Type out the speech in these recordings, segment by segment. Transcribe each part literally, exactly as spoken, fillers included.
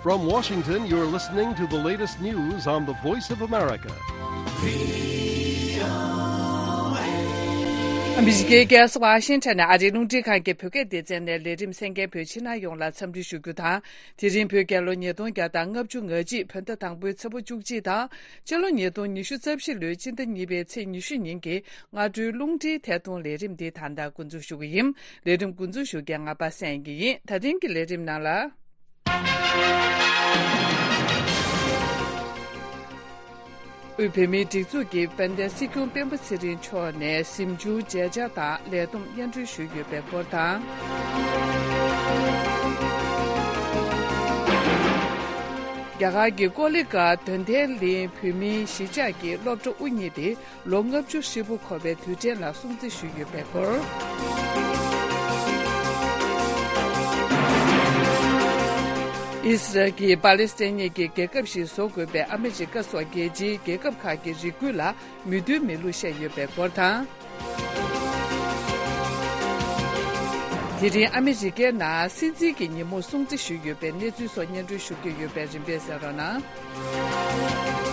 From Washington, you're listening to the latest news on the Voice of America. ཨ་མི་རི་ཀའི་རྒྱལ་ས་ཝ་ཤིང་ཊོན་ནས་ཨ་རིའི་རླུང་འཕྲིན་ཁང་གི་བོད་སྐད་སྡེ་ཚན་ནས་ལས་རིམ་གསན་མཁན་བོད་ཕྱི་ནང་ཡོངས་ལ་འཚམས་འདྲི་ཞུ་རྒྱུ་དང་། དེ་རིང་བོད་རྒྱལ་ལོ་ཉིས་སྟོང་བརྒྱ་དང་ལྔ་བཅུ་ང་གཅིག་བོད་ཟླ་དང་པོའི་ཚེས་པ་བཅུ་གཅིག་དང་། སྤྱི་ལོ་ཉིས་སྟོང་ཉི་ཤུ་རྩ་བཞི་ལོའི་སྤྱི་ཟླ་གཉིས་པའི་ཚེས་ཉི་ཤུ་ཉིན་གྱི་སྔ་དྲོའི་རླུང་འཕྲིན་ཐད་གཏོང་ལས་རིམ་འདི་ད་ལྟ་འགོ་འཛུགས་ཞུ་གི་ཡིན། ལས་རིམ་འགོ་འཛུགས་ཞུ་མཁན་ང་པ་སངས་སྐྱིད་ཡིན། ད་ཐེངས་ཀྱི་ལས་རིམ་ནང་ལ། དབུས་བོད་མིའི་སྒྲིག་འཛུགས་ཀྱི་དཔལ་ལྡན་སྲིད་སྐྱོང་སྤེན་པ་ཚེ་རིང་མཆོག་ནས་གཟིམ་ཆུང་མཇལ་བཅར་དང་ལས་བསྡོམས་སྙན་སྒྲོན་ཞུས་ཡོད་པའི་སྐོར་དང་། རྒྱ་གར་གྱི་ཀོ་ལི་གྷལ་དོན་ལྡན་གླིང་བོད་མིའི་གཞིས་ཆགས་ཀྱི་སློབ་གྲྭ་དབུ་བརྙེས་ཏེ། ལོ་ལྔ་བཅུ་ཧྲིལ་པོ་འཁོར་བའི་དུས་དྲན་ལ་སྲུང་བརྩི་ཞུས་ཡོད་པའི་སྐོར། ཨི་སི་རལ་གྱིས་པ་ལེ་སི་ཐན་གྱི་རྒྱལ་ཁབ་ཞིག་བཟོ་དགོས་པའི་ཨ་མི་རི་ཀ་སོགས་རྒྱལ་སྤྱིའི་རྒྱལ་ཁབ་ཁག་གི་རེ་སྐུལ་ལ་མོས་མཐུན་མེད་ལུགས་བཤད་ཡོད་པའི་སྐོར་དང་། དེ་རིང་ཨ་མི་རི་ཀའི་ནང་སྲིད་འཛིན་གྱི་ཉིན་མོ་སྲུང་བརྩི་ཞུས་ཡོད་པའི་གནས་ཚུལ་སོགས་སྙན་སྒྲོན་ཞུ་རྒྱུ་ཡོད་པས་རིམ་པས་གསན་རོགས་གནང་།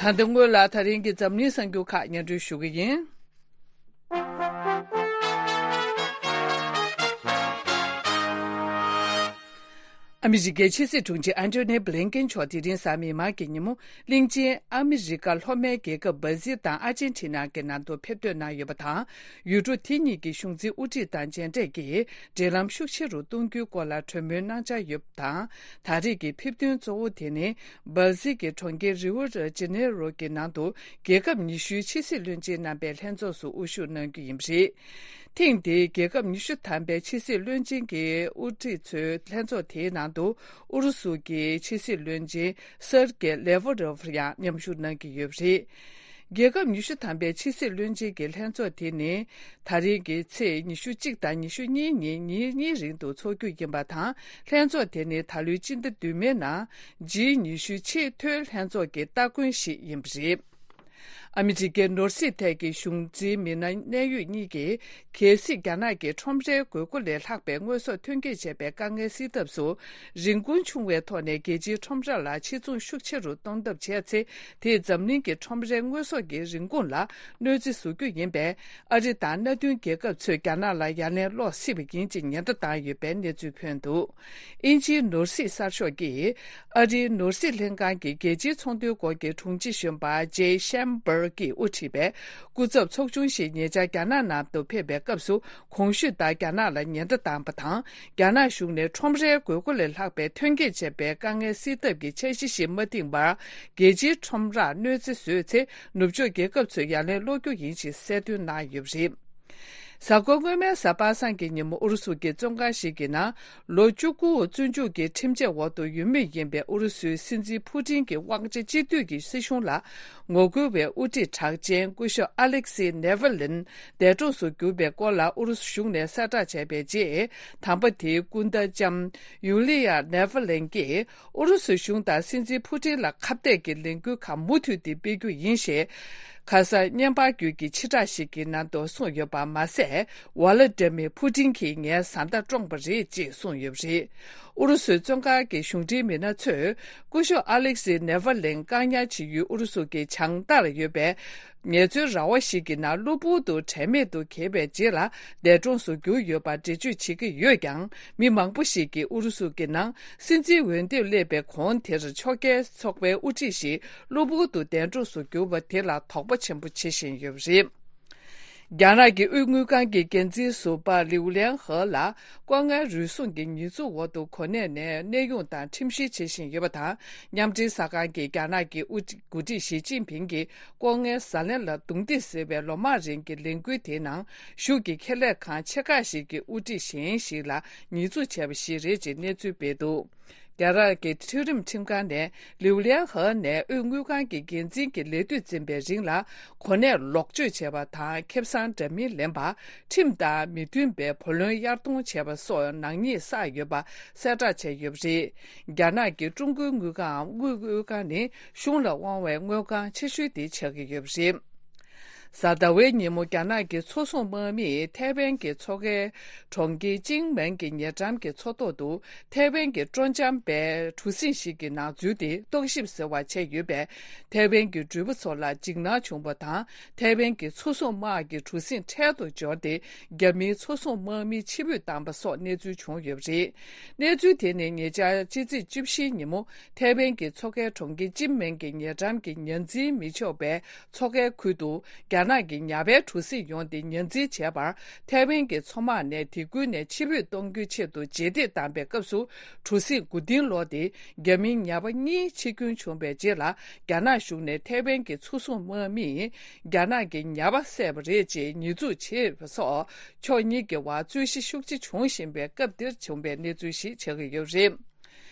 ད་ལྟ་སྔོན་ལ་ད་རིང་གི་འཛམ་གླིང་གསར་འགྱུར་ཁག་སྙན་སྒྲོན་ཞུ་གི་ཡིན། ཨ་མི་རི་ཀའི་ཕྱི་སྲིད་དྲུང་ཆེ་ཨན་ཐོ་ནི་བྷི་ལིན་ཀེན་མཆོག་དེ་རིང་གཟའ་མིག་དམར་གྱི་ཉིན་མོ་གླིང་ཆེན་ཨ་མི་རི་ཀ་ལྷོ་མའི་རྒྱལ་ཁབ་སྦ་ཟིལ་དང་ཨར་ཇེན་ཊི་ན་གི་ནང་དུ་ཕེབས་ཐོན་གནང་ཡོད་པ་དང་། ཡུལ་གྲུ་དེ་གཉིས་ཀྱི་གཞུང་འཛིན་དབུ་ཁྲིད་དང་མཇལ་འཕྲད་ཀྱིས་འབྲེལ་ལམ་ཤུགས་ཆེ་རུ་གཏོང་རྒྱུའི་སྐོར་ལ་གྲོས་མོལ་གནང་འཆར་ཡོད་པ་དང་། ད་རེས་ཀྱི་ཕེབས་ཐོན་གཙོ་བོ་དེ་ནི་སྦ་ཟིལ་གྱི་གྲོང་ཁྱེར་རིའུ་ཌི་ཇེ་ནེ་རོ་གྱི་ནང་དུ་རྒྱལ་ཁབ་ཉི་ཤུའི་ཕྱི་སྲིད་བློན་ཆེན་རྣམ་པའི་ལྷན་ཚོགས་སུ་དབུ་བཞུགས་གནང་རྒྱུ་ཡིན་པ་རེད། ཐེངས་འདིའི་རྒྱལ་ཁབ་ཉི་ཤུ་ཐམ་པའི་ཕྱི་སྲིད་བློན་ཆེན་གྱི་དབུ་ཁྲིད་ཚོའི་ལྷན་ཚོགས་དེའི་ནང་དུ་ཨུ་རུ་སུ་གྱི་ཕྱི་སྲིད་བློན་ཆེན་སེར་གེ་ལེ་ཝ་རོབ་ཡང་མཉམ་ཞུགས་གནང་གི་ཡོད་པ་རེད། རྒྱལ་ཁབ་ཉི་ཤུ་ཐམ་པའི་ཕྱི་སྲིད་བློན་ཆེན་གྱི་ལྷན་ཚོགས་དེ་ནི་ད་རེས་ཀྱི་ཚེས་ཉི་ཤུ་གཅིག་དང་ཉི་ཤུ་གཉིས་ཉིན་ཉིན་གཉིས་རིང་དུ་འཚོགས་རྒྱུ་ཡིན་པ་དང་། ལྷན་ཚོགས་དེ་ནི་ད་ལོའི་སྤྱི་ཟླ་བདུན་པའི་ནང་ཇི་ཉི་ཤུ་ཆེས་མཐོའི་ལྷན་ཚོགས་ཀྱི་སྟ་གོན་ཞིག་ཡིན་པ་རེད། ཨ་མི་རི་ཀའི་ནོར་སྲིད་ཐད་ཀྱི་གཞུང་འཛིན་མི་སྣ་གནད་ཡོད་གཉིས་ཀྱིས། གལ་སྲིད་རྒྱ་ནག་གིས་ཁྲོམ་རའི་དགོས་མཁོ་ལས་ལྷག་པའི་དངོས་ཟོག་ཐོན་སྐྱེད་བྱས་པའི་དཀའ་ངལ་སེལ་ཐབས་སུ། རིན་གོང་ཆུང་བའི་ཐོག་ནས་རྒྱལ་སྤྱིའི་ཁྲོམ་ར་ལ་ཕྱིར་ཚོང་ཤུགས་ཆེ་རུ་གཏོང་ཐབས་བྱས་ཚེ། དེས་འཛམ་གླིང་གི་ཁྲོམ་རའི་དངོས་ཟོག་གི་རིན་གོང་ལ་གནོད་འཚེ་བཟོ་རྒྱུ་ཡིན་པས། ཨ་རི་དང་མནའ་མཐུན་རྒྱལ་ཁབ་ཚོས་རྒྱ་ནག་ལ་ཡ་ལན་སློག་སྲིད་པ་ཡིན་ཅེས་ཉེན་བརྡ་བཏང་ཡོད་པའི་གནས་ཚུལ་ཐོན་འདུག་ཨིན་ཇིའི་ནོར་སྲིད་གསར་ཤོག་གིས། ཨ་རིའི་ནོར་སྲིད་ལྷན་ཁང་གི་རྒྱལ་སྤྱིའི་ཚོང་དོན་སྐོར་གྱི་དྲུང་ཆེ་གཞོན་པ་ཇེ་ཤན་བྷར་གྱིས་དབུ་ཁྲིད་པའི་སྐུ་ཚབ་ཚོགས་ཆུང་ཞིག་ཉེ་ཆར་རྒྱ་ནག་ནང་དུ་ཕེབས་པའི་སྐབས་སུ། གོང་ཞུས་ལྟར་རྒྱ་ནག་ལ་ཉེན་བརྡ་བཏང་བ་དང་། རྒྱ་ནག་གཞུང་ནས་ཁྲོམ་རའི་དགོས་མཁོ་ལས་ལྷག་པའི་ཐོན་སྐྱེད་བྱས་པའི་དཀའ་ངལ་སེལ་ཐབས་ཀྱི་འཆར་གཞི་ཞིག་མ་བཏིང་བར། རྒྱལ་སྤྱིའི་ཁྲོམ་རར་གནོད་འཚེ་བཟོས་ཚེ། ནུབ་ཕྱོགས་རྒྱལ་ཁབ་ཚོས་ཡ་ལན་སློག་རྒྱུ་ཡིན་ཞེས་གསལ་སྟོན་གནང་ཡོད་པ་རེད། གཟའ་འཁོར་སྔོན་མའི་གཟའ་པ་སངས་ཀྱི་ཉིན་མོ་ཨུ་རུ་སུ་གྱི་བཙོན་ཁང་ཞིག་གི་ནང་ལོ་བཅུ་དགུ་བཙོན་འཇུག་གི་ཁྲིམས་ཆད་འོག་ཏུ་ཡོད་མུས་ཡིན་པའི་ཨུ་རུ་སུའི་སྲིད་འཛིན་ཕུ་ཏིན་གྱི་དབང་ཆ་གཅིག་སྡུད་ཀྱི་སྲིད་གཞུང་ལ་ངོ་རྒོལ་བའི་དབུ་ཁྲིད་གྲགས་ཅན་སྐུ་ཞབས་ཨ་ལེག་སི་ནེ་ཝ་ལིན་འདས་གྲོངས་སུ་གྱུར་པའི་སྐོར་ལ་ཨུ་རུ་སུ་གཞུང་ནས་གསལ་བསྒྲགས་བྱས་པའི་རྗེས། དམ་པ་དེའི་སྐུ་ཟླ་ལྕམ་ཡུ་ལི་ཡ་ནེ་ཝ་ལིན་གྱིས། ཨུ་རུ་སུ་གཞུང་དང་སྲིད་འཛིན་ཕུ་ཏིན་ལ་ཁ་གཏད་ཀྱི་ལས་འགུལ་ཁག་མུ་མཐུད་དེ་སྤེལ་རྒྱུ་ཡིན་ཞེས། ཁ་སང་བརྙན་པར་བརྒྱུད་ཀྱི་ཕྱིར་བསྒྲགས་ཤིག་གི་ནང་དུ་གསུངས་ཡོད་པ་མ་ཟད། ཝ་ལ་ཏི་མིར་ཕུ་ཏིན་གྱིས་ངའི་བཟའ་ཟླ་བཀྲོངས་པ་རེད་ཅེས་གསུངས་ཡོད་པ་རེད། ཨུ་རུ་སུའི་བཙོན་ཁང་གི་གཞུང་འབྲེལ་མི་སྣ་ཚོས། སྐུ་ཞབས་ཨ་ལེག་སི་ནེ་ཝ་ལིན་བཀག་ཉར་བྱེད་ཡུལ་ཨུ་རུ་སུ་གྱི་བྱང་མཐར་ཡོད་པའི། ངལ་རྩོལ་ར་བ་ཞིག་གི་ནང་གློ་བུར་དུ་དྲན་མེད་དུ་གྱེས་པའི་རྗེས་ལ་འདས་གྲོངས་སུ་གྱུར་ཡོད་པར་འགྲེལ་བརྗོད་བྱེད་ཀྱི་ཡོད་ཀྱང་། མི་མང་པོ་ཞིག་གིས་ཨུ་རུ་སུ་གྱི་ནང་སྲིད་འཛིན་འོས་འདེམས་སླེབས་པའི་གོང་དེར་ཕྱོགས་འགལ་ཚོགས་པའི་དབུ་ཁྲིད་ཞིག་གློ་བུར་དུ་འདས་གྲོངས་སུ་གྱུར་བ་དེ་ལ་དོགས་པ་ཆེན་པོ་བྱེད་བཞིན་ཡོད་པ་རེད། རྒྱ་ནག་གི་དབུས་དངུལ་ཁང་གི་འགན་འཛིན་ཟུར་པ་ལིའུ་ལན་ཧེ་ལ་ལྐོག་རྔན་རུལ་སུངས་ཀྱི་ཉེས་འཛུགས་འོག་ཏུ་གོ་གནས་ནས་གནས་དབྱུང་དང་ཁྲིམས་བཤེར་བྱེད་བཞིན་ཡོད་པ་དང་། མཉམ་འབྲེལ་གསར་ཁང་གིས་རྒྱ་ནག་གི་དབུ་འགོ་ཁྲིད་ཞི་ཅིན་ཕིང་གིས། ལྐོག་རྔན་ཟ་ལེན་ལ་རྡུང་རྡེག་ཟེར་བའི་ལོ་མང་རིང་གི་ལས་འགུལ་དེའི་ནང་གཞུང་གི་ཁེ་ལས་ཁང་ཆེ་ཁག་ཞིག་གི་དབུ་ཁྲིད་གཞན་ཞིག་ལ་ཉེས་འཛུགས་བྱས་པ་ཞིག་རེད་ཅེས་གནས་ཚུལ་སྤེལ་འདུག་རྒྱ་གར་གྱི་འཕྲུལ་རིམ་ཁྲིམས་ཁང་ནས་ལིའུ་ལན་ཧེ་ནས་དབུས་དངུལ་ཁང་གི་འགན་འཛིན་གྱི་ལས་དུས་འཛིན་པའི་རིང་ལ་གོ་གནས་ལོག་སྤྱོད་བྱས་པ་དང་། ཁེ་བཟང་འདྲ་མིན་ལེན་པ། ཁྲིམས་དང་མི་མཐུན་པའི་བུ་ལོན་གཡར་གཏོང་བྱས་པ་སོགས་ནག་ཉེས་བསགས་ཡོད་པ་གསལ་བསྒྲགས་བྱས་ཡོད་པ་རེད། རྒྱ་ནག་གི་ཀྲུང་གོའི་དངུལ་ཁང་དབུས་དངུལ་ཁང་ནི། གཞུང་ལ་དབང་བའི་དངུལ་ཁང་ཆེ་ཤོས་དེ་ཆགས་ཀྱི་ཡོད་པ་རེད། གཟའ་ཟླ་བའི་ཉིན་མོ། རྒྱ་ནག་གི་མཚོ་སྲུང་དམག་མིས་ཐའེ་ཝན་གྱི་མཚོ་ཁའི་གྲོང་ཁྱེར་ཅིང་མེན་གྱི་ཉེ་འགྲམ་གྱི་མཚོ་ཐོག་ཏུ་ཐའེ་ཝན་གྱི་སྤྲོ་འཆམ་པའི་གྲུ་གཟིངས་ཤིག་གི་ནང་འཛུལ་ཏེ་རྟོག་ཞིབ་ཟེར་བ་བྱས་ཡོད་པས། ཐའེ་ཝན་གྱི་འགྲུལ་པ་ཚོ་ལ་འཇིགས་སྣང་བྱུང་བ་དང་། ཐའེ་ཝན་གྱི་མཚོ་སྲུང་དམག་གིས་གྲུ་གཟིངས་འཕྲལ་དུ་འབྱོར་ཏེ། རྒྱ་མིའི་མཚོ་སྲུང་དམག་མི་ཕྱིར་འབུད་བཏང་པ་སོགས་གནས་ཚུལ་བྱུང་ཡོད་པ་རེད། གནས་ཚུལ་དེ་ནི་ཉེ་ཆར་ཕྱི་ཚེས་བཅུ་བཞིའི་ཉིན་མོ། ཐའེ་ཝན་གྱི་མཚོ་ཁའི་གྲོང་ཁྱེར་ཅིན་མེན་གྱི་ཉེ་འགྲམ་གྱི་ཉ་འཛིན་མི་ཆོག་པའི་མཚོ་ཁའི་ཁུལ་དུ་རྒྱ་ནག་གི་ཉ་པའི་གྲུ་གཟིངས་ཡོང་སྟེ་ཉ་འཛིན་བྱས་པར། ཐའེ་ཝན་གྱི་མཚོ་དམག་ནས་དེ་ཁུལ་ནས་ཕྱིར་འབུད་གཏོང་རྒྱུའི་ཆེད་དུ་རྗེས་འདེད་བཏང་པའི་སྐབས་སུ། གྲུ་གཟིངས་མགོ་རྟིང་སློག་སྟེ། རྒྱ་མིའི་ཉ་པ་གཉིས་འཆི་སྐྱོན་བྱུང་བའི་རྗེས་ལ། རྒྱ་ནག་གཞུང་ནས་ཐའེ་ཝན་གྱི་མཚོ་སྲུང་དམག་མིས་རྒྱ་ནག་གི་ཉ་པ་བསད་པ་རེད་ཅེས་ཉེས་འཛུགས་བྱས་པ་སོགས། ཕྱོགས་གཉིས་ཀྱི་བར་རྩོད་གཞི་ཤུགས་ཆེ་འབྱུང་བཞིན་པའི་སྐབས་འདིར་བྱུང་བའི་གནས་ཚུལ་ཞིག་ཆགས་ཀྱི་ཡོད་པ་རེད།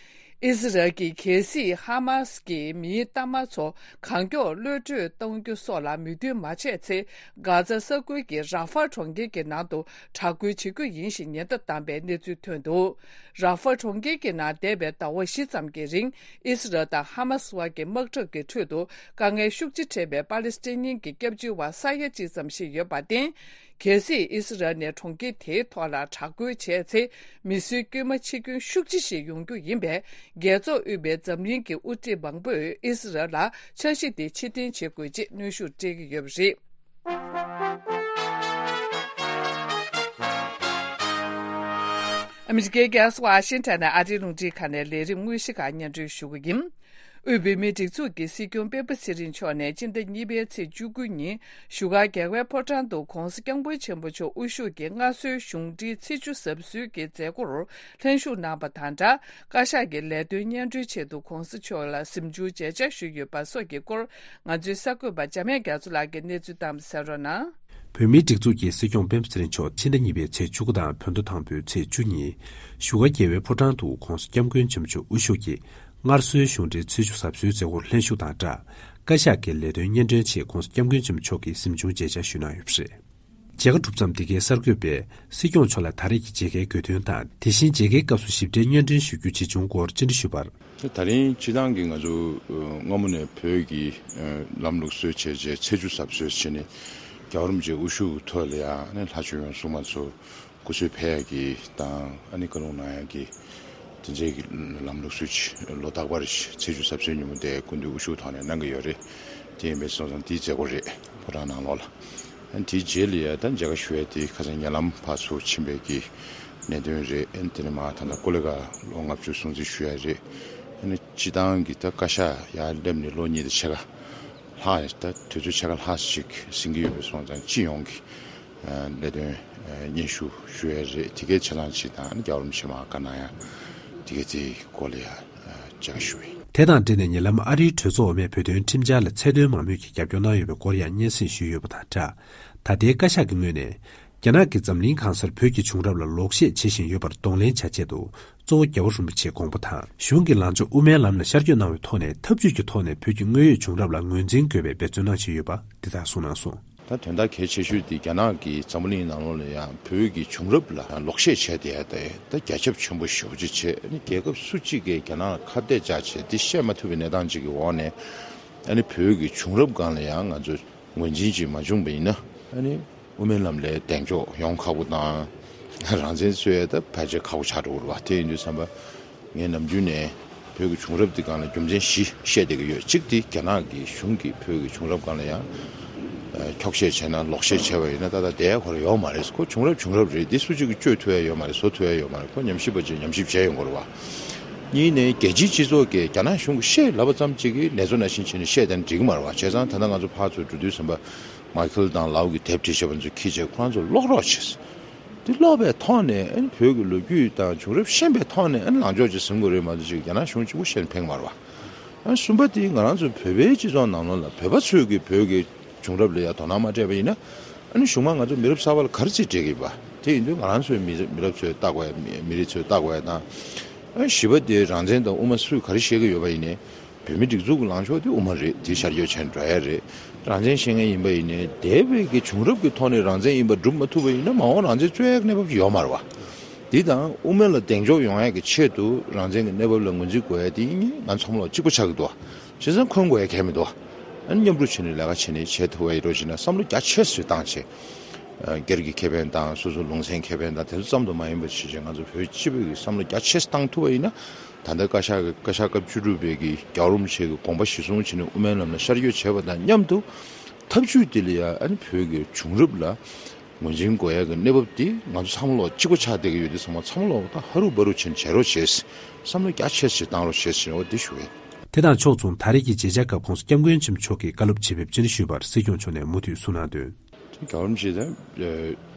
ཨི་སི་རལ་གྱིས་གལ་སྲིད་ཧ་མ་སི་ཀྱི་མིའི་གཏའ་མ་ཚོ་གང་མགྱོགས་གློད་གྲོལ་གཏོང་རྒྱུ་སོགས་ལ་མོས་མཐུན་མ་བྱས་ཚེ། གྷ་ཛ་ས་ཁུལ་གྱི་ར་ཧྥ་གྲོང་ཁྱེར་གྱི་ནང་དུ་དྲག་རྒོལ་བྱེད་རྒྱུ་ཡིན་ཞེས་ཉེན་བརྡ་བཏང་པའི་གནས་ཚུལ་ཐོན་འདུག་ར་ཧྥ་གྲོང་ཁྱེར་གྱི་ནང་འདས་པའི་ཟླ་བ་བཞི་ཙམ་གྱི་རིང་ཨི་སི་རལ་དང་ཧ་མ་སི་བར་གྱི་དམག་འཁྲུག་གི་ཁྲོད་དུ་དཀའ་ངལ་ཤུགས་ཆེ་འཕྲད་པའི་པ་ལི་སི་ཐན་གྱི་སྐྱབས་བཅོལ་བ་ས་ཡ་གཅིག་ཙམ་ཞིག་ཡོད་པར་བརྟེན། གལ་སྲིད་ཨི་སི་རལ་ནས་གྲོང་ཁྱེར་དེའི་ཐོག་ལ་དྲག་རྒོལ་བྱས་ཚེ། མི་གསོད་དཀྱུས་མ་འཆི་སྐྱོན་ཤུགས་ཆེ་ཞིག་ཡོང་རྒྱུ་ཡིན་པས། རྒྱལ་ཚོགས་དབུས་པའི་འཛམ་གླིང་གི་དབུ་ཁྲིད་མང་པོས་ཨི་སི་རལ་ལ་འཆར་གཞི་དེ་ཕྱིར་འཐེན་བྱེད་དགོས་ཅེས་གནོན་ཤུགས་སྤྲད་ཀྱི་ཡོད་པ་རེད། ཨ་མི་རི་ཀའི་རྒྱལ་ས་ཝ་ཤིང་ཊོན་ནས་ཨ་རིའི་རླུང་འཕྲིན་ཁང་ནས་ལས་རིམ་དངོས་གཞི་ཁག་སྙན་སྒྲོན་ཞུ་གི་ཡིན། དབུས་བོད་མིའི་སྒྲིག་འཛུགས་ཀྱི་སྲིད་སྐྱོང་སྤེན་པ་ཚེ་རིང་མཆོག་ནས་སྤྱི་ཟླ་གཉིས་པའི་ཚེས་བཅུ་དགུ་ཉིན་བཞུགས་སྒར་རྒྱལ་བའི་ཕོ་བྲང་དུ་༧གོང་ས་༧སྐྱབས་མགོན་ཆེན་པོ་མཆོག་དབུ་བཞུགས་ཀྱི་སྔར་སྲོལ་གཞུང་འབྲེལ་ཚེས་བཅུ་གཟབ་གསོལ་གྱི་མཛད་སྒོར་ལྷན་ཞུགས་གནང་བ་དང་སྦྲགས། བཀའ་ཤག་གི་ལས་དོན་སྙན་སྒྲོན་ཆེད་དུ་༧གོང་ས་མཆོག་ལ་གཟིམ་ཆུང་མཇལ་བཅར་ཞུས་ཡོད་པ་སོགས་ཀྱི་སྐོར། ང་ཚོའི་གསར་འགོད་པ་འཇམ་དབྱངས་རྒྱ་མཚོ་ལགས་ཀྱིས་གནས་ཚུལ་བཏང་བ་གསན་རོགས་གནང་། བོད་མིའི་སྒྲིག་འཛུགས་ཀྱི་སྲིད་སྐྱོང་སྤེན་པ་ཚེ་རིང་མཆོག་ཕྱི་ཟླ་གཉིས་པའི་ཚེས་བཅུ་དགུ་དང་བོད་ཟླ་དང་པོའི་ཚེས་བཅུ་ཉིན་བཞུགས་སྒར་རྒྱལ་བའི་ཕོ་བྲང་དུ་༧གོང་ས་༧སྐྱབས་མགོན་ཆེན་པོ་མཆོག་དབུ་བཞུགས་ཀྱི་སྔར་སྲོལ་གཞུང་འབྲེལ་ཚེས་བཅུ་གཟབ་གསོལ་མཛད་སྒོར་ལྷན་ཞུགས་དང་སྦྲགས། བཀའ་ཤག་གི་ལས་དོན་སྙན་སྒྲོན་ཆེད་༧གོང་ས་༧སྐྱབས་མགོན་ཆེན་པོ་མཆོག་གིས་གཟིམ་ཆུང་མཇལ་བཅར་ཞུས་གནང་ཡོད་པ་རེད། མཇལ་ཁ་གྲུབ་མཚམས་འདི་གའི་གསར་འགོད་པས་སྲིད་སྐྱོང་མཆོག་ལ་ད་རེས་ཀྱི་མཇལ་ཁའི་དགོས་དོན་དང་། དེ་བཞིན་མཇལ་ཁའི་སྐབས་སུ་ཞིབ་ཕྲའི་སྙན་སྒྲོན་ཞུ་རྒྱུ་ཇི་བྱུང་སྐོར་སྤྱན་འདྲི་ཞུས་པར། ད་རིང་སྤྱི་བཏང་གི་ང་ཚོ་སྔ་མོ་ནས་བོད་ཀྱི་ལམ་ལུགས་སྲོལ་བྱས་རྗེས་ཚེས་བཅུ་གཟབ་གསོལ་བྱས་ནས་རྒྱལ་བ་རིན་པོ་ཆེ་དབུ་བཞུགས་ཐོག་ལ་ཡང་ནས་ལྷ་ཆོས་ཡང་སྲུང་མ་ཚོ་སྐུ་གསོལ་ཕེབས་ཡ་གི་དང་ཨ་ནི་བཀའ་ལུང་གནང་ཡ་གི་དེ་འདྲའི་གི་ལམ་ལུགས་སྲོལ་ལོ་རྟག་པར་ཚེས་བཅུ་གཟབ་གསོལ་ཉིན་མོ་དེ་སྐུ་མདུན་དབུ་བཞུགས་ཐོག་ནས་གནང་གི་ཡོད་རེད། དེ་ཡིན་པའི་སོང་ཙང་དེའི་མཛད་སྒོ་རེད། ཕོ་བྲང་ནང་ལོགས་ལ། ཨ་ནི་དེའི་རྗེས་ལ་ཡ་ད་མཇལ་ཁ་ཞུ་ཡ་དེ་ཁ་སང་ཉེ་ལམ་ཕར་ཚུར་ཕྱིན་པའི་གི་གནད་དོན་རེད། ཨ་ནི་དེ་ནས་མ་ད་ལྟ་ཀོ་ལི་གྷལ་ལོ་ལྔ་བཅུ་སྲུང་བརྩི་ཞུ་ཡ་རེད། ཨ་ནི་སྤྱི་བཏང་གི་ད་བཀའ་ཤག་ཡར་སླེབས་ནས་ལོ་གཉིས་དང་ཕྱེད་ཀ་ལྷག་ད་དུས་ཚོད་ཕྱེད་ཀ་ལྷག་ཞིག་ཟིན་གྱི་ཡོད་པའི་སོང་ཙང་སྤྱི་ཡོངས་ཀྱི་ལས་དོན་སྙན་ཞུ་ཞུ་ཡ་རེད། དེ་གའི་ཆ་ཚང་ཅིག་དང་རྒྱལ་བ་རིན་པོ་ཆེ་མར་བཀའ་གནང་ཡ་དེ་གའི་དེའི་སྐོར་ལ་ཡ་མཇལ་ཁ་ཞུ་བ་ཡིན། དེ་དང་འབྲེལ་ནས་ཉེ་ལམ་ཨ་རིའི་གྲོས་ཚོགས་འོག་མས་བོད་དོན་ཁྲིམས་འཆར་ལ་ཚད་མཐོའི་མང་མོས་ཀྱིས་རྒྱབ་སྐྱོར་གནང་ཡོད་པའི་སྐོར་ཡང་སྙན་སེང་ཞུས་ཡོད་པ་དང་སྦྲགས། ད་ལྟའི་བཀའ་ཤག་གི་ངོས་ནས་རྒྱ་ནག་གིས་འཛམ་གླིང་གང་སར་བོད་ཀྱི་བྱུང་རབས་ལ་ལོག་བཤད་བྱེད་བཞིན་ཡོད་པར་གདོང་ལེན་བྱ་ཆེད་དུ། གཙོ་བོ་རྒྱལ་བ་རིན་པོ་ཆེའི་དགོངས་པ་དང་། གཞུང་གི་ལངས་ཕྱོགས་དབུ་མའི་ལམ་ལ་ཤར་བསྐྱོད་གནང་བའི་ཐོག་ནས་འཐབ་ཇུས་ཀྱི་ཐོག་ནས་བོད་ཀྱི་དངོས་ཡོད་བྱུང་རབས་ལ་ངོས་འཛིན་དགོས་པའི་འབད་བརྩོན་གནང་བཞིན་ཡོད་པ་འདི་དག་གསུངས་གནང་སོང་། ད་དོན་དག་གལ་ཆེ་ཤོས་དེ་རྒྱ་ནག་གིས་འཛམ་བུ་གླིང་ནང་ལོགས་ལ་ཡང་བོད་ཀྱི་བྱུང་རབས་ལ་ལོག་བཤད་བྱས་བསྡད་ཡ་དེ་ད་རྒྱ་ཁྱབ་ཆེན་པོ་ཞེ་པོ་ཅིག་བྱས། ཨ་ནི་རྒྱལ་ཁབ་སུ་གཅིག་གིས་རྒྱ་ནག་ལ་ཁ་གཏད་བཅག་བྱས་དེ་བཤད་མ་ཐུབ་པའི་གནས་སྟངས་ཅིག་གི་འོག་ནས། ཨ་ནི་བོད་ཀྱི་བྱུང་རབས་སྒང་ལ་ཡང་ང་ཚོས་ངོས་འཛིན་ཅིག་མ་བྱུང་བ་ཡིན་ན། ཨ་ནི་དབུ་མའི་ལམ་ལ་གདེང་འཇོག་ཡོང་ཁག་པོ་དང་། རང་བཙན་རྩོད་ཡ་ད་ཕལ་ཆེར་ཁག་པོ་ཆགས་འགྲོ་གི་རེད་བ། དེ་ཡིན་དུས་ཙམ་པ་ངས་ནམ་རྒྱུན་ནས་བོད་ཀྱི་བྱུང་རབས་འདི་སྒང་ལ་རྒྱུ་མཚན་བཞི་བཤད་བསྡད་ཀྱི་ཡོད། གཅིག་དེ་རྒྱ་ནག་གི་གཞུང་གིས་བོད་ཀྱི་བྱུང་རབས་སྒང་ལ་ཡང་འཁྱོག་བཤད་བྱས་ན་ལོག་བཤད་བྱས་པ་ཡིན་ན་ད་ལྟ་བསྡད་ཡ་ཁོ་རང་ཡོད་མ་རེད། ཁོ་བྱུང་རབས་བྱུང་རབས་རེད། འདི་སུ་གཅིག་གིས་གཅོད་ཐུབ་ཡ་ཡོད་མ་རེད། བཟོ་ཐུབ་ཡ་ཡོད་མ་རེད། ཁོ་ཉམས་ཞིབ་པ་ཅིག་ཉམས་ཞིབ་བྱས་ཡོང་དགོས་རེད་བ། གཉིས་ནས་རྒྱལ་སྤྱིའི་སྤྱི་ཚོགས་ཀྱིས་རྒྱ་ནག་གཞུང་གིས་བཤད་ལབ་པ་ཙམ་གཅིག་གིས་ལས་བཟོ་ནང་བཞིན་བྱས་ནས་བཤད་བསྡད་ན་འགྲིག་གི་མ་རེད་བ། བྱས་ཙང་ད་ལྟ་ང་ཚོ་ཕར་ཚུར་འགྲོ་དུས་ཙམ་པ་མའི་ཁེལ་དང་ལའོ་གི་དེབ་བྲིས་བྱས་པ་ཚོ་ཁྱེར་བྱས་ཁོ་རང་ཚོ་ཀློག་རོགས་བྱས། འདི་ཀློག་པའི་ཐོག་ནས་ཨ་ནི་བོད་ཀྱི་ལོ་རྒྱུས་དང་བྱུང་རབས་ཤེས་པའི་ཐོག་ནས་ཨ་ནི་ལངས་ཕྱོགས་ཅིག་ཟིན་དགོས་རེད་མ་གཏོགས་ཅིག་རྒྱ་ནག་གཞུང་གཅིག་པུ་བཤད་ནས་ཕན་གི་མ་རེད་བ། ཨ་ནི་གསུམ་པ་དེ་ང་རང་ཚོ་བོད་པའི་སྤྱི་ཚོགས་ནང་ལོགས་ལ་བོད་པ་ཚོས་ཀྱི་བོད་ཀྱི་བྱུང་རབས་ལ་ཡ་དོ་སྣང་མ་སྤྲད་པ་ཡིན་ན། ཨ་ནི་གཞུག་མ་ང་ཚོ་མི་རབས་གསར་པ་ལ་ག་རེ་བྱེད་བྱེད་ཀྱི་ཡིན་པ། དེ་ཡིན་དུས་ང་རང་ཚོའི་མི་མི་རབས་ཚོས་བལྟ་དགོས་ཡ། མི་མི་རིགས་ཚོས་བལྟ་དགོས་ཡ་དང་། ཨ་ནི་བཞི་པ་དེ་རང་བཙན་དང་དབུ་མ་སུས་ག་རེ་བཤད་ཀྱི་ཡོད་པ་ཡིན་ནའི། བོད་མི་སྒྲིག་འཛུགས་ཀྱི་ལངས་ཕྱོགས་དེ་དབུ་མ་རེད། དེ་ཤར་བསྐྱོད་བྱས་འགྲོ་ཡ་རེད། རང་བཙན་བཤད་མཁན་ཡིན་པ་ཡིན་ནའི་འདས་པའི་གི་བྱུང་རབས་ཀྱི་ཐོག་ནས་རང་བཙན་ཡིན་པ་སྒྲུབ་མ་ཐུབ་པ་ཡིན་ན་མ་འོངས་རང་བཙན་རྩོད་ཡ་གི་གནས་བབ་ཅིག་ཡོད་མ་རེད་བ། དེ་དང་དབུ་མ་ལ་གདེང་འཇོག་ཡོང་ཡ་གི་ཆེད་དུ་རང་བཙན་གྱི་གནས་བབ་ལ་ངོས་འཛིན་དགོས་ཡ་དེ་ཡིན་ནའི་ང་ཚང་མ་ལ་གཅིག་པ་ཆགས་ཀྱི་འདུག་བ། བྱས་ཙང་འཁོན་དགོས་ཡ་གལ་མི་འདུག་ ཨ་ནི་མཉམ་རུབ་བྱས་ནས་ལས་ཀ་བྱས་ནས་བྱེད་ཐུབ་པ་ཡིན་རོགས་བྱས་ན་བསམ་བློ་རྒྱ་ཆེ་ཞིག་བཏང་བྱས། ཨ་སྒེར་གྱི་ཁེ་ཕན་དང་སོ་སོ་ལུང་ཚན་ཁེ་ཕན་དང་དེ་ཚོ་ཙམ་དུ་མ་ཡིན་པ་བྱས་བྱས་ང་ཚོ་བོད་སྤྱི་པའི་གི་བསམ་བློ་རྒྱ་ཆེ་ཞིག་བཏང་ཐུབ་པ་ཡིན་ན། ད་ལྟ་བཀའ་ཤག་གི་བཀའ་ཤག་སྐབས་བཅུ་དྲུག་པའི་གི་རྒྱལ་བ་རིན་པོ་ཆེ་གི་དགོངས་པ་གཞིར་བཟུང་བྱས་ནས་དབུ་མའི་ལམ་ལ་ཤར་བསྐྱོད་བྱས་པ་དང་མཉམ་དུ། ཐབས་ཇུས་དེ་ལ་ཡང་ཨ་ནི་བོད་ཀྱི་བྱུང་རབས་ལ་ངོས་འཛིན་དགོས་ཡ་གི་གནས་བབ་དེ་ང་ཚོ་ཚང་མ་ལོག་གཅིག་པ་ཆགས་བསྡད་ཀྱི་ཡོད་དུས་ཚང་མ་ཚང་མ་ལོག་ད་ཧ་རུ་བ་རུ་བྱས་ནས་བྱེད་རོགས་བྱེད། བསམ་བློ་རྒྱ་ཆེ་ཞིག་བཏང་རོགས་བྱེད་ཟེར་འོ་དེ་ཞུ་ཡ། དེ་དང་ཕྱོགས་མཚུངས་ད་རེས་ཀྱི་མཇལ་བཅར་སྐབས་༸གོང་ས་༸སྐྱབས་མགོན་ཆེན་པོ་མཆོག་གིས་བཀའ་སློབ་ཇི་ཕེབས་ཅི་འདྲ་ཞུས་པར་སྲིད་སྐྱོང་མཆོག་ནས་མུ་མཐུད་གསུང་གནང་དོན། རྒྱལ་བ་རིན་པོ་ཆེ་དང་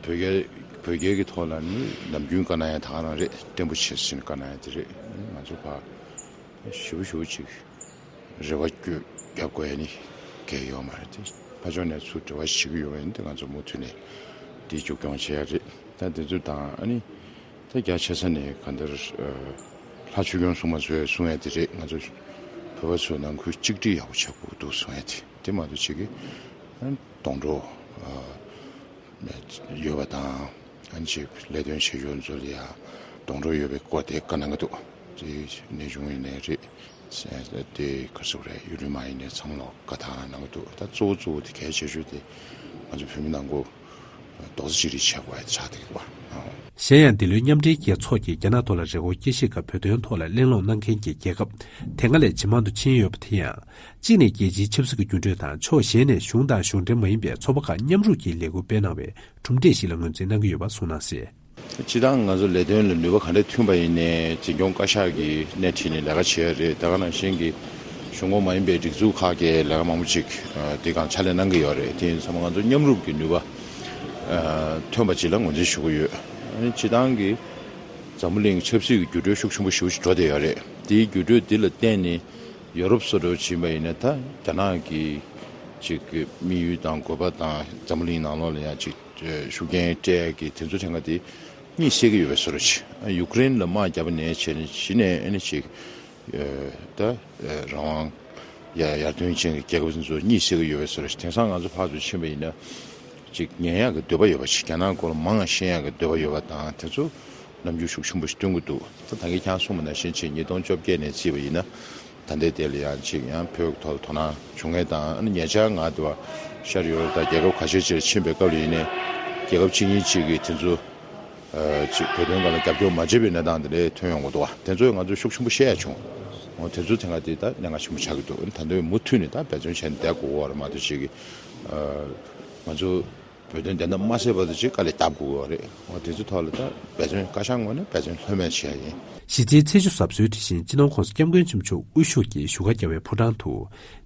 བོད་རྒྱལ་བོད་རྒྱལ་གྱི་ཐོག་ལ་ནི་ནམ་རྒྱུན་བཀའ་གནང་ཡ་ད་ག་རང་རེད། བརྟན་པོ་བྱེད་ཟེར་ནས་བཀའ་གནང་ཡ་དེ་རེད། ང་ཚོ་ཕར་ཞེ་པོ་ཞེ་པོ་ཅིག་རེ་བ་བསྐྱོད་རྒྱབ་དགོས་ཡ་ནི་གལ་ཡོད་མ་རེད་དེ། ཕར་ཕྱོགས་ནས་ཚུར་འབྲེལ་བ་བྱེད་ཀྱི་ཡོད་པ་ཡིན་དེ་ང་ཚོ་མུ་མཐུད་ནས་དེ་མཇུག་སྐྱོང་བྱེད་ཡ་རེད། ད་དེ་ཚོ་དང་ཨ་ནི། ད་རྒྱ་ཆེ་ས་ནས་གང་ལྟར་ལྷ་ཆོས་སྐྱོང་སྲུང་མ་ཚོས་གསུང་ཡ་དེ་རེད། ང་ཚོ་བོད་པ་ཚོ་ནང་ཁུལ་གཅིག་སྒྲིལ་ཡག་པོ་བྱེད་དགོས་འདུག་གསུང་ཡ་དེ་དེ་མ་གཏོགས་ཅིག་གི་སྡོང་གྲོགས་ཡོད་པ་དང་ཨ་ནི་ཅིག་ལས་དོན་བྱེད་ཡུལ་ཚོ་ལ་ཡ་སྡོང་གྲོགས་ཡོད་པའི་སྐོར་དེ་བཀའ་གནང་གི་འདུག་དེ་གནས་ཆུང་ཡིན་ནའི་རེད། དེ་ག་ཚོད་རེད། ཡུལ་ལུང་མ་ཡིན་ནའི་ཚང་མ་ལ་བཀའ་ཐང་གནང་གི་འདུག་ད་གཙོ་བོ་གཙོ་བོ་དེ་གལ་ཆེ་ཤོས་དེ་ང་ཚོ་བོད་མི་ནང་ཁུལ་རྡོག་རྩ་གཅིག་སྒྲིལ་བྱེད་དགོས་ཆགས་བསྡད་ཀྱི་འདུག་གཞན་ཡང་འདི་ལོའི་མཉམ་འབྲེལ་རྒྱལ་ཚོགས་ཀྱིས་རྒྱ་ནག་ཐོག་ལ་རེ་སྐུལ་དཀྱིལ་བཤེར་སྐབས་བོད་དོན་ཐོག་ལ་གླེང་སློང་གནང་མཁན་གྱི་རྒྱལ་ཁབ་དེ་སྔ་ལས་ཇེ་མང་དུ་ཕྱིན་ཡོད་པ་དེ་ཡང་གཅིག་ནས་རྒྱལ་སྤྱིའི་ཆབ་སྲིད་ཀྱི་འགྱུར་འགྲོས་དང་ཕྱོགས་གཞན་ནས་གཞུང་དང་གཞུང་འབྲེལ་མ་ཡིན་པའི་ཚོགས་པ་ཁག་མཉམ་རུབ་ཀྱིས་ལས་འགུལ་སྤེལ་གནང་བའི་གྲུབ་འབྲས་ཤིག་ལ་ངོས་འཛིན་གནང་གི་ཡོད་པ་གསུངས་གནང་སྲིད། སྤྱིར་བཏང་ང་ཚོ་ལས་དོན་ལ་ནུས་པ་ག་འདྲ་ཐོན་པ་ཡིན་ནའི་འཛིན་སྐྱོང་བཀའ་ཤག་གིས་སྣེ་ཁྲིད་ནས་ལས་ཀ་བྱེད་ཡ་རེད། ད་ག་ནང་བཞིན་གྱི་གཞུང་ཁོངས་མ་ཡིན་པའི་སྒྲིག་འཛུགས་ཁག་གིས་ལས་ཀ་མང་པོ་ཅིག་དེ་གང་ཕྱག་ལས་གནང་གི་ཡོད་རེད། དེ་ཡིན་ཙང་ང་ཚོ་མཉམ་རུབ་ཀྱི་ནུས་པ་ཐོན་པ་ཅིག་ལ་ངོས་འཛིན་ཞུ་གི་ཡོད། ཨ་ནི་སྤྱིར་བཏང་གི་འཛམ་བུ་གླིང་ཆབ་སྲིད་ཀྱི་འགྱུར་འགྲོས་ཤུགས་ཆེན་པོ་ཞེ་པོ་ཅིག་འགྲོ་བསྡད་ཡོད་རེད། དེའི་འགྱུར་འགྲོས་འདི་ལ་བརྟེན་ནས་ཡོ་རོབ་སོགས་འདྲ་བོ་ཅིག་ཡིན་པ་ཡིན་ན་ད་རྒྱ་ནག་གི་ཅིག་གི་དམིགས་ཡུལ་དང་དགོས་པ་དང་འཛམ་བུ་གླིང་ནང་ལོགས་ལ་ཡང་ཅིག་ཤུགས་རྐྱེན་སྤྲད་ཀྱི་དེ་ཚོ་ཐད་ཀ་དེ་གཉིད་སད་ཀྱི་ཡོད་པའི་བཟོ་འདྲ་ཅིག་ཡུཀ་རེན་ལ་དམག་བརྒྱབ་པ་ནས་བྱས་ནས་གཞི་ནས་ཨ་ནི་ཅིག་ད་རང་དབང་ཡར་ཡར་ཐོན་ཅན་གྱི་རྒྱལ་ཁབ་ཚོ་གཉིད་སད་ཀྱི་ཡོད་པའི་བཟོ་འདྲ་ཅིག་དེང་སང་ང་ཚོ་ཕར་ཚུར་ཕྱིན་པ་ཡིན་ན་ཅིག་ཉན་ཡག་གི་འདོད་པ་ཡོད་པ་ཅིག་རྒྱ་ནག་སྐོར་ལ་མང་ང་ཤེས་ཡག་གི་འདོད་པ་ཡོད་པ་དང་དེ་ཚོ་རྣམ་འགྱུར་ཤུགས་ཆེན་པོ་ཞིག་སྟོན་གྱི་འདུག་ད་ད་གིན་ཁྱེད་རང་གསུངས་པ་ནང་བཞིན་ཅིག་ཉིས་སྟོང་བཅོ་བརྒྱད་ནས་བརྩིས་པ་ཡིན་ན། ད་ལྟའི་དེ་ལ་ཡང་ཅིག་ཡང་བོད་ཐོག་ལ་དོ་སྣང་བྱུང་མཁན་དང་ཨ་ནི་ཉེ་ཆར་ང་དུ་བ་ཤར་ཡུ་རོབ་དང་རྒྱལ་ཁབ་ཁ་ཤས་ཅིག་ལ་ཕྱིན་པའི་སྐབས་ལ་ཡིན་ནའི་རྒྱལ་ཁབ་གཅིག་གཉིས་ཅིག་གིས་དེ་ཚོ་ཨ་ཅིག་བོད་དོན་སྒང་ལ་རྒྱབ་སྐྱོར་མ་བྱེད་པའི་གནས་སྟངས་དེ་འདྲ་ཐོན་ཡོང་གི་འདུག་བ། དེ་ཚོས་ང་ཚོ་ཤུགས་ཆེན་པོ་བཤད་ཡ་བྱུང་། འོ་དེ་ཚོ་དེ་སྔ་དེ་ད་གནད་འགག་ཆེན་པོ་ཆགས་ཀྱི་འདུག་ད་དུང་མུ་མཐུད་ནས་ད་འབད་བརྩོན་བྱས་ནས་བསྡད་དགོས་པ་རེད་མ་གཏོགས་ཅིག་གིས་ཨ་ང་ཚོ། བོད་དོན་བདེན་མཐའ་མ་གསལ་བར་དུ་ཅིག་དཀའ་ལས་བརྒྱབ་དགོས་པ་རེད། འོ་དེ་ཚོའི་ཐོག་ལ་ད་འབད་བརྩོན་བཀའ་ཤག་ངོས་ནས་འབད་བརྩོན་ལྷོད་མེད་བྱེད་ཡ་ཡིན། གཞི་རྩའི་ཚེས་བཅུ་གཟབ་གསོལ་དེ་བཞིན་སྤྱི་ནོར་༸གོང་ས་༸སྐྱབས་མགོན་ཆེན་པོ་མཆོག་དབུ་བཞུགས་ཀྱིས་བཞུགས་སྒར་རྒྱལ་བའི་ཕོ་བྲང་དུ།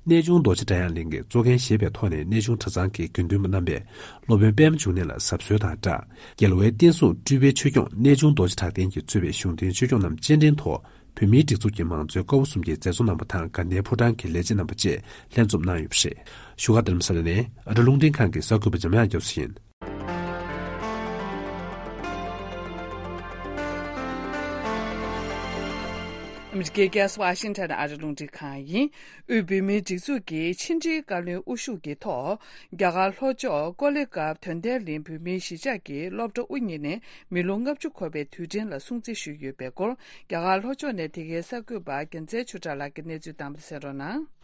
གནས་ཆུང་རྡོ་རྗེ་གྲྭ་ཡང་གླིང་གིས་གཙོ་འགན་བཞེས་པའི་ཐོག་ནས་གནས་ཆུང་གྲྭ་ཚང་གི་དགེ་འདུན་པ་རྣམ་པས་སློབ་དཔོན་པདྨ་འབྱུང་གནས་ལ་གཟབ་གསོལ་དང་སྦྲགས། རྒྱལ་བའི་བསྟན་སྲུང་སྤྲུལ་པའི་ཆོས་སྐྱོང་གནས་ཆུང་རྡོ་རྗེ་གྲགས་ལྡན་གྱིས་གཙོས་པའི་གཞུང་འཛིན་ཆོས་སྐྱོང་རྣམས་སྤྱན་འདྲེན་ཐོག་བོད་མིའི་སྒྲིག་འཛུགས་ཀྱི་མང་གཙོའི་ཀ་བ་གསུམ་གྱི་མཛད་གཙོ་རྣམ་པ་དང་དགའ་ལྡན་ཕོ་བྲང་གི་ལས་བྱེད་རྣམ་པ་བཅས་ལྷན་འཛོམས་གནང་ཡོད་པ་རེད། བཞུགས་སྒར་རྡ་རམ་ས་ལ་ནས་ཨ་རི་རླུང་འཕྲིན་ཁང་གི་གསར་འགོད་པ་འཇམ་དབྱངས་རྒྱ་མཚོ་ཡིན། ཨ་མི་རི་ཀའི་རྒྱལ་ས་ཝ་ཤིང་ཊོན་ཨ་རི་རླུང་འཕྲིན་ཁང་ཡིན། དབུས་བོད་མིའི་སྒྲིག་འཛུགས་ཀྱིས་ཕྱི་འབྲེལ་བཀའ་བློན་དབུ་བཞུགས་ཀྱི་ཐོག་རྒྱ་གར་ལྷོ་ཕྱོགས་ཀོ་ལི་གྷལ་དོན་ལྡན་གླིང་བོད་མིའི་གཞིས་ཆགས་ཀྱི་སློབ་གྲྭ་དབུ་བརྙེས་ནས་མི་ལོ་ལྔ་བཅུ་འཁོར་བའི་དུས་དྲན་ལ་སྲུང་བརྩི་ཞུས་ཡོད་པའི་སྐོར། རྒྱ་གར་ལྷོ་ཕྱོགས་ནས་དེ་གའི་གསར་འགོད་པ་རྒྱལ་མཚན་ཆོས་གྲགས་ལགས་ཀྱིས་གནས་ཚུལ་བཏང་བ་གསན་རོགས་གནང་།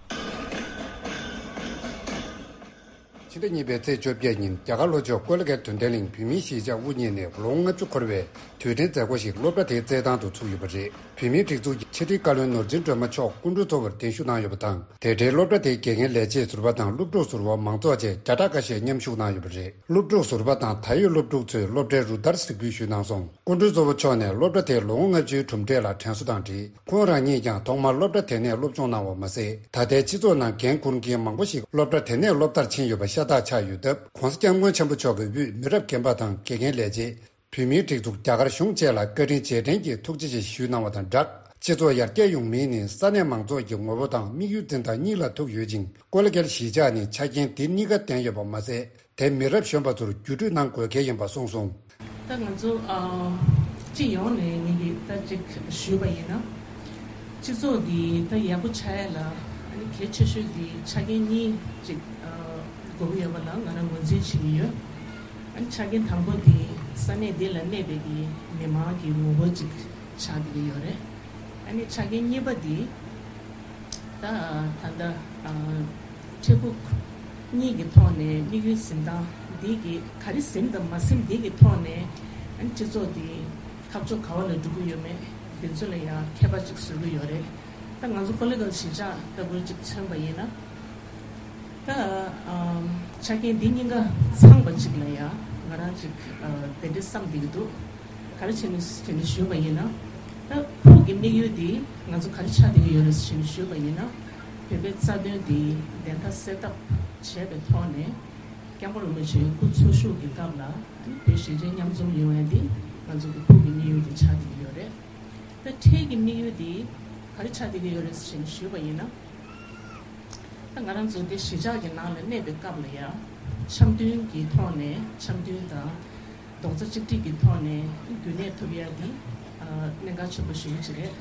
ཕྱི་ཟླ་གཉིས་པའི་ཚེས་བཅོ་བརྒྱད་ཉིན་རྒྱ་གར་ལྷོ་ཕྱོགས་ཀོ་ལི་གྷལ་དོན་ལྡན་གླིང་བོད་མིའི་གཞིས་ཆགས་དབུ་བརྙེས་ནས་ལོ་ལྔ་བཅུ་འཁོར་བའི་དུས་དྲན་མཛད་སྒོ་ཞིག་སློབ་གྲྭ་དེའི་རྩེད་ཐང་དུ་ཚུགས་ཡོད་པ་རེད། བོད་མིའི་སྒྲིག་འཛུགས་ཀྱི་ཕྱི་དྲིལ་བཀའ་བློན་ནོར་འཛིན་སྒྲོལ་མ་མཆོག་སྐུ་མགྲོན་གཙོ་བོར་གདན་ཞུ་གནང་ཡོད་པ་དང་། དེ་འབྲེལ་སློབ་གྲྭ་དེའི་དགེ་རྒན་ལས་བྱེད་ཟུར་པ་དང་སློབ་ཕྲུག་ཟུར་པ་མང་ཚོགས་བཅས་བརྒྱ་ཕྲག་ཁ་ཤས་མཉམ་ཞུགས་གནང་ཡོད་པ་རེད། སློབ་ཕྲུག་ཟུར་པ་དང་ད་ཡོད་སློབ་ཕྲུག་ཚོས་སློབ་གྲྭའི་རུ་སྟར་གཟིགས་འབུལ་ཞུས་གནང་སོང་། སྐུ་མགྲོན་གཙོ་བོ་མཆོག་ནས་སློབ་གྲྭ་དེའི་ལོ་ངོ་ལྔ་བཅུའི་གྲུབ་འབྲས་ལ་དྲན་གསོ་དང་འབྲེལ། ཁོང་རང་ཉིད་ཀྱང་ཐོག་མར་སློབ་གྲྭ་དེ་ནས་སློབ་སྦྱོང་གནང་བ་མ་ཟད། ད་ལྟའི་སྤྱི་ཚོགས་ནང་འགན་འཁུར་མཁན་མང་པོ་ཞིག་སློབ་གྲྭ་དེ་ནས་སློབ་མཐར་ཕྱིན་ཡོད་པ་ཤ་སྟག་ཆགས་ཡོད་སྟབས། ྋགོང་ས་ྋསྐྱབས་མགོན་ཆེན་པོ་མཆོག་གིས་དབུས་མི་རབས་རྒན་པ་དང་དགེ་རྒན་ལས་བྱེད། བོད་མིའི་སྒྲིག་འཛུགས་རྒྱ་གར་གཞུང་བཅས་ལ་བཀའ་དྲིན་རྗེས་དྲན་གྱི་ཐུགས་རྗེ་ཆེ་ཞུས་གནང་བ་དང་སྦྲགས། སྤྱི་ཚོགས་ཡར་རྒྱས་ཡོང་མིན་ནི་ས་གནས་མང་ཚོགས་ཀྱི་ངོ་བོ་དང་དམིགས་ཡུལ་འཛིན་སྟངས་གཉིས་ལ་ཐུག་ཡོད་ཅིང་། ཀོ་ལི་གྷལ་གཞིས་ཆགས་ནི་ཆ་རྐྱེན་དེ་གཉིས་ཀ་ལྡན་ཡོད་པ་མ་ཟད། དེ་མི་རབས་གཞོན་པ་ཚོར་བརྒྱུད་སྤྲོད་གནང་དགོས་གལ་ཡིན་པ་གསུངས་སོང་། ད་ང་ཚོ་ཨ་སྤྱི་ཡོངས་ནས་ངེད་ཀྱིས་ད་ཅིག་ཞུས་པ་ཡིན་ན། སྤྱི་ཚོགས་འདི་ད་ཡག་པོ་ཆགས་ཡ་ལ་ཨ་ནི་གལ་ཆེ་ཤོས་འདི་ཆ་རྐྱེན་གཉིས་ཅིག་ཨ་དགོས་ཀྱི་ཡོད་པ་ལ་ང་རང་ངོས་འཛིན་བྱེད་ཀྱི་ཡོད། ཨ་ནི་ཆ་རྐྱེན་དང་པོ་འདི་ས་གནས་འདི་ལ་གནས་པའི་གི་མི་མང་གི་ངོ་བོ་ཅིག་ཆགས་བསྡད་ཀྱི་ཡོད་རེད། ཨ་ནི་ཆ་རྐྱེན་གཉིས་པ་འདི་ད་ད་ལྟ་ཨ། འཕྲལ་ཕུགས་གཉིས་ཀྱི་ཐོག་ནས་དམིགས་ཡུལ་འཛིན་སྟངས་འདི་གི་ག་རེ་འཛིན་དང་མ་འཛིན་འདི་གི་ཐོག་ནས་སྤྱི་ཚོགས་འདི་འཐབ་ཕྱོགས་ག་བ་ལ་འགྲོ་གི་ཡོད་མེད་འདི་ཚོ་ལ་ཡང་ཁྱད་པར་ཅིག་བཟོ་གི་ཡོད་རེད། ད་ང་ཚོ་པོ་ལི་ཊི་ཀལ་གཞིས་ཆགས་ལྟ་བུ་ཅིག་མཚོན་པ་ཡིན་ན། ད་ཨམ་ཆ་རྐྱེན་འདི་གཉིས་ཀ་ཚང་བ་ཅིག་ལ་ཡང་ང་རང་ཅིག་ཨ་དེ་འདྲའི་བསམ་བསྡད་ཀྱི་འདུག་ག་རེ་བྱས་ནས་བྱས་ནས་ཞུས་པ་ཡིན་ན། ད་ཕུགས་ཀྱི་དམིགས་ཡུལ་འདི་ང་ཚོ་ག་རེ་ཆགས་བསྡད་ཀྱི་ཡོད་རེད་ཟེར་ནས་ཞུས་པ་ཡིན་ན། བོད་པའི་རྩ་དོན་འདི་བདེན་མཐའ་གསལ་ཐབས་བྱས་པའི་ཐོག་ནས་སྐྱབས་མགོན་རིན་པོ་ཆེའི་སྐུ་འཚོ་བཞུགས་ཀྱི་སྐབས་ལ་བོད་གཞིས་བྱེས་མཉམ་འཛོམས་ཡོང་ཡ་འདི་ང་ཚོ་གི་ཕུགས་ཀྱི་དམིགས་ཡུལ་འདི་ཆགས་བསྡད་ཀྱི་ཡོད་རེད། ད་འཕྲལ་གྱི་དམིགས་ཡུལ་འདི་ག་རེ་ཆགས་བསྡད་ཀྱི་ཡོད་རེད་ཟེར་ནས་ཞུས་པ་ཡིན་ན། ད་ང་རང་ཚོ་འདི་གཞིས་ཆགས་ཀྱི་ནང་ལ་གནས་པའི་སྐབས་ལ་ཡང་འཆམ་མཐུན་གྱི་ཐོག་ནས་འཆམ་མཐུན་དང་རྡོག་རྩ་གཅིག་སྒྲིལ་གྱི་ཐོག་ནས་རྒྱུན་གནས་ཐུབ་ཡ་འདི་ཨ་གནད་འགག་ཆེན་པོ་ཞེ་པོ་ཅིག་རེད།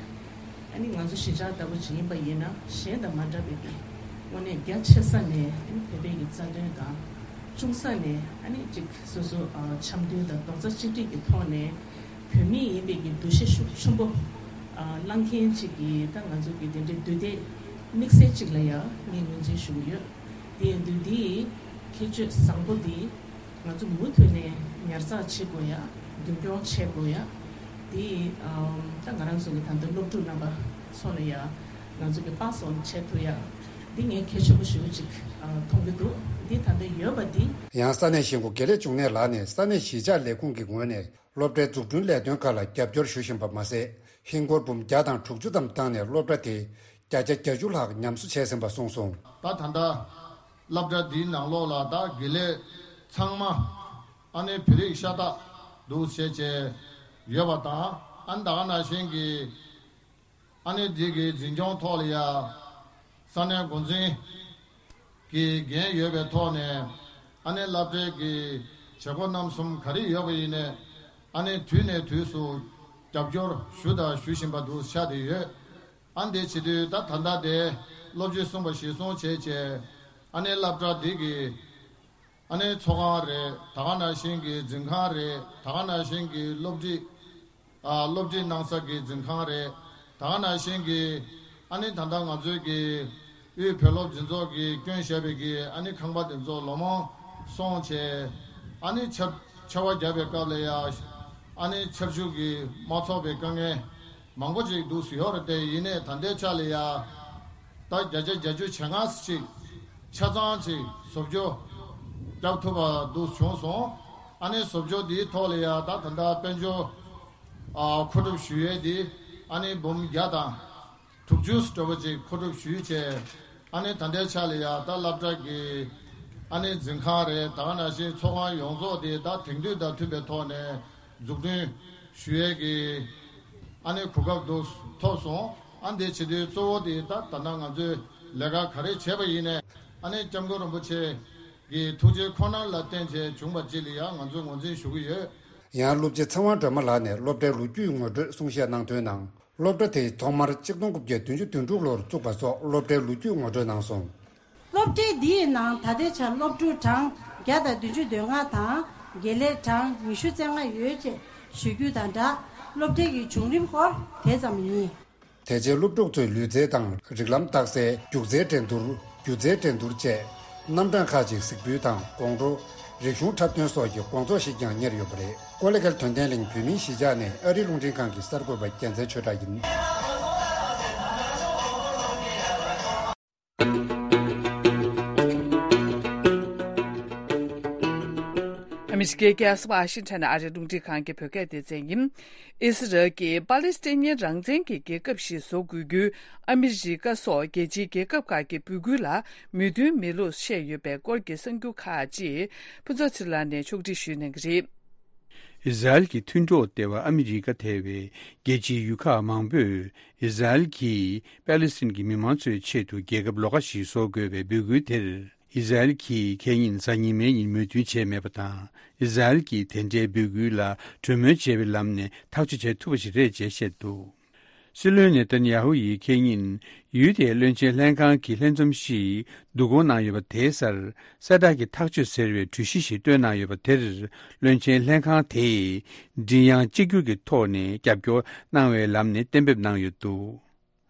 ཨ་ནི་ང་ཚོ་གཞིས་ཆགས་ལྟ་བུ་ཅིག་ཡིན་པ་ཡིན་ན་གཞན་དང་མ་འདྲ་བའི་གི་དངོས་གནས་རྒྱ་ཆེ་ས་ནས་ཨ་ནི་བོད་པའི་གི་རྩ་དོན་དང་ཆུང་ས་ནས་ཨ་ནི་ཅིག་སོ་སོ་ཨ་འཆམ་མཐུན་དང་རྡོག་རྩ་གཅིག་སྒྲིལ་གྱི་ཐོག་ནས། བོད་མི་ཡིན་པའི་གི་འདུ་ཤེས་ཤུགས་ཆེན་པོ་ཨ་བླངས་མཁན་ཅིག་གིས་ད་ང་ཚོ་གི་དེ་འདྲའི་འདུས་སྡོད་དམིགས་བསལ་ཅིག་ལ་ཡང་ངས་ངོས་འཛིན་ཞུ་གི་ཡོད། དེ་ཡིན་དུས་འདིའི་ཁྱད་ཆོས་བཟང་པོ་འདི་ང་ཚོ་མུ་མཐུད་ནས་ཉར་ཚགས་བྱེད་དགོས་ཡ། རྒྱུན་འཁྱོངས་བྱེད་དགོས་ཡ། དེ་ཨམ་ད་ང་རང་ཚོ་གི་ད་ལྟ་སློབ་ཕྲུག་རྣམ་པ་ཚོ་ལ་ཡང་ང་ཚོ་གི་པཱ་སི་ཨོན་བྱེད་ཐུབ་ཡ། འདི་ངས་གལ་ཆེན་པོ་ཞེ་པོ་ཅིག་ཨ་མཐོང་གི་འདུག་འདི་ད་ལྟ་ཡོད་པ་འདི། ཡང་ས་གནས་གཞིས་འགོ་དགེ་ལེགས་འབྱུང་གནས་ལགས་ནས་ས་གནས་གཞིས་ཆགས་ལས་ཁུངས་ཀྱི་ངོས་ནས། སློབ་གྲྭའི་འཛུགས་སྐྲུན་ལས་དོན་ཁག་ལ་རྒྱབ་སྐྱོར་ཞུ་བཞིན་པ་མ་ཟད། ཧིན་སྒོར་འབུམ་བརྒྱ་དང་དྲུག་ཅུ་ཙམ་བཏང་ནས་སློབ་གྲྭ་དེ་བརྒྱ་ཆ་བརྒྱད་ཅུ་ལྷག་ཉམས་གསོ་བྱས་ཟིན་པ་གསུངས་སོང་། ད་ད་ལྟ་སློབ་གྲྭ་འདིའི་ནང་ལོགས་ལ་ད་དགེ་ལས་ཚང་མ་ཨ་ནི་བོད་རིགས་ཤ་སྟག་འདུག་བྱས་བྱས་ཡོད་པ་དང་། ཨ་ནི་ད་ག་ནང་བཞིན་གྱི་ཨ་ནི་འདི་གི་འཛིན་སྐྱོང་ཐོག་ལ་ཡ་ས་གནས་འགོ་འཛིན་གྱི་འགན་ཡོད་པའི་ཐོག་ནས་ཨ་ནི་སློབ་གྲྭའི་གི་བྱེད་སྒོ་རྣམ་གསུམ་ག་རེ་ཡོད་པ་ཡིན་ནའི་ཨ་ནི་དུས་ནས་དུས་སུ་རྒྱབ་སྐྱོར་ཞུ་དང་ཞུ་བཞིན་པ་འདུག་ཆགས་བསྡད་ཡོད། ཨ་ནི་དེ་བྱེད་དུས་ད་ད་ལྟ་དེ་སློབ་སྤྱི་གསུངས་པ་གཞིར་བཟུང་བྱས་བྱས་ཨ་ནི་སློབ་གྲྭ་འདི་གི་ཨ་ནི་ཚོགས་ཁང་རེད། ད་ག་ནང་བཞིན་གྱི་འཛིན་ཁང་རེད། ད་ག་ནང་བཞིན་གྱི་སློབ་ཁྲིད་ཨ་སློབ་ཁྲིད་གནང་ས་གི་འཛིན་ཁང་རེད། ད་ག་ནང་བཞིན་གྱི་ཨ་ནི་ད་ལྟ་ང་ཚོའི་གི་དབུས་བོད་སློབ་འཛིན་ཚོགས་ཀྱིས་བསྐྱོན་བཞག་པའི་གི་ཨ་ནི་ཁང་པ་དེ་ཚོ་ལོ་མང་སོང་བྱས་ཨ་ནི་ཆར་ཆར་པ་བརྒྱབ་པའི་སྐབས་ལ་ཡ་ཨ་ནི་ཆར་ཆུ་གིས་མ་ཚོགས་པའི་དཀའ་ངལ་མང་པོ་ཅིག་འདུག་ཡོད་རེད། དེ་ཡིན་ནའི་ད་ལྟའི་ཆ་ལ་ཡ་ད་བརྒྱ་ཆ་བརྒྱད་ཅུ་ཞེ་ལྔ་ཅིག་ཆ་ཚང་ཅིག་བཟོ་བཅོས་རྒྱབ་ཐུབ་པ་འདུག་བྱུང་སོང་། ཨ་ནི་བཟོ་བཅོས་འདིའི་ཐོག་ལ་ཡ་ད་ད་ལྟ་དཔལ་འབྱོར་ཨ་མཁོ་སྒྲུབ་ཞུ་ཡས་འདི་ཨ་ནི་འབུམ་བརྒྱ་དང་དྲུག་ཅུ་འདྲ་པོ་ཅིག་མཁོ་སྒྲུབ་ཞུས་བྱས། ཨ་ནི་ད་ལྟའི་ཆ་ལ་ཡ་ད་སློབ་གྲྭ་གི་ཨ་ནི་འཛིན་ཁང་རེད། ད་ག་ནང་བཞིན་ཚོགས་ཁང་ཡོངས་རྫོགས་དེ་ད་དེང་དུས་དང་མཐུན་པའི་ཐོག་ནས་འཛུགས་སྐྲུན་ཞུ་ཡས་ཀྱི་ཨ་ནི་གོ་སྐབས་འདུག་ཐོབ་སོང་། ཨ་ནི་དེ་བྱེད་དུས་གཙོ་བོ་དེ་ད་ད་ལྟ་ང་ཚོས་ལས་ཀ་ག་རེ་བྱས་པ་ཡིན་ནའི་ཨ་ནི་སྐྱབས་མགོན་རིན་པོ་ཆེ་གི་ཐུགས་རྗེ་ཁོ་ནར་ལ་བརྟེན་བྱས་བྱུང་བ་ཅིག་ལ་ཡང་ང་ཚོས་ངོས་འཛིན་ཞུ་གི་ཡོད། ཡང་སློབ་སྤྱི་ཚེ་དབང་སྒྲོལ་མ་ལགས་ནས་སློབ་གྲྭའི་ལོ་རྒྱུས་ངོ་སྤྲོད་གསུང་བཤད་གནང་དོན་ནང་། སློབ་གྲྭ་དེ་ཐོག་མར་ཆིག་སྟོང་དགུ་བརྒྱ་བདུན་ཅུ་དོན་དྲུག་ལོར་བཙུགས་པ་སོགས་སློབ་གྲྭའི་ལོ་རྒྱུས་ངོ་སྤྲོད་གནང་སོང་། སློབ་གྲྭ་འདིའི་ནང་ད་ལྟའི་ཆར་སློབ་ཕྲུག་གྲངས་བརྒྱ་དང་བདུན་ཅུ་དོན་ལྔ་དང་དགེ་ལས་གྲངས་ཉི་ཤུ་རྩ་ལྔ་ཡོད་ཅེས་ཞུ་རྒྱུ་དང་སྦྲགས། སློབ་གྲྭའི་གི་བྱུང་རིམ་སྐོར་དེ་ཙམ་ཡིན། དེ་རྗེས་སློབ་ཕྲུག་ཚོའི་ལུས་རྩལ་དང་རིགས་ལམ་རྟགས་གསལ། སྒྱུ་རྩལ་འགྲན་བསྡུར། སྒྱུ་རྩལ་འགྲན་བསྡུར་བཅས་རྣམ་གྲངས་ཁག་ཅིག་གཟིགས་འབུལ་དང་དགོང་དྲོ་རིག་གཞུང་འཁྲབ་སྟོན་སོགས་ཀྱི་དགོང་ཚོགས་ཤིག་ཀྱང་གཉེར་ཡོད་པ་རེད། ཀོ་ལི་གྷལ་དོན་ལྡན་གླིང་བོད་མིའི་གཞིས་ཆགས་ནས་ཨ་རིའི་རླུང་འཕྲིན་ཁང་གི་གསར་འགོད་པ་རྒྱལ་མཚན་ཆོས་གྲགས་ཡིན། ཨ་མི་རི་ཀའི་རྒྱལ་ས་ཝ་ཤིང་ཊོན་ནས་ཨ་རིའི་རླུང་འཕྲིན་ཁང་གི་བོད་སྐད་སྡེ་ཚན་ཡིན། ཨི་སི་རལ་གྱིས་པ་ལི་སི་ཐན་རང་བཙན་གྱི་རྒྱལ་ཁབ་ཞིག་བཟོ་དགོས་རྒྱུའི་ཨ་མི་རི་ཀ་སོགས་རྒྱལ་སྤྱིའི་རྒྱལ་ཁབ་ཁག་གི་འབོད་སྐུལ་ལ་མོས་མཐུན་མེད་ལུགས་བཤད་ཡོད་པའི་སྐོར་གྱི་གསར་འགྱུར་ཁག་ཅིག་ཕུན་ཚོགས་ཚེ་རིང་ལགས་ནས་ཕྱོགས་སྒྲིག་ཞུས་གནང་གི་རེད། ཨི་ཟ་རེལ་གྱི་མཐུན་གྲོགས་ལྟེ་བ་ཨ་མི་རི་ཀ་ཐེ་བའི་རྒྱལ་སྤྱིའི་ཡུལ་ཁག་མང་པོས་ཨི་ཟ་རེལ་གྱིས་པ་ལི་སི་ཐན་གྱི་མི་མང་ཚོའི་ཆེད་དུ་རྒྱལ་ཁབ་ལོགས་ཀ་ཞིག་བཟོ་དགོས་པའི་འབོད་སྐུལ་དེར། ཨི་ཟ་རེལ་གྱིས་ཁ་ཉིན་གཟའ་ཉི་མའི་ཉིན་མོས་མཐུན་བྱས་མེད་པ་དང་། ཨི་ཟ་རེལ་གྱིས་དེ་འདྲའི་འབོད་སྐུལ་ལ་གྲོས་མོལ་བྱས་པའི་ལམ་ནས་ཐག་གཅོད་བྱེད་ཐུབ་པ་ཞིག་རེད་ཅེས་བཤད་འདུག། སྲིད་བློན་ནེ་ཐན་ཡ་ཧུ་ཡིས་ཁ་ཉིན་ཡུལ་དེའི་བློན་ཆེན་ལྷན་ཁང་གི་ལྷན་འཛོམས་ཤིག་བསྡུ་སྐོང་གནང་ཡོད་པ་དེའི་སར་གསལ་བསྒྲགས་ཀྱི་ཐག་གཅོད་ཟེར་བའི་གྲོས་གཞི་ཞིག་བཏོན་གནང་ཡོད་པ་དེར། བློན་ཆེན་ལྷན་ཁང་དེས་མགྲིན་དབྱངས་གཅིག་གྱུར་གྱི་ཐོག་ནས་རྒྱབ་སྐྱོར་གནང་བའི་ལམ་ནས་གཏན་འབེབས་གནང་ཡོད་འདུག།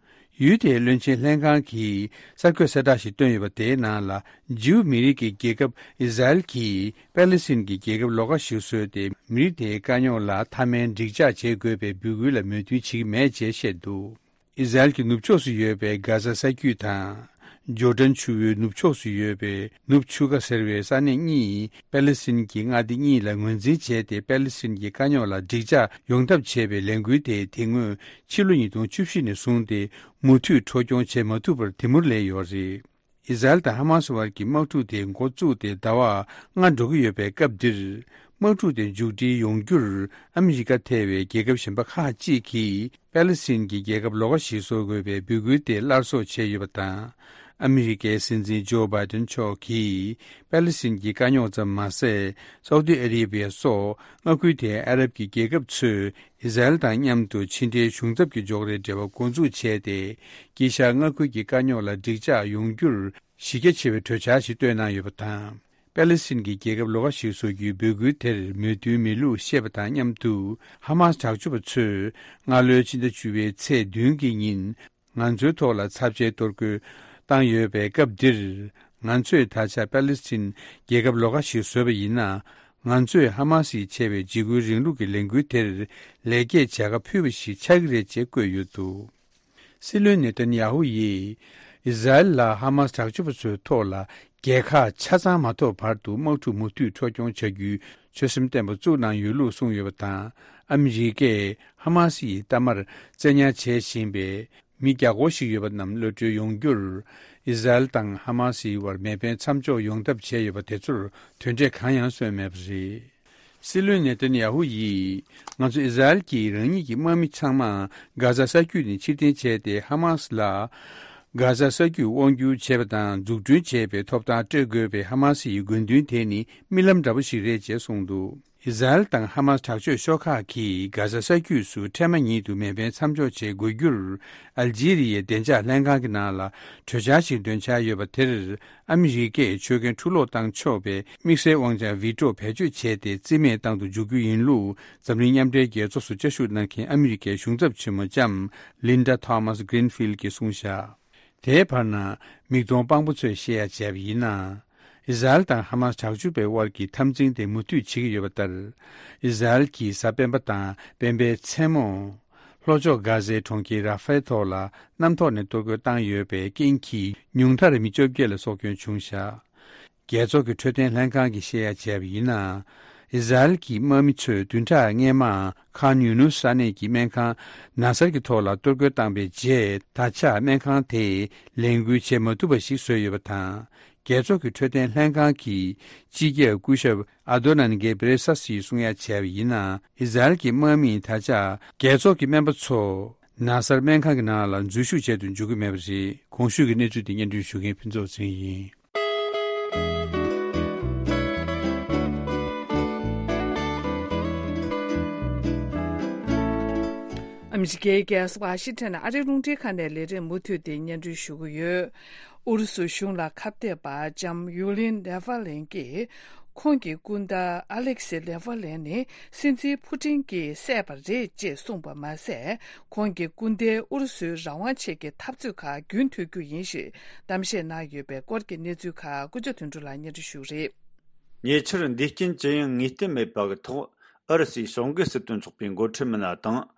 ཡུལ་དེའི་བློན་ཆེན་ལྷན་ཁང་གིས་གསར་འགོད་གསལ་བསྒྲགས་ཤིག་བཏོན་ཡོད་པ། དེའི་ནང་ལ། ཇིའུ་མི་རིགས་ཀྱི་རྒྱལ་ཁབ་ཨི་ཟ་རེལ་གྱིས་པེ་ལི་སི་ཐན་གྱི་རྒྱལ་ཁབ་ལོགས་ཀ་ཞིག་བཟོས་ཏེ། མི་རིགས་དེའི་དཀའ་རྙོག་ལ་མཐའ་མའི་འགྲིག་འཇགས་བྱེད་དགོས་པའི་འབོད་སྐུལ་ལ་མོས་མཐུན་བྱེད་ཀྱི་མེད་ཅེས་བཤད་འདུག་ཨི་ཟ་རེལ་གྱི་ནུབ་ཕྱོགས་སུ་ཡོད་པའི་གྷ་ཟ་ས་རྒྱུད་དང་། ཇོར་ཌན་ཆུ་བོའི་ནུབ་ཕྱོགས་སུ་ཡོད་པའི་ནུབ་ཆུ་ཁ་ཟེར་བའི་ས་གནས་གཉིས་པེ་ལི་སི་ཐན་གྱི་མངའ་སྡེ་གཉིས་ལ་ངོས་འཛིན་བྱས་ཏེ། པེ་ལི་སི་ཐན་གྱི་དཀའ་རྙོག་ལ་འགྲིག་འཇགས་ཡོང་ཐབས་བྱས་པའི་ལས་འགུལ་དེ་དེ་སྔོན་ཕྱི་ལོ་ཉིས་སྟོང་བཅུ་བཞི་ནས་བཟུང་སྟེ་མུ་མཐུད་འཕྲོ་སྐྱོང་བྱེད་མ་ཐུབ་པར་དེ་མུར་ལས་ཡོད་རེད། ཨི་ཟ་རེལ་དང་ཧ་མ་སི་བར་གྱི་དམག་འཁྲུག་དེ་འགོ་བཙུགས་ཏེ་ཟླ་བ་ལྔ་འགྲོ་གི་ཡོད་པའི་སྐབས་འདིར། དམག་འཁྲུག་དེ་མཇུག་སྒྲིལ་ཡོང་རྒྱུར་ཨ་མི་རི་ཀ་ཐེ་བའི་རྒྱལ་ཁབ་གཞན་པ་ཁག་ཅིག་གིས་པེ་ལི་སི་ཐན་གྱི་རྒྱལ་ཁབ་ལོགས་ཀ་ཞིག་བཟོ་དགོས་པའི་འབོད་སྐུལ་དེ་སླར་གསོ་བྱས་ཡོད་པ་དང་། ཨ་མི་རི་ཀའི་སྲིད་འཛིན་ཇོ་བྷའི་ཏན་མཆོག་གིས་པེ་ལི་སི་ཐན་གྱི་དཀའ་རྙོག་ཙམ་མ་ཟད། སའུ་ཏི་ཨ་རེ་བྷི་ཡ་སོགས་མངའ་ཁུལ་དེའི་ཨ་རབ་ཀྱི་རྒྱལ་ཁབ་ཚོས་ཨི་ཟ་རེལ་དང་མཉམ་དུ་ཕྱི་འབྲེལ་གཞུང་ཚབ་ཀྱི་འཇོག་རེས་འབྲེལ་བ་འགོ་འཛུགས་བྱས་ཏེ། དཀྱིལ་ཤར་མངའ་ཁུལ་གྱི་དཀའ་རྙོག་ལ་འགྲིག་འཇགས་ཡོང་རྒྱུར་གཞི་རྒྱ་ཆེ་བའི་གྲོས་འཆར་ཞིག་བཏོན་གནང་ཡོད་པ་དང་། པེ་ལི་སི་ཐན་གྱི་རྒྱལ་ཁབ་ལོགས་ཀ་ཞིག་བཟོ་རྒྱུའི་འབོད་སྐུལ་དེར་མོས་མཐུན་མེད་ལུགས་བཤད་པ་དང་མཉམ་དུ། ཧ་མ་སི་དྲག་སྤྱོད་པ་ཚོས་སྔ་ལོའི་ཕྱི་ཟླ་བཅུ་པའི་ཚེས་བདུན་གྱི་ཉིན། ང་ཚོའི་ཐོག་ལ་ཚབས་ཆེའི་གཏོར་རྒོལ་བཏང་ཡོད་པའི་སྐབས་འདིར། ང་ཚོས་ད་ཆ་པེ་ལི་སི་ཐན་རྒྱལ་ཁབ་ལོགས་ཀ་ཞིག་བཟོས་པ་ཡིན་ན། ང་ཚོས་ཧ་མ་སི་ཡིས་བྱས་པའི་འཇིགས་སྐུལ་རིང་ལུགས་ཀྱི་ལས་འགུལ་དེར་ལེགས་སྐྱེས་བྱ་དགའ་ཕུལ་བ་ཞིག་ཆགས་ཀྱི་རེད་ཅེས་བཀོད་ཡོད་འདུག་སྲིད་བློན་ནེ་ཐན་ཡ་ཧུ་ཡིས་ཨི་ཟ་རེལ་ལ་ཧ་མ་སི་དྲག་སྤྱོད་པ་ཚོའི་ཐོག་ལ་རྒྱལ་ཁ་ཆ་ཚང་མ་ཐོབ་བར་དུ་དམག་འཁྲུག་མུ་མཐུད་འཕྲོ་སྐྱོང་བྱ་རྒྱུའི་ཆོད་སེམས་བརྟན་པོ་བཙུགས་གནང་ཡོད་ལུགས་གསུངས་ཡོད་པ་དང་། ཨ་མི་རི་ཀས་ཧ་མ་སི་ཡི་གཏའ་མར་བཙན་ཉར་བྱེད་བཞིན་པའི་མི་བརྒྱ་སྐོར་ཞིག་ཡོད་པ་རྣམས་གློད་གྲོལ་ཡོང་རྒྱུར། ཨི་ཟ་རེལ་དང་ཧ་མ་སིའི་བར་མེ་འཕེན་མཚམས་འཇོག་ཡོང་ཐབས་བྱས་ཡོད་པ་དེ་ཚོར་དོན་འབྲས་གང་ཡང་སོན་མེད་པ་རེད། སྲིད་བློན་ནེ་ཐན་ཡ་ཧུ་ཡིས། ང་ཚོ་ཨི་ཟ་རེལ་གྱིས་རང་ཉིད་ཀྱི་དམག་མི་ཚང་མ་གྷ་ཟ་ས་རྒྱུད་ནས་ཕྱིར་འཐེན་བྱས་ཏེ། ཧ་མ་སི་ལ་གྷ་ཟ་ས་རྒྱུད་དབང་སྒྱུར་བྱེད་པ་དང་འཛུགས་སྐྲུན་བྱེད་པའི་ཐོབ་ཐང་སྤྲོད་དགོས་པའི་ཧ་མ་སི་ཡི་དགོས་འདུན་དེ་ནི་རྨི་ལམ་འདྲ་པོ་ཞིག་རེད་ཅེས་གསུངས་འདུག་ཨི་ཟ་རེལ་དང་ཧ་མ་སི་དྲག་སྤྱོད་ཤོག་ཁག་གིས་གྷ་ཟ་ས་རྒྱུད་སུ་འཕྲལ་མ་ཉིད་དུ་མེ་འཕེན་མཚམས་འཇོག་བྱེད་དགོས་རྒྱུར། ཨལ་ཇི་རི་ཡའི་བདེ་འཇགས་ལྷན་ཁང་གི་ནང་ལ་གྲོས་འཆར་ཞིག་འདོན་འཆར་ཡོད་པ་དེར། ཨ་མི་རི་ཀས་ཆོད་མཁན་འཁྲུ་སློག་བཏང་ཆོག་པའི་དམིགས་བསལ་དབང་ཆ་ཝི་ཀྲོ་བེད་སྤྱོད་བྱས་ཏེ། རྩིས་མེད་བཏང་དུ་འཇུག་རྒྱུ་ཡིན་ལུགས། འཛམ་གླིང་མཉམ་འབྲེལ་རྒྱལ་ཚོགས་སུ་བཅའ་བཞུགས་གནང་མཁན་ཨ་མི་རི་ཀའི་གཞུང་ཚབ་ཆེན་མོ་ལྕམ་ལིན་ཌ་ཐོ་མཱས་གྷི་རིན་ཕིལ་གྱིས་གསུངས་བཞག་དེའི་བར་ན། མིག་མཐོང་དཔང་པོ་ཚོས་བཤད་ཡ་བྱས་པ་ཡིན་ན། ཨི་ཟ་རེལ་དང་ཧ་མ་སི་དྲག་སྤྱོད་པའི་དབར་གྱི་འཐབ་འཛིང་དེ་མུ་མཐུད་བྱེད་ཀྱི་ཡོད་པ་ལྟར། ཨི་ཟ་རེལ་གྱིས་གཟའ་སྤེན་པ་དང་སྤེན་པའི་མཚན་མོ། ལྷོ་ཕྱོགས་གྷ་ཟའི་གྲོང་ཁྱེར་ར་ཧྥའི་ཐོག་ལ་གནམ་ཐོག་ནས་གཏོར་རྒོལ་བཏང་ཡོད་པའི་རྐྱེན་གྱིས། ཉུང་མཐར་མི་བཅོ་བརྒྱད་ལ་སྲོག་སྐྱོན་བྱུང་བཞག་རྒྱལ་ཚོགས་ཀྱི་འཕྲོད་བསྟེན་ལྷན་ཁང་གིས་བཤད་ཡ་བྱས་པ་ཡིན་ན། ཨི་ཟ་རེལ་གྱི་དམག་མི་ཚོས་བདུན་ཕྲག་སྔོན་མ་ཁཱན་ཡུ་ནུས་ས་གནས་ཀྱི་སྨན་ཁང་ན་སར་གྱི་ཐོག་ལ་གཏོར་རྒོལ་བཏང་པའི་རྗེས། ད་ཆ་སྨན་ཁང་དེས་ལས་འགུལ་བྱེད་མ་ཐུབ་པ་ཞིག་བཟོས་ཡོད་པ་དང་། རྒྱལ་ཚོགས་ཀྱི་འཕྲོད་བསྟེན་ལྷན་ཁང་གི་སྤྱི་ཁྱབ་སྐུ་ཞབས་ཨ་དོ་ནན་གེ་བྷི་རེ་སཱ་སིས་གསུང་ཡ་བྱས་པ་ཡིན་ན། ཨི་ཟ་རེལ་གྱི་དམག་མིས་ད་ཆ་རྒྱལ་ཚོགས་ཀྱི་སྨན་པ་ཚོ་ན་སར་སྨན་ཁང་གི་ནང་ལ་འཛུལ་ཞུགས་བྱེད་དུ་འཇུག་གི་མེད་པ་རེད། གོང་ཞུས་ཀྱི་གནས་ཚུལ་དེ་སྙན་སྒྲོན་ཞུ་མཁན་ཕུན་ཚོགས་ཚེ་རིང་ཡིན། ཨ་མི་རི་ཀའི་རྒྱལ་ས་ཝ་ཤིང་ཊོན་ཨ་རིའི་རླུང་འཕྲིན་ཁང་ནས་ལས་རིམ་མུ་མཐུད་དེ་སྙན་སྒྲོན་ཞུ་གི་ཡོད། ཨུ་རུ་སུ་གཞུང་ལ་ཁ་གཏད་པ་ལྕམ་ཡུ་ལིན་ནེ་ཝ་ལེན་གྱིས། ཁོང་གི་སྐུ་ཟླ་ཨ་ལེག་སི་ནེ་ཝ་ལེན་ནི་སྲིད་འཛིན་ཕུ་ཀྲིན་གྱིས་བསད་པ་རེད་ཅེས་གསུངས་པ་མ་ཟད། ཁོང་གི་སྐུ་ཟླས་ཨུ་རུ་སུའི་རང་དབང་ཆེད་ཀྱི་འཐབ་རྩོད་ཁག་རྒྱུན་མཐུད་རྒྱུ་ཡིན་ཞེས་གཏམ་བཤད་གནང་ཡོད་པའི་སྐོར་གྱི་གནས་ཚུལ་ཁག་ཀུན་ཅ་དོན་གྲུབ་ལགས་སྙན་སྒྲོན་ཞུ་གི་རེད། ཉེ་ཆར་འདས་རྐྱེན་ཅི་ཡང་ངེས་གཏན་མེད་པ་གི་ཐོག་ཨུ་རུ་སུའི་ཕྱོགས་འགལ་སྲིད་དོན་ཚོགས་པའི་འགོ་ཁྲིད་མི་སྣ་དང་།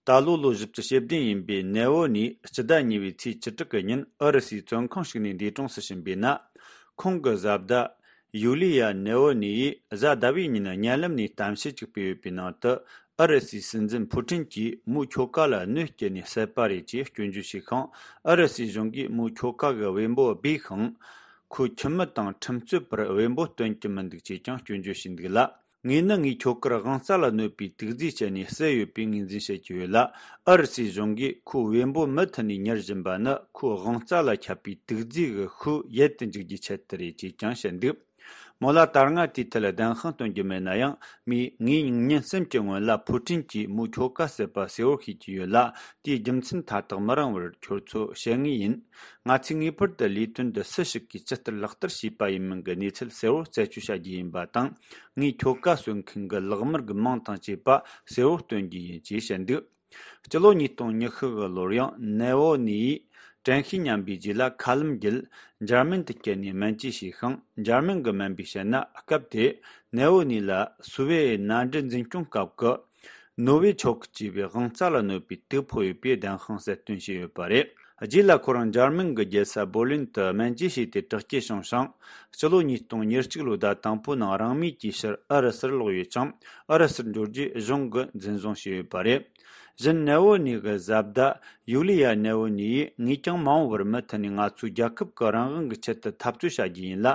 ད་ལོ་ལོ་བཞི་བཅུ་ཞེ་བདུན་ཡིན་པའི་ནེ་ཝོ་ནིའི་སྤྱི་ཟླ་གཉིས་པའི་ཚེས་བཅུ་དྲུག་གི་ཉིན་ཨུ་རུ་སུའི་བཙོན་ཁང་ཞིག་ནས་འདས་གྲོངས་སུ་ཕྱིན་པའི་ནང་། ཁོང་གི་བཟའ་ཟླ་ཡུ་ལི་ཡ་ནེ་ཝོ་ནི་ཡིས་གཟའ་ཟླ་བའི་ཉིན་བརྙན་ལམ་ནས་གཏམ་བཤད་ཅིག་སྤེལ་ཡོད་པའི་ནང་དུ། ཨུ་རུ་སུའི་སྲིད་འཛིན་ཕུ་ཀྲིན་གྱིས་མོའི་ཁྱོ་ག་ལ་གནོད་བསྐྱལ་ནས་བསད་པ་རེད་ཅེས་སྐྱོན་བརྗོད་བྱས་ཤིང་། ཨུ་རུ་སུའི་གཞུང་གིས་མོའི་ཁྱོ་ག་གི་བེམ་པོ་སྦས་ཤིང་། ཁོའི་ཁྱིམ་མི་དང་ཁྲིམས་རྩོད་པར་བེམ་པོ་སྟོན་གྱི་མི་འདུག་ཅེས་ཀྱང་སྐྱོན་བརྗོད་བྱས་འདུག་ལ། ངས་ནི་ངའི་ཁྱོ་གར་དབང་རྩ་ལ་གནོད་པའི་དུག་རྫས་སྤྱད་ནས་བསད་ཡོད་པའི་ངོས་འཛིན་བྱེད་ཀྱི་ཡོད་ལ། ཨུ་རུ་སུའི་གཞུང་གིས་ཁོའི་བེམ་པོ་མུ་མཐུད་ནས་ཉར་བཞིན་པ་ནི་ཁོའི་དབང་རྩ་ལ་ཁྱབ་པའི་དུག་རྫས་ཀྱི་ཤུགས་ཡལ་དུ་འཇུག་རྒྱུའི་ཆེད་དུ་རེད་ཅེས་ཀྱང་བཤད་འདུག་མོ་ལ་ད་སྔ་དེའི་ཐད་བདེན་དཔང་སྟོན་རྒྱུ་མེད་ན་ཡང་། མོས་ངས་ཉིན་གསུམ་གྱི་སྔོན་ལ་ཕུ་ཀྲིན་གྱིས་མོའི་ཁྱོ་ག་བསད་པ་གསལ་བོར་ཤེས་ཀྱི་ཡོད་ལ། དེའི་རྒྱུ་མཚན་མཐའ་དག་མི་རིང་བར་ཁྱོད་ཚོ་བཤད་ངེས་ཡིན། ང་ཚོས་ངེས་པར་དུ་ལས་དོན་འདི་སུ་ཞིག་གིས་ཇི་ལྟར་ལག་བསྟར་བྱས་པ་ཡིན་མིན་གྱི་གནས་ཚུལ་གསལ་བོར་རྩད་གཅོད་བྱ་རྒྱུ་ཡིན་པ་དང་། ངའི་ཁྱོ་ག་གསོད་མཁན་གྱི་ལག་དམར་གྱི་མིང་དང་བཅས་པ་གསལ་བོར་སྟོན་རྒྱུ་ཡིན་ཅེས་བཤད་འདུག་སྤྱི་ལོ་ཉིས་སྟོང་ཉི་ཤུ་གི་ལོར་ཡང་ནེ་ཝོ་ནི་ཡིས་ དྲན་ཤེས་ཉམས་པའི་རྗེས་ལ་མཁའ་ལམ་བརྒྱུད་འཇར་མན་དུ་བསྐྱལ་ནས་སྨན་བཅོས་བྱས་ཤིང་། འཇར་མན་གྱི་སྨན་པས་བཤད་ན། སྐབས་དེར་ནེ་ཝོ་ནི་ལ་སུ་ཝེ་ཨེ་མནའ་འབྲེལ་འཛིན་སྐྱོང་སྐབས་ཀྱི་ནོ་ཝེ་ཆོག་ཅེས་པའི་དབང་རྩ་ལ་གནོད་པའི་དུག་ཕོག་ཡོད་པའི་བདེན་དཔང་གསལ་སྟོན་བྱས་ཡོད་པ་རེད། རྗེས་ལ་ཁོ་རང་འཇར་མན་གྱི་རྒྱལ་ས་བྷོ་ལིན་དུ་སྨན་བཅོས་བྱས་ཏེ་དྲག་སྐྱེད་བྱུང་ཞིང་། སྤྱི་ལོ་ཉིས་སྟོང་ཉེར་གཅིག་ལོའི་ཟླ་དང་པོའི་ནང་རང་མོས་ཀྱིས་ཕྱིར་ཨུ་རུ་སུར་ལོག་ཡོད་ཅིང་། ཨུ་རུ་སུར་འབྱོར་རྗེས་གཞུང་གིས་འཛིན་བཟུང་བྱས་ཡོད་པ་རེད། གཞན་ནེ་ཝོ་ནི་གི་བཟའ་ཟླ་ཡུ་ལི་ཡ་ནེ་ཝོ་ནི་ཡིས། ངས་ཀྱང་མ་འོངས་པར་མུ་མཐུད་ནས་ང་ཚོའི་རྒྱལ་ཁབ་ཀྱི་རང་དབང་གི་ཆེད་དུ་འཐབ་རྩོད་བྱ་རྒྱུ་ཡིན་ལ།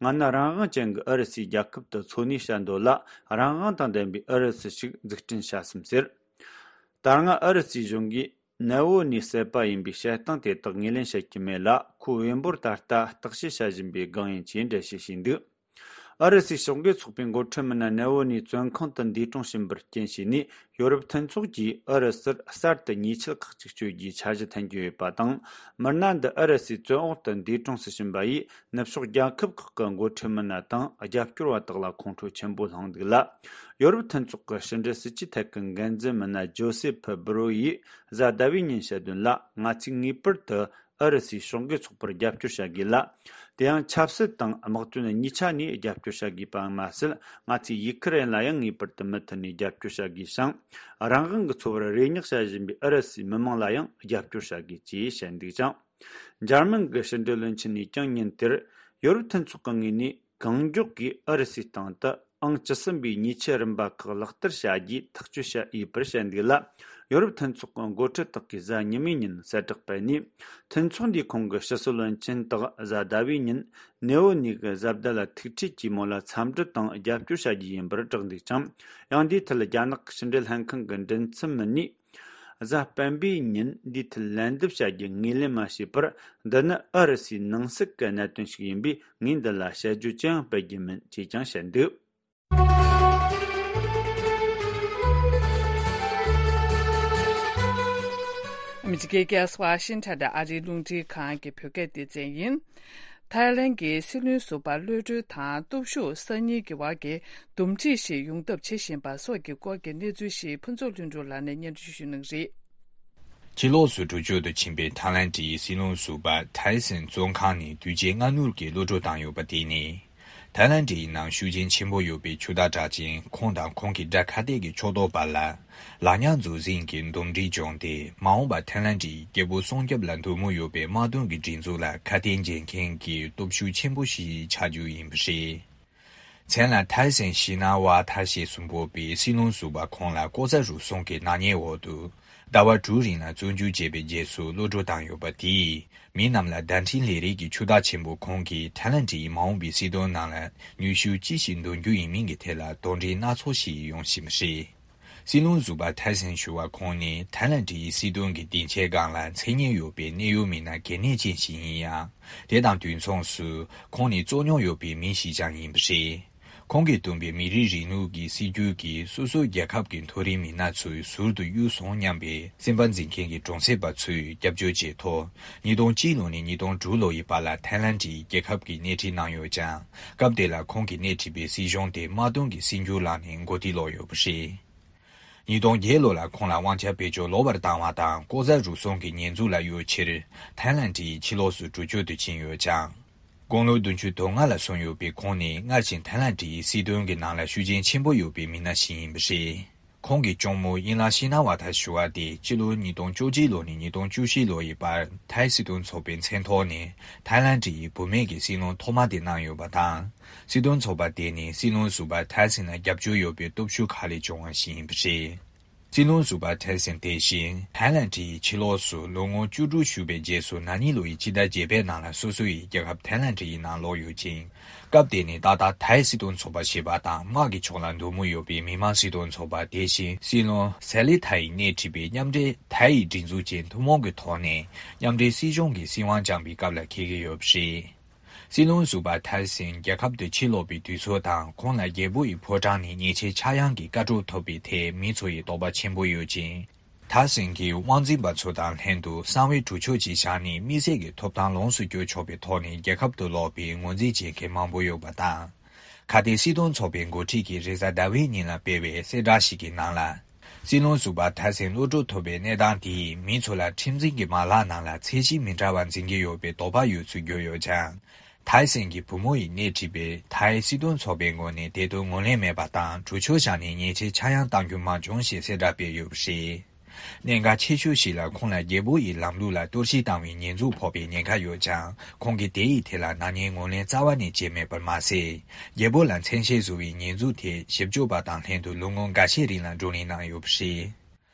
ང་ནི་རང་དབང་ཅན་གྱི་ཨུ་རུ་སུའི་རྒྱལ་ཁབ་ཏུ་འཚོ་གནས་བྱ་འདོད་ལ། རང་དབང་དང་ལྡན་པའི་ཨུ་རུ་སུ་ཞིག་འཛུགས་སྐྲུན་བྱ་བསམ་ཟེར། ད་སྔ་ཨུ་རུ་སུའི་གཞུང་གིས་ནེ་ཝོ་ནིའི་བསད་པ་ཡིན་པའི་བཤད་སྟངས་དེ་དག་ངོས་ལེན་བྱེད་ཀྱི་མེད་ལ། ཁོའི་བེམ་པོར་ད་ལྟ་བརྟག་དཔྱད་བྱ་བཞིན་པའི་སྒང་ཡིན་ཅེས་འགྲེལ་བཤད་བྱས་འདུག་ཨུ་རུ་སུའི་ཕྱོགས་འགལ་ཚོགས་པའི་འགོ་ཁྲིད་མི་སྣ་ནེ་ཝོ་ནིའི་བཙོན་ཁང་དུ་འདས་གྲོངས་ཕྱིན་པར་རྐྱེན་བྱས་ནས། ཡོ་རོབ་མཐུན་ཚོགས་ཀྱིས་ཨུ་རུ་སུར་གསར་དུ་ཉེས་ཆད་ཁག་ཅིག་གཅོད་རྒྱུའི་འཆར་གཞི་འཐེན་གྱི་ཡོད་པ་དང་། མི་སྣ་འདི་ཨུ་རུ་སུའི་བཙོན་འོག་ཏུ་འདས་གྲོངས་སུ་ཕྱིན་པ་ཡིས། ནུབ་ཕྱོགས་རྒྱལ་ཁབ་ཁག་གི་འགོ་ཁྲིད་མི་སྣ་དང་རྒྱབ་སྐྱོར་བ་དག་ལ་ཁོང་ཁྲོ་ཆེན་པོ་བསླངས་འདུག་ལ། ཡོ་རོབ་མཐུན་ཚོགས་ཀྱི་ཕྱི་འབྲེལ་སྲིད་ཇུས་ཐད་ཀྱི་འགན་འཛིན་མི་སྣ་ཇོ་སེ་ཕི་སྦུ་རོ་ཡིས་གཟའ་ཟླ་བའི་ཉིན་བཤད་དོན་ལ། ང་ཚོས་ངེས་པར་དུ་ཨུ་རུ་སུའི་ཕྱོགས་འགལ་ཚོགས་པར་རྒྱབ་སྐྱོར་བྱ་དགོས་ལ། དེ་ཡང་ཆབ་སྲིད་དང་དམག་དོན་གཉིས་ཆ་ནས་རྒྱབ་སྐྱོར་བྱ་དགོས་པ་མ་ཟད། ང་ཚོས་ཡུ་ཁུ་རེན་ལ་ཡང་ངེས་པར་དུ་མུ་མཐུད་ནས་རྒྱབ་སྐྱོར་བྱ་དགོས་ཤིང་། རང་དབང་གི་འཚོ་བར་རེ་སྙེག་བྱ་བཞིན་པའི་ཨུ་རུ་སུའི་མི་མང་ལ་ཡང་རྒྱབ་སྐྱོར་བྱ་དགོས་ཅེས་བཤད་འདུག་ཅིང་། འཇར་མན་གྱི་ཕྱི་འབྲེལ་བློན་ཆེན་ནས་ཀྱང་ཉིན་དེར། ཡོ་རོབ་མཐུན་ཚོགས་ཀྱི་ངོས་ནས་གང་མགྱོགས་ཀྱིས་ཨུ་རུ་སུའི་སྟེང་དུ་ཨང་བཅུ་གསུམ་པའི་ཉེས་ཆད་རིམ་པ་ཁག་ལག་བསྟར་བྱ་རྒྱུའི་ཐག་གཅོད་བྱས་ཡོད་པར་བཤད་འདུག་ལ། ཡོ་རོབ་མཐུན་ཚོགས་ཀྱི་འགོ་ཁྲིད་དག་གིས་གཟའ་ཉི་མའི་ཉིན་གསལ་བསྒྲགས་སྤེལ་ནས། མཐུན་ཚོགས་འདིའི་ཁོངས་ཀྱི་ཕྱི་སྲིད་བློན་ཆེན་དག་གཟའ་ཟླ་བའི་ཉིན་ནེ་ཝོ་ནི་གི་གཟའ་ཟླ་ལ་ཐུག་འཕྲད་ཀྱིས་མོ་ལ་འཚམས་འདྲི་དང་རྒྱབ་སྐྱོར་བྱ་རྒྱུ་ཡིན་པར་བསྒྲགས་འདུག་ཅིང་། ཡང་འདིའི་ཐད་རྒྱ་ནག་གི་ཕྱི་འབྲེལ་ལྷན་ཁང་གི་མགྲིན་ཚབ་མི་སྣས། གཟའ་སྤེན་པའི་ཉིན་འདིའི་ཐད་ལན་འདེབས་བྱ་རྒྱུ་ངོས་ལེན་མ་བྱས་པར། འདི་ནི་ཨུ་རུ་སུའི་ནང་སྲིད་ཀྱི་གནད་དོན་ཞིག་ཡིན་པས། ངས་འདི་ལ་དཔྱད་བརྗོད་ཅི་ཡང་སྤེལ་རྒྱུ་མིན་ཅེས་ཀྱང་བཤད་འདུག་ཨ་མི་རི་ཀའི་རྒྱལ་ས་ཝ་ཤིང་ཊོན་དུ་ཨ་རིའི་རླུང་འཕྲིན་ཁང་གི་བོད་སྐད་སྡེ་ཚན་ཡིན། ཐའི་ལན་གྱི་སྲིད་བློན་ཟུར་པ་གློད་གྲོལ་དང་སྟོབས་ཤུགས་གསར་རྙིང་གི་བར་གྱི་འདུམ་འགྲིག་ཞིག་ཡོང་ཐབས་བྱེད་བཞིན་པ་སོགས་ཀྱི་སྐོར་གྱི་གནས་ཚུལ་ཞིག་ཕུན་ཚོགས་ལྷུན་གྲུབ་ལགས་ནས་སྙན་སྒྲོན་ཞུ་གནང་གི་རེད། ཕྱི་ལོགས་སུ་འགྲུལ་སྐྱོད་དུ་ཕྱིན་པའི་ཐའི་ལན་གྱི་སྲིད་བློན་ཟུར་པ་ཐའི་སན་བཙོན་ཁང་ནས་དུས་ཆེན་སྔ་སྣུར་གྱི་གློད་གྲོལ་བཏང་ཡོད་པ་དེ་ནི། ཐའི་ལན་གྱི་ནང་ཤུགས་རྐྱེན་ཆེན་པོ་ཡོད་པའི་ཆུ་དྭགས་གྲགས་ཅན་ཁོང་དང་ཁོང་གི་དགྲ་ཁ་གཏད་ཀྱི་ཕྱོགས་གཏོགས་བར་ལ་ལག་ཉར་འཛུགས་ཟིན་གྱི་འདུམ་འགྲིག་བྱུང་སྟེ། མ་འོངས་པར་ཐའི་ལན་གྱི་རྒྱལ་པོ་སྲུང་སྐྱོབ་ལ་འདོད་མོས་ཡོད་པའི་དམག་དོན་གྱི་སྒྲིག་འཛུགས་ལ་ཁ་གཏད་འཇལ་མཁན་གྱི་སྟོབས་ཤུགས་ཆེན་པོ་ཞིག་ཆགས་རྒྱུ་ཡིན་པ་རེད། མཚན་ལ་ཐའི་སན་ཤི་ན་ཝ་ཐ་ཞེས་སུ་འབོད་པའི་སྲིད་བློན་ཟུར་པ་ཁོང་ལ་ལྐོག་ཟ་རུལ་སུངས་ཀྱི་ནག་ཉེས་འོག་ཏུ་ཟླ་བ་དྲུག་རིང་ལ་བཙོན་འཇུག་བྱས་པའི་རྗེས་སུ་གློད་གྲོལ་བཏང་ཡོད་པ་དེས། མི་རྣམས་ལ་བརྡ་འཕྲིན་ལས་རིགས་ཀྱི་ཆུ་དྭགས་ཆེན་པོ་ཁོང་གིས་ཐའི་ལན་གྱི་མ་འོངས་པའི་སྲིད་དོན་ནང་ལ་ནུས་ཤུགས་ཅི་ཞིག་འདོན་རྒྱུ་ཡིན་མིན་གྱི་ཐད་ལ་དོགས་འདྲི་སྣ་ཚོགས་ཤིག་ཡོང་བཞིན་པ་རེད། སྲིད་བློན་ཟུར་པ་ཐའི་སན་ཞུ་བ་ཁོང་ནི་ཐའི་ལན་གྱི་སྲིད་དོན་གྱི་སྡིངས་ཆའི་སྒང་ལ་མཚན་སྙན་ཡོད་པའི་གནད་ཡོད་མི་སྣ་གལ་གནད་ཅན་ཞིག་ཡིན་ཡང་། དེ་དང་དུས་མཚུངས་སུ་ཁོང་ནི་རྩོད་རྙོག་ཡོད་པའི་མི་ཞིག་ཀྱང་ཡིན་པ་རེད། ཁོང་གིས་བཏོན་པའི་མི་རིགས་རིང་ལུགས་ཀྱི་སྲིད་བྱུས་ཀྱིས་སོ་སོའི་རྒྱལ་ཁབ་ཀྱི་མཐོ་རིམ་མི་སྣ་ཚོས་ཟུར་དུ་གཡུགས་སོང་སྙམ་པའི་སེམས་པ་འཛིན་མཁན་གྱི་གྲོང་གསེབ་པ་ཚོས་སྐྱབས་བཅོལ་བྱས་ཐོག་ཉིས་སྟོང་གཅིག་ལོ་ནས་ཉིས་སྟོང་དྲུག་ལོ་ཡི་བར་ལ་ཐའི་ལན་གྱི་རྒྱལ་ཁབ་ཀྱི་སྣེ་ཁྲིད་གནང་ཡོད་ཀྱང་། སྐབས་དེ་ལ་ཁོང་གིས་སྣེ་ཁྲིད་པའི་སྲིད་གཞུང་དེ་དམག་དོན་གྱི་སྲིད་འགྱུར་ལངས་ནས་མགོ་རྟིང་སློག་ཡོད་པ་རེད། ཉིས་སྟོང་བརྒྱད་ལོ་ལ་ཁོང་ལ་དབང་ཆ་བེད་སྤྱོད་ལོག་པར་བཏང་བ་དང་ལྐོག་ཟ་རུལ་སུངས་ཀྱི་ཉེས་འཛུགས་ལ་གཡོལ་ཕྱིར་ཐའི་ལན་གྱི་ཕྱི་ལོགས་སུ་འགྲུལ་སྐྱོད་དུ་ཕྱིན་ཡོད་ཀྱང་། དགུང་ལོ་བདུན་ཅུ་དོན་ལྔ་ལ་སོན་ཡོད་པའི་ཁོང་ནི་སྔར་བཞིན་ཐའི་ལན་གྱི་སྲིད་དོན་གྱི་ནང་ལ་ཤུགས་རྐྱེན་ཆེན་པོ་ཡོད་པའི་མི་སྣ་ཞིག་ཡིན་པ་རེད། ཁོང་གི་གཅུང་མོ་དབྱིན་ལང་ཤི་ན་ཝ་ཐ་ཞུ་བ་དེ་སྤྱི་ལོ་ཉིས་སྟོང་བཅུ་གཅིག་ལོ་ནས་ཉིས་སྟོང་བཅུ་བཞི་ལོ་ཡི་བར་ཐའི་སྲིད་དོན་ཚོགས་པའི་མཚན་ཐོག་ནས་ཐའི་ལན་གྱི་བུད་མེད་ཀྱི་སྲིད་བློན་ཐོག་མ་དེ་གནང་ཡོད་པ་དང་། སྲིད་དོན་ཚོགས་པ་དེ་ནི་སྲིད་བློན་ཟུར་པ་ཐའི་སན་ལ་རྒྱབ་སྐྱོར་ཡོད་པའི་སྟོབས་ཤུགས་ཁག་ལས་བྱུང་བ་ཞིག་ཡིན་པ་རེད། སྲིད་བློན་ཟུར་པ་ཐའི་སན་དེ་བཞིན་ཐའི་ལན་གྱི་ཕྱི་ལོགས་སུ་ལོ་ངོ་བཅུ་དྲུག་བཞུགས་པའི་རྗེས་སུ་ན་ནིང་ལོ་ཡི་སྤྱི་ཟླ་བརྒྱད་པའི་ནང་ལ་སོ་སོ་ཡི་རྒྱལ་ཁབ་ཐའི་ལན་གྱི་ནང་ལོག་ཡོད་ཅིང་། སྐབས་དེ་ནི་ཏག་ཏག་ཐའི་སྲིད་དོན་ཚོགས་པ་ཞེས་པ་དང་དམག་གི་ཕྱོགས་ལ་འདོད་མོས་ཡོད་པའི་མི་དམངས་སྲིད་དོན་ཚོགས་པ་དེ་བཞིན་སྲིད་བློན་སེ་ལི་ཐའི་སྣེ་ཁྲིད་པའི་མཉམ་འབྲེལ་ཐའི་སྒྲིག་འཛུགས་ཅན་ཐུན་མོང་གི་ཐོག་ནས་མཉམ་འབྲེལ་སྲིད་གཞུང་གི་སྲིད་དབང་བཅངས་པའི་སྐབས་ལ་འཁེལ་གྱི་ཡོད་པ་རེད། སྲིད་བློན་ཟུར་པ་ཐའི་སན་རྒྱལ་ཁབ་ཏུ་ཕྱིར་ལོག་པའི་དུས་ཚོད་དང་ཁོང་ལ་རྒྱལ་པོ་ཡི་ཕོ་བྲང་ནས་ཉེས་ཆད་ཆག་ཡང་གི་བཀའ་སྒྲོག་ཐོབ་པའི་ཐད་མི་ཚོ་ཡི་དོགས་པ་ཆེན་པོ་ཡོད་ཅིང་། ཐའི་སན་གྱིས་དབང་འཛིན་པ་ཚོ་དང་ལྷན་དུ་གསང་བའི་གྲོས་ཆོད་ཅིག་བཞག་ནས་དམིགས་བསལ་གྱི་ཐོབ་ཐང་ལོངས་སུ་སྤྱོད་ཆོག་པའི་ཐོག་ནས་རྒྱལ་ཁབ་ཏུ་ལོག་པའི་ངོས་འཛིན་བྱེད་མཁན་མང་པོ་ཡོད་པ་དང་། ཁ་གཏད་སྲིད་དོན་ཚོགས་པའི་འགོ་ཁྲིད་ཀྱིས་རེས་གཟའ་ཟླ་བའི་ཉིན་ལ་སྤེལ་བའི་གསལ་བསྒྲགས་ཤིག་གི་ནང་ལ། སྲིད་བློན་ཟུར་པ་ཐའི་སིན་གློད་གྲོལ་ཐོབ་པའི་གནས་སྟངས་དེས་མི་ཚོ་ལ་ཁྲིམས་འཛིན་གྱི་མ་ལག་ནང་ལ་ཚད་གཞི་མི་འདྲ་བ་འཛིན་གྱི་ཡོད་པའི་དོགས་པ་ཡོད་ཚུལ་བརྗོད་ཡོད་ཀྱང་། ཐའི་སིན་གྱི་བུ་མོ་ཡིས་སྣེ་ཁྲིད་པའི་ཐའི་སྲིད་དོན་ཚོགས་པའི་ངོས་ནས་དེ་དོན་ངོས་ལེན་མེད་པ་དང་གྲོས་ཆོད་བཞག་ནས་ཉེས་ཆད་ཆག་ཡང་གཏང་རྒྱུ་མ་བྱུང་ཞེས་གསལ་བསྒྲགས་སྤེལ་ཡོད་པ་རེད། གནད་འགག་ཆེ་ཤོས་ཤིག་ལ་ཁོང་ལ་རྒྱལ་པོ་ཡི་ལམ་ལུགས་ལ་གཏོར་བཤིག་བཏང་བའི་ཉེས་འཛུགས་ཕོག་པའི་ཉེན་ཁ་ཡོད་ཀྱང་། ཁོང་གིས་དེ་ཡི་ཐད་ལ་ནག་ཉེས་ངོས་ལེན་རྩ་བ་ནས་བྱས་མེད་པར་མ་ཟད། རྒྱལ་པོ་ལ་མཚན་ཤས་བཟོ་བའི་ཉེས་འཛུགས་ཐད་ཞིབ་དཔྱོད་པ་དང་ལྷན་དུ་ལོ་ངོ་འགའ་ཤས་རིང་ལ་བགྲོ་གླེང་གནང་ཡོད་པ་རེད།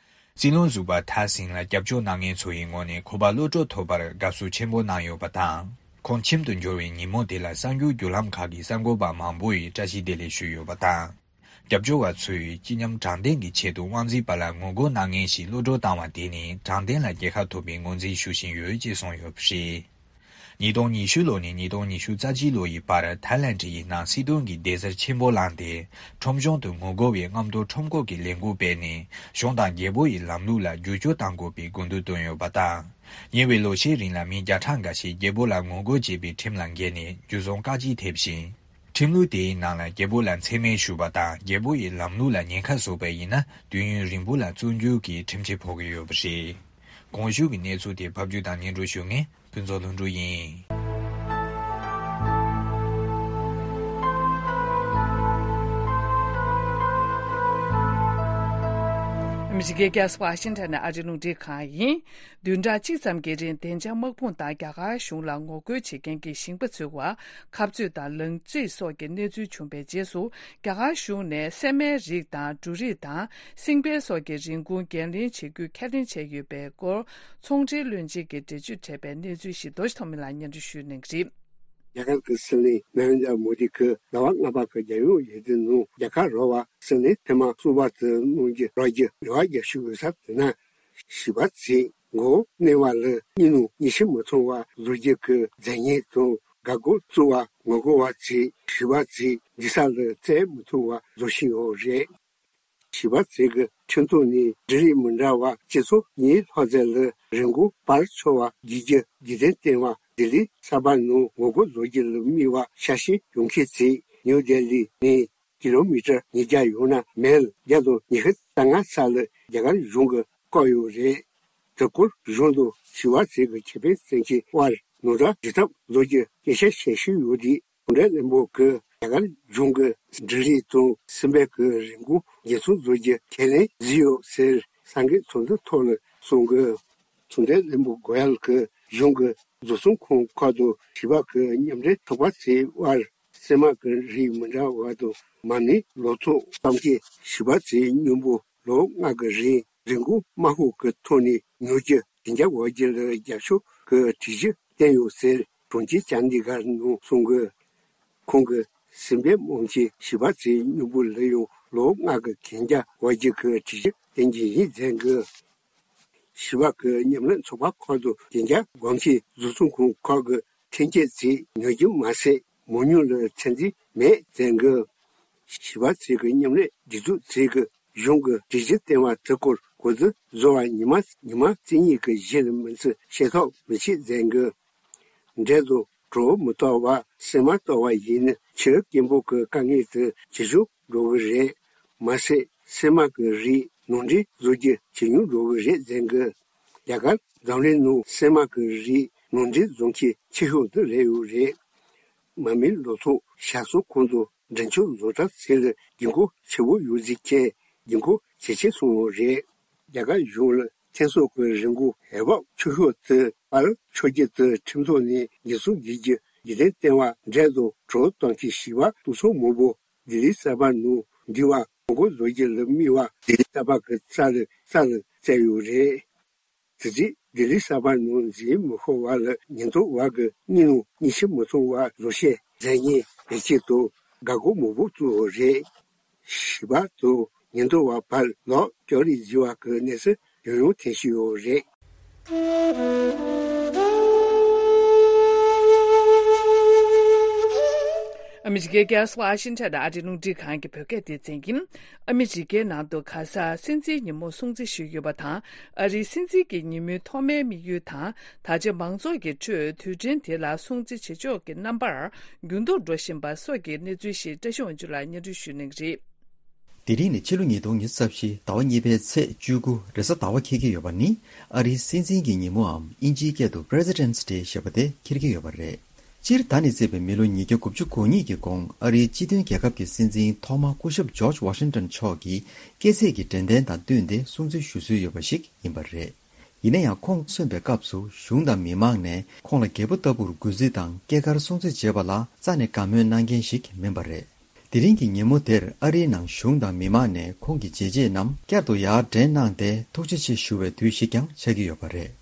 སྲིད་བློན་ཟུར་པ་ཐའི་སིན་ལ་སྐྱབས་བཅོལ་གནང་མཁན་ཚོ་ཡི་ངོས་ནས་ཁོ་པ་གློད་གྲོལ་ཐོབ་པར་དགའ་བསུ་ཆེན་པོ་གནང་ཡོད་པ་དང་། ཁོང་ཁྱིམ་དུ་འབྱོར་བའི་ཉིན་མོ་དེ་ལ་གསར་འགྱུར་བརྒྱུད་ལམ་ཁག་གི་གསར་འགོད་པ་མང་པོ་ཡིས་བཀྲ་ཤིས་བདེ་ལེགས་ཞུས་ཡོད་པ་དང་། སྐྱབས་བཅོལ་བ་ཚོས་སྤྱི་ཉམས་དྲང་བདེན་གྱི་ཆེད་དུ་དབང་འཛིན་པ་ལ་ངོ་རྒོལ་གནང་མཁན་ཞིག་གློད་གྲོལ་བཏང་བ་དེ་ནི་དྲང་བདེན་ལ་རྒྱལ་ཁ་ཐོབ་པའི་ངོས་འཛིན་ཞུ་བཞིན་ཡོད་ཅེས་གསུངས་ཡོད་པ་རེད། ཉིས་སྟོང་ཉི་ཤུ་ལོ་ནས་ཉིས་སྟོང་ཉི་ཤུ་རྩ་གཅིག་ལོ་ཡི་བར་ཐའི་ལེན་ཌི་ཡི་ནང་སྲིད་དོན་གྱི་བདེ་འཚར་ཆེན་པོ་བླངས་ཏེ། ཁྲོམ་གཞུང་དུ་ངོ་རྒོལ་བའི་རྔམ་སྟོར་ཁྲོམ་སྐོར་གྱི་ལས་འགུལ་སྤེལ་ནས། གཞུང་དང་རྒྱལ་པོ་ཡི་ལམ་ལུགས་ལ་བསྒྱུར་བཅོས་གཏང་དགོས་པའི་དགོངས་དོན་བཏོན་ཡོད་པ་དང་། ཉེ་བའི་ལོ་ཤས་རིང་ལ་མི་བརྒྱ་ཕྲག་འགའ་ཞིག་རྒྱལ་པོ་ལ་ངོ་རྒོལ་བྱས་པའི་ཁྲིམས་ལ་འགལ་ནས་འཇུ་བཟུང་བཀག་སྐྱིལ་ཐེབས་ཤིང་། ཁྲིམས་ལུགས་དེའི་ནང་ལ་རྒྱལ་པོ་ལ་མཚན་སྨད་ཞུགས་པ་དང་རྒྱལ་པོ་ཡི་ལམ་ལུགས་ལ་ཉེན་ཁ་བཟོས་པ་ཡིན་ན་དུས་ཡུན་རིང་པོ་ལ་བཙོན་འཇུག་གི་ཁྲིམས་ཆད་ཕོག་གི་ཡོད་པ་རེད། གོང་ཞུས་ཀྱི་གནས་ཚུལ་དེ་ཕབ་སྒྱུར་དང་སྙན་སྒྲོན་ཞུ་མཁན་ཕུན་ཚོགས་ལྷུན་གྲུབ་ཡིན། ཨ་མི་རི་ཀའི་རྒྱལ་ས་ཝ་ཤིང་ཊོན་ནས་ཨ་རི་རླུང་འཕྲིན་ཁང་ཡིན། བདུན་ཕྲག་གཅིག་ཙམ་གྱི་རིང་བདེ་འཇགས་དམག་དཔུང་དང་རྒྱ་གར་གཞུང་ལ་ངོ་རྒོལ་བྱེད་མཁན་གྱི་ཞིང་པ་ཚོའི་བར་འཁབ་རྩོད་དང་ལང་རྩོད་སོགས་ཀྱི་གནས་ཚུལ་བྱུང་བའི་རྗེས་སུ། རྒྱ་གར་གཞུང་ནས་སྲན་མའི་རིགས་དང་འབྲུ་རིགས་དང་སྲིང་བལ་སོགས་ཀྱི་རིན་གོང་འགན་ལེན་བྱེད་རྒྱུ་ཁས་ལེན་བྱས་ཡོད་པའི་སྐོར་ཚོང་འབྲེལ་བློན་ཆེན་གྱི་འགྲེལ་བརྗོད་འཕྲད་པའི་གནས་ཚུལ་ཞིག་རྡོ་རྗེ་ཐོགས་མེད་ལགས་སྙན་སྒྲོན་ཞུ་གནང་གི་རེད། རྒྱ་གར་གྱི་སྲིད་བློན་ན་རེན་དྲ་མོ་དི་གིས་ཟླ་བ་ལྔ་པ་གི་རྒྱལ་ཡོངས་ཡུལ་དུས་ནང་རྒྱ་གར་རོ་བ་སྲིད་བློན་ཐེངས་མ་གསུམ་པ་དུ་གནང་རྒྱུ་རག་རྒྱུ་རེ་བ་རྒྱག་བཞིན་ཡོད་ས་དེ་ན། ཞི་བ་འཚོས་མགོ་བོ་མནན་པ་ལ་གཉིད་ནང་གཉིད་ཤིང་མི་མཐོང་བ་བཟོ་རྒྱུ་གི་མཛད་ཉེས་དང་། འགག་སྒོ་བཙུགས་པ་ངོ་རྒོལ་བ་ཚོས་ཞི་བ་འཚོས་འདུག་ས་ལ་བཙལ་མི་ཐུབ་པ་བཟོ་བཞིན་ཡོད་རེད། ཞི་བ་འཚོས་ཀྱི་ཁྲིམས་ཐོག་ནས་འབྲུ་རིགས་མི་འདྲ་བ་སྤྱི་ཚོགས་གཉིས་ལྷག་ཙམ་ལ་རིན་གོང་སྤར་ཆོག་པ་བརྒྱུད་རྒྱུ་རྒྱུན་ལྡན་བསྟན་པ་ལྡི་ལི་གསར་པ་ནང་ངོ་རྒོལ་བཟོ་རྒྱུ་ལ་དམིགས་པ་ཤར་ཕྱིན་ཡོང་མཁན་ཚོས་ནིའུ་ལྡི་ལི་ནས་ཀི་ལོ་མི་ཊར་ཉིས་བརྒྱ་ཡོད་ན་མལ་བརྒྱ་དང་ཉི་ཤུ་རྩ་ལྔ་ས་ལ་རྒྱ་གར་གཞུང་གིས་བཀག་ཡོད་རེད། དེ་སྐོར་གཞུང་དང་ཞི་བ་འཚོས་ཀྱི་ཁེ་ཕན་བསམ་མཁན་དབར་ནོར་འཁྲུལ་སྒྲིག་ཐབས་བཟོ་རྒྱུ་སྐད་ཆ་བཤད་བཞིན་ཡོད་དུས། གྲུབ་འབྲས་བློན་པོ་གིས་རྒྱ་གར་གཞུང་གིས་འབྲུ་རིགས་དང་སྲན་མའི་རིན་གོང་འགྱུར་ཚོང་བཟོ་རྒྱུ་ཁས་ལེན་བཟོས་ཡོད་ཟེར་ས་འགན་ཚོགས་འདུ་ཐོག་ལ་གསུངས་གི། གྲུབ་འབྲས་བློན་པོ་གོ་ཡལ་གྱིས་གཞུང་གི་བཟོ་ཚོང་ཁང་ཁག་དང་ཞི་བ་གི་མཉམ་འབྲེལ་ཚོགས་པ་ཚོའི་དབར་སྲན་མ་གི་རིགས་མི་འདྲ་བ་དང་མ་རྨོས་ལོ་ཐོག་གཏོང་མཁན་ཞི་བ་འཚོའི་སྙིང་པོ་ལོ་ལྔ་གི་རིང་རིན་གོང་དམའ་ཤོས་ཀྱི་ཐོག་ནས་ཉོ་རྒྱུ་བདེ་འཇགས་དབང་སྒྱུར་ལ་རྒྱབ་སྐྱོར་གྱི་སྒྲིག་གཞི་བཏིང་ཡོད་ཟེར་གྲོང་ཁྱེར་ཅན་དི་གྷར་ནང་གསུངས་གི། ཁོང་གིས་སྲན་མ་རྨོ་མཁན་ཞི་བ་འཚོའི་སྙིང་པོ་ལ་ཡང་ལོ་ལྔ་གི་གན་རྒྱ་དབང་སྒྱུར་གྱི་སྒྲིག་གཞི་བཏིང་རྒྱུ་ཡིན་ཟེར་གི། ཞི་བ་གི་མཉམ་ལས་ཚོགས་པ་ཁག་ཏུ་བདེ་འཇགས་དབང་ཆའི་བཟོ་ཚོང་ཁང་ཁག་གི་ཐོན་སྐྱེད་ཚོས་ཉོ་རྒྱུ་མ་ཟད་མ་དངུལ་ལ་ཚད་འཛིན་མེད་ཟེར་གི། ཞི་བ་འཚོ་གི་མཉམ་ལས་སྒྲིག་འཛུགས་ཚོས་གི་གཞུང་གི་སྒྲིག་གཞི་བཏིང་བ་དེ་སྐོར་གོ་བསྡུར་བཟོ་བར་ཉི་མ་ཉི་མ་གཅིག་གཉིས་ཀྱི་གཞི་ལ་མིན་ཚེ་བྱེད་ཐབས་མི་བྱེད་ཟེར་གི། འབྲས་དང་གྲོ་མི་གཏོར་བར་སྲན་མ་གཏོར་བ་ཡིན་ན་ཕྱིར་སྐྱེན་པོ་གི་དཀའ་ངལ་དེ་ཇེ་ཆུང་འགྲོ་གི་རེད། མ་ཟད་སྲན་མ་གི་རིགས་ནང་འདྲེན་བཟོ་རྒྱུ་ཇེ་ཉུང་འགྲོ་གི་རེད་ཟེར་གི། རྒྱ་གར་འཛམ་གླིང་ནང་སྲན་མ་གི་རིགས་ནང་འདྲེན་བཟོ་མཁན་ཆེ་ཤོས་དེ་རེད་ཡོད་རེད། མ་རྨོས་ལོ་ཐོག་ཞར་གསོ་ཁང་དུ་འདྲེན་འཁོར་བཟོ་གྲྭ་ཚོ་ལ་དགོས་མཁོ་ཆེ་བོ་ཡོད་ཟེར་མཁན་དགོས་མཁོ་ཇེ་ཆེ་སོང་བ་རེད། རྒྱ་གར་གཞུང་ལ་ཐོན་ཟོག་གི་རིན་གོང་འོས་འབབ་ཆུང་ཤོས་དེ་སྤར་ཆོག་རྒྱུ་དེ་ཁྲིམས་ཐོག་ནས་འགྱུར་ཚུལ་བརྒྱུད་རྒྱུ་རྒྱུན་ལྡན་བསྟན་པ་འབྲས་དང་གྲོ་གཏོང་མཁན་ཞི་བ་ཏོག་ཚང་མང་པོ་ལྡི་ལི་གསར་པ་ནང་འདུས་པ་ངོ་རྒོལ་བཟོ་རྒྱུ་ལ་དམིགས་པ་ལྡི་ལི་གསར་པ་གི་རྩ་ལ་རྩ་ལ་བཙལ་ཡོད་རེད། དེ་རྗེས་ལྡི་ལི་གསར་པ་ནང་འཛུལ་མི་ཤོར་བ་ལ་ཉེན་རྟོག་པ་གིས་གཉིད་ནང་གཉིད་ཤིང་མི་མཐོང་བ་བཟོ་བྱེད་མཛད་ཉེས་བེད་སྤྱད་དང་འགག་སྒོ་མང་པོ་བཙུགས་ཡོད་རེད། ཞི་བ་དང་ཉེན་རྟོག་པ་བར་ལོག་སྐྱོ་རིས་བརྗེ་བ་གི་གནས་ཚུལ་ཡང་ཡང་ཐོན་བཞིན་ཡོད་རེད། ཨ་མི་རི་ཀའི་རྒྱལ་ས་ཝ་ཤིང་ཊོན་ཨ་རིའི་རླུང་འཕྲིན་ཁང་གི་བོད་སྐད་སྡེ་ཚན་གྱིས། ཨ་མི་རི་ཀའི་ནང་དུ་གྷ་ཟ་སྲིད་འཛིན་ཉིན་མོ་སྲུང་བརྩི་ཞུས་ཡོད་པ་དང་། ཨ་རིའི་སྲིད་འཛིན་གྱི་ཉིན་མོའི་ཐོག་མའི་དམིགས་ཡུལ་དང་། ད་ཆ་མང་ཚོགས་ཀྱི་ཁྲོད་དུས་དྲན་དེ་ལ་སྲུང་བརྩི་བྱེད་ཕྱོགས་ཀྱི་རྣམ་པར་འགྱུར་ལྡོག་འགྲོ་བཞིན་པ་སོགས་ཀྱི་གནས་ཚུལ་ཞིག་བཀྲ་ཤིས་དབང་ཕྱུག་ལགས་སྙན་སྒྲོན་ཞུ་གནང་གི་རེད། དེ་རིང་ནི་ཕྱི་ལོ་ཉིས་སྟོང་ཉི་ཤུ་རྩ་བཞི་ཟླ་བ་གཉིས་པའི་ཚེས་བཅུ་དགུ་རེས་གཟའ་ཟླ་བ་འཁེལ་གྱི་ཡོད་པ་ནི། ཨ་རིའི་སྲིད་འཛིན་གྱི་ཉིན་མོའམ་དབྱིན་ཇིའི་སྐད་དུ་President's Day ཞེས་པ་དེ་འཁེལ་གྱི་ཡོད་པ་རེད། སྤྱིར་ད་ནས་བརྩིས་པའི་མི་ལོ་ཉིས་བརྒྱ་དགུ་བཅུ་གོ་གཉིས་ཀྱི་གོང་ཨ་རིའི་སྤྱི་མཐུན་རྒྱལ་ཁབ་ཀྱི་སྲིད་འཛིན་ཐོག་མ་སྐུ་ཞབས་George Washington མཆོག་གིས་སྐྱེས་ཚེས་ཀྱི་དྲན་རྟེན་དང་བསྟུན་ཏེ་སྲུང་བརྩི་ཞུ་སྲོལ་ཡོད་པ་ཞིག་ཡིན་པ་རེད། ཡིན་ན་ཡང་ཁོང་གསོན་པའི་སྐབས་སུ་གཞུང་དང་མི་མང་ནས་ཁོང་ལ་རྒྱལ་པོ་ལྟ་བུར་གུས་བརྩི་དང་སྐྱེས་སྐར་སྲུང་བརྩི་བྱེད་པ་ལ་རྩ་ནས་དགའ་མོས་གནང་མཁན་ཞིག་མིན་པ་རེད། དེ་རིང་གི་ཉིན་མོ་དེར་ཨ་རིའི་ནང་གཞུང་དང་མི་མང་ནས་ཁོང་གི་བྱས་རྗེས་རྣམས་བསྐྱར་དུ་ཡར་དྲན་གནང་སྟེ་ཐུགས་རྗེ་ཆེ་ཞུ་བའི་དུས་ཤིག་ཀྱང་ཆགས་ཀྱི་ཡོད་པ་རེད།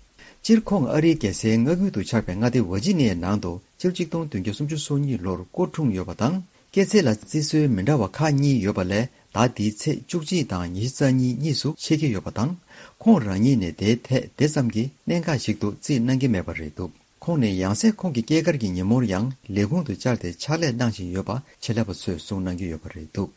སྤྱིར་ཁོང་ཨ་རིའི་རྒྱལ་སའི་མངའ་ཁུལ་དུ་ཆགས་པའི་མངའ་སྡེ་ཝར་ཇི་ནི་ཡའི་ནང་དུ་ཕྱི་ལོ་གཅིག་སྟོང་བདུན་བརྒྱ་སུམ་ཅུ་སོ་གཉིས་ལོར་སྐུ་འཁྲུངས་ཡོད་པ་དང་། སྐྱེས་ཚེས་ལ་བརྩི་སྲོལ་མི་འདྲ་བ་ཁག་གཉིས་ཡོད་པ་ལས། ཟླ་འདིའི་ཚེས་བཅུ་གཅིག་དང་ཉི་ཤུ་རྩ་གཉིས་གཉིས་སུ་ཆད་ཀྱི་ཡོད་པ་དང་། ཁོང་རང་ཉིད་ནས་དེའི་ཐད་དེ་ཙམ་གྱི་གནད་འགག་ཞིག་ཏུ་བརྩིས་གནང་གི་མེད་པ་རེད་འདུག་ཁོང་ནས་ཡང་སེ་ཁོང་གི་སྐྱེས་སྐར་གྱི་ཉིན་མོར་ཡང་ལས་ཁུངས་དུ་བཅར་ཏེ་ཕྱག་ལས་གནང་བཞིན་ཡོད་པ་ཆེད་ལས་པ་ཚོས་གསུངས་གནང་གི་ཡོད་པ་རེད་འདུག་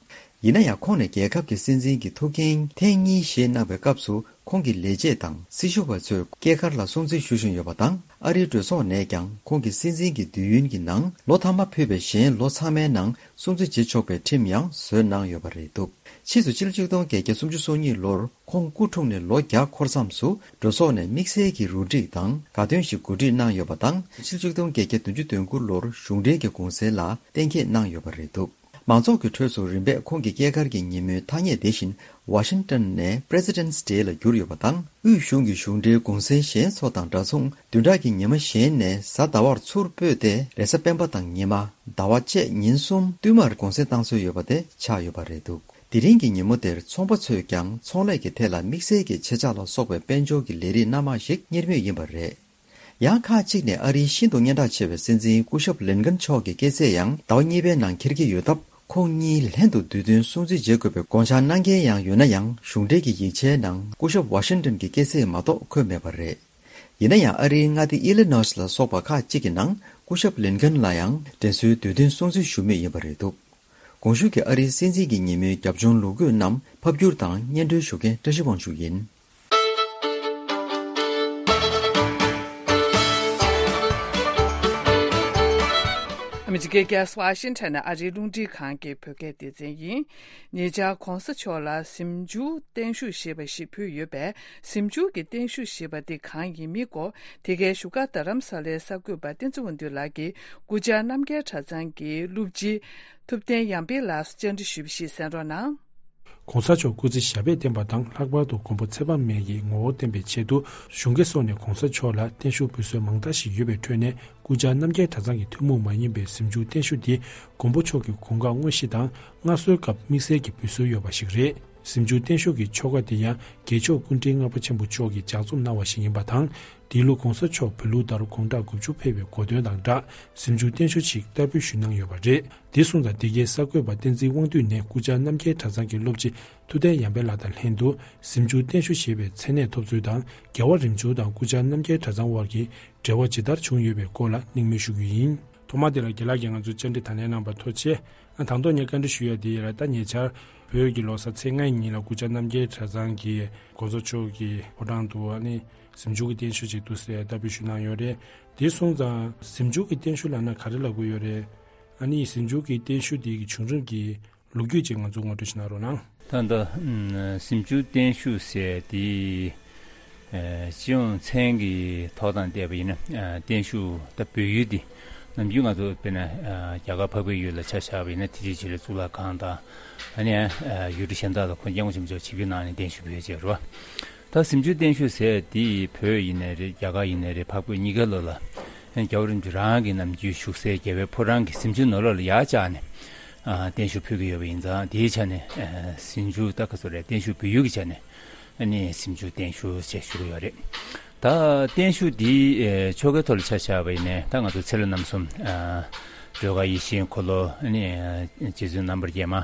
ཡིན་ན་ཡང་ཁོང་ནས་རྒྱལ་ཁབ་ཀྱི་སྲིད་འཛིན་གྱི་ཐུགས་འགན་ཐེངས་གཉིས་བཞེས་གནང་བའི་སྐབས་སུ། ཁོང་གི་ལས་བྱེད་དང་སྲི་ཞུ་བ་ཚོས་སྐྱེས་སྐར་ལ་སྲུང་བརྩི་ཞུ་བཞིན་ཡོད་པ་དང་། ཨ་རིའི་གྲོས་ཚོགས་ནས་ཀྱང་ཁོང་གི་སྲིད་འཛིན་གྱི་དུས་ཡུན་གྱི་ནང་ལོ་མཐའ་མ་ཕུད་པའི་གཞན་ལོ་ཚང་མའི་ནང་སྲུང་བརྩི་བྱེད་ཆོག་པའི་ཁྲིམས་ཡང་བཟོས་གནང་ཡོད་པ་རེད་འདུག་ཕྱིས་སུ་ཕྱི་ལོ་ཆིག་སྟོང་བརྒྱད་བརྒྱ་སུམ་ཅུ་སོ་གཉིས་ལོར་ཁོང་སྐུ་འཁྲུངས་ནས་ལོ་བརྒྱ་འཁོར་མཚམས་སུ་གྲོས་ཚོགས་ནས་དམིགས་བསལ་གྱི་རུ་སྒྲིག་དང་དགའ་སྟོན་ཞིག་གོ་སྒྲིག་གནང་ཡོད་པ་དང་། ཕྱི་ལོ་ཆིག་སྟོང་བརྒྱད་བརྒྱ་བདུན་ཅུ་དོན་དགུ་ལོར་གཞུང་འབྲེལ་གྱི་གུང་སེང་ལ་གཏན་འཁེལ་གནང་ཡོད་པ་རེད་འདུག་མང་ཚོགས་ཀྱི་ཁྲོད་སུ་རིམ་པས་ཁོང་གི་སྐྱེས་སྐར་གྱི་ཉིན་མོའི་ཐ་སྙད་དེ་བཞིན་ཝ་ཤིང་ཏོན་ནས་President's Day ལ་བསྒྱུར་ཡོད་པ་དང་། དབུས་གཞུང་གི་གཞུང་འབྲེལ་གུང་སེང་གཞན་ཚོ་དང་འདྲ་མཚུངས་བདུན་ཕྲག་གི་ཉི་མ་གཞན་ནས་གཟའ་ཟླ་བར་ཚུར་སྤོས་ཏེ་རེས་གཟའ་སྤེན་པ་དང་ཉི་མ། ཟླ་བ་བཅས་ཉིན་གསུམ་བསྟུད་མར་གུང་སེང་བཏང་སྲོལ་ཡོད་པ་དེ་ཆགས་ཡོད་པ་རེད་འདུག་དེ་རིང་གི་ཉིན་མོ་དེར་ཚོང་པ་ཚོས་ཀྱང་ཚོང་ལས་ཀྱི་ཐད་ལ་དམིགས་བསལ་གྱི་ཆེད་བཅག་ལ་སོགས་པའི་དཔལ་འབྱོར་གྱི་ལས་རིགས་སྣ་མང་ཞིག་གཉེར་མུས་ཡིན་པ་རེད། ཡང་ཁག་ཅིག་ནས་ཨ་རིའི་ཤིན་ཏུ་སྙན་གྲགས་ཆེ་བའི་སྲིད་འཛིན་སྐུ་ཞབས་ལིན་ཀན་མཆོག་གི་སྐྱེས་ཚེས་ཡང་ཟླ་བ་གཉིས་པའི་ནང་འཁེལ་གྱི་ཡོད་སྟབས། ཁོང་གཉིས་ལྷན་དུ་དུས་སྟོན་སྲུང་བརྩི་བྱེད་དགོས་པའི་དགོངས་འཆར་གནང་མཁན་ཡང་ཡོད་ན་ཡང་། གཞུང་འབྲེལ་གྱི་ཡིག་ཆའི་ནང་སྐུ་ཞབས་ཝ་ཤིང་ཏོན་གྱི་སྐྱེས་ཚེས་མ་གཏོགས་འཁོད་མེད་པ་རེད། ཡིན་ན་ཡང་ཨ་རིའི་མངའ་སྡེ་ཨི་ལི་ནོས་ལ་སོགས་པ་ཁག་ཅིག་གི་ནང་སྐུ་ཞབས་ལིན་ཀན་ལ་ཡང་དྲན་གསོའི་དུས་སྟོན་སྲུང་བརྩི་ཞུ་མུས་ཡིན་པ་རེད་འདུག་གོང་ཞུས་ཀྱི་ཨ་རིའི་སྲིད་འཛིན་གྱི་ཉིན་མོའི་རྒྱབ་ལྗོངས་ལོ་རྒྱུས་རྣམས་ཕབ་བསྒྱུར་དང་སྙན་སྒྲོན་ཞུ་མཁན་བཀྲ་ཤིས་དབང་ཕྱུག་ཡིན། ཨ་མི་རི་ཀའི་རྒྱལ་ས་ཝ་ཤིང་ཊོན་ནས་ཨ་རིའི་རླུང་འཕྲིན་ཁང་གི་བོད་སྐད་སྡེ་ཚན་ཡིན། ཉེ་ཆར་༧གོང་ས་མཆོག་ལ་གཟིམ་འཇུག་བརྟན་བཞུགས་ཞེས་པ་ཞིག་ཕུལ་ཡོད་པས། གཟིམ་འཇུག་གི་བརྟན་བཞུགས་ཞེས་པ་འདི་གང་ཡིན་མིན་སྐོར་དེ་གའི་བཞུགས་སྒར་རྡ་རམ་ས་ལའི་གསར་འགོད་པ་བསྟན་འཛིན་དབང་འདུས་ལགས་ཀྱིས་སྐུ་བཅར་རྣམ་རྒྱལ་གྲྭ་ཚང་གི་སློབ་སྤྱི་ཐུབ་བསྟན་ཡར་འཕེལ་ལགས་སུ་བཅར་འདྲི་ཞུས་པ་ཞིག་གསན་རོགས་གནང་། ༸གོང་ས་མཆོག་སྐུ་ཚེ་ཞབས་པད་བརྟན་པ་དང་། ལྷག་པར་དུ་མགོན་པོ་ཚེ་དཔག་མེད་ཀྱི་ངོ་བོ་བསྟན་པའི་ཆེད་དུ། གཞུང་གི་སོགས་ནས་༸གོང་ས་མཆོག་ལ་བརྟན་བཞུགས་འབུལ་སྲོལ་མང་དག་ཞིག་ཡོད་པའི་ཁྲོད་ནས། སྐུ་བཅར་རྣམ་རྒྱལ་གྲྭ་ཚང་གི་ཐུན་མོང་མ་ཡིན་པའི་གཟིམ་འཇུག་བརྟན་བཞུགས་འདི། མགོན་པོ་མཆོག་གི་དགུང་ཁ་དངོས་གཞི་དང་མངའ་གསོལ་སྐབས་དམིགས་བསལ་གྱི་འབུལ་སྲོལ་ཡོད་པ་ཞིག་རེད། གཟིམ་འཇུག་བརྟན་བཞུགས་ཀྱི་ཆོ་ག་འདི་ཡང་རྒྱལ་མཆོག་སྐུ་ཕྲེང་ལྔ་པ་ཆེན་པོ་མཆོག་གིས་ལྗགས་རྩོམ་གནང་བ་ཞིག་ཡིན་པ་དང་། འདི་ལོ་༸གོང་ས་མཆོག་བོད་ལུགས་ལྟར་དགུང་གྲངས་དགུ་བཅུ་ཕེབས་པའི་གོ་སྟོན་དང་སྦྲགས། གཟིམ་འཇུག་བརྟན་བཞུགས་ཤིག་བསྟར་འབུལ་ཞུས་གནང་ཡོད་པ་རེད། འདི་སོང་ཙང་། འདི་གའི་གསར་འགོད་པ་བསྟན་འཛིན་དབང་འདུས་ནས་སྐུ་བཅར་རྣམ་རྒྱལ་གྲྭ་ཚང་གི་སློབ་སྤྱི་ཐུབ་བསྟན་ཡར་འཕེལ་ལགས་དང་ལྷན་དུ། གཟིམ་འཇུག་བརྟན་བཞུགས་ཞེས་པའི་མཚན་གནས་ཐོབ་ཚུལ་དང་། རྒྱལ་བ་རིམ་བྱོན་དང་སྐུ་བཅར་རྣམ་རྒྱལ་གྲྭ་ཚང་དབར་གྱི་འབྲེལ་བ་ཇི་ལྟར་བྱུང་ཡོད་པའི་སྐོར་ལ་གླེང་མོལ་ཞུ་རྒྱུ་ཡིན། ཐོག་མར་དེ་ལ་རྒན་ལགས་ཀྱིས་ང་ཚོར་བཅར་འདྲི་དང་ལེན་གནང་བར་ཐུགས་རྗེ་ཆེ། ཨ། དང་ཐོག་ངས་བཀའ་འདྲི་ཞུ་ཡ་དེ་ཡིན་ལ། ད་ཉེ་ཆར་བོད་ཀྱི་ལོ་གསར་ཚེས་ལྔའི་ཉིན་ལ་སྐུ་བཅར་རྣམ་རྒྱལ་གྲྭ་ཚང་གིས་༸གོང་ས་མཆོག་གི་ཕོ་བྲང་དུ། ཨ་ནི་གཟིམ་འཇུག་གི་བརྟན་བཞུགས་ཅིག་འདུག་ཟེར་བསྟར་འབུལ་ཞུས་གནང་ཡོད་རེད། དེ་སོང་ཙང་གཟིམ་འཇུག་གི་བརྟན་བཞུགས་ལབ་ན་ག་རེ་ལབ་དགོས་ཡོད་རེད། ཨ་ནི་གཟིམ་འཇུག་གི་བརྟན་བཞུགས་དེ་གི་བྱུང་རིམ་གྱི་ལོ་རྒྱུས་ཅིག་ང་ཚོ་ངོ་སྤྲོད་ཞུ་གནང་རོགས་གནང་། ད་ལྟ་ཨམ་གཟིམ་འཇུག་བརྟན་བཞུགས་ཟེར་དེ། ཨ། སྤྱི་ཡོངས་མཚན་གྱི་ཐོག་དང་བལྟས་པ་ཡིན་ན། ཨ། བརྟན་བཞུགས་ད་བོད་ཡུལ་འདི་ནམ་རྒྱུན་ང་ཚོ་དཔེར་ན། ཨ། རྒྱ་གར་འཕགས་པའི་ཡུལ་ལ་ཆ་བཞག་པ་ཡིན་ན། དེ་རྗེས་ཆེད་ལས་གཙུག་ལག་ཁང་དང་། ཨ་ནི། ཨ། ཡུལ་གྲུ་གཞན་དག་ལ་ཁོང་སྐྱབས་མགོན་ཆེན་པོ་མཆོག་ཆིབས་བསྒྱུར་གནང་ནས་བརྟན་བཞུགས་ཕུལ་བྱས་རེད་བ། ད་གཟིམ་འཇུག་བརྟན་བཞུགས་ཟེར་དེ་བོད་ཡིན་ནའི་རེད། རྒྱ་གར་ཡིན་ནའི་རེད། འཕགས་བོད་གཉིས་ཀ་ལོ་ལ། ཨ་ནི་རྒྱལ་བ་རིན་པོ་ཆེ་རང་གི་ནམ་རྒྱུན་བཞུགས་སའི་རྒྱལ་བའི་ཕོ་བྲང་གི་གཟིམ་ཆུང་ནང་ལོགས་ལ་ཡར་བཅར་ནས། ཨ། བརྟན་བཞུགས་ཕུལ་གྱི་ཡོད་པ་ཡིན་ཙང་། དེའི་ཆ་ནས། ཨ། གཟིམ་འཇུག་ད་ག་ཚོད་རེད། བརྟན་བཞུགས་བོད་ཡུལ་གྱི་ཆ་ནས། ཨ་ནི་གཟིམ་འཇུག་བརྟན་བཞུགས་ཅེས་ཞུ་གི་ཡོད་རེད། ད་བརྟན་བཞུགས་འདི། ཨ། ཆོ་གའི་ཐོག་ལ་ཆ་བཞག་པ་ཡིན་ནའི། ད་ང་ཚོ་ཚེ་ལྷ་རྣམ་གསུམ། ཨ། སྒྲོལ་དཀར་ཡེ་ཤེས་འཁོར་ལོ། ཨ་ནི་རྗེ་བཙུན་རྣམ་པར་རྒྱལ་མ།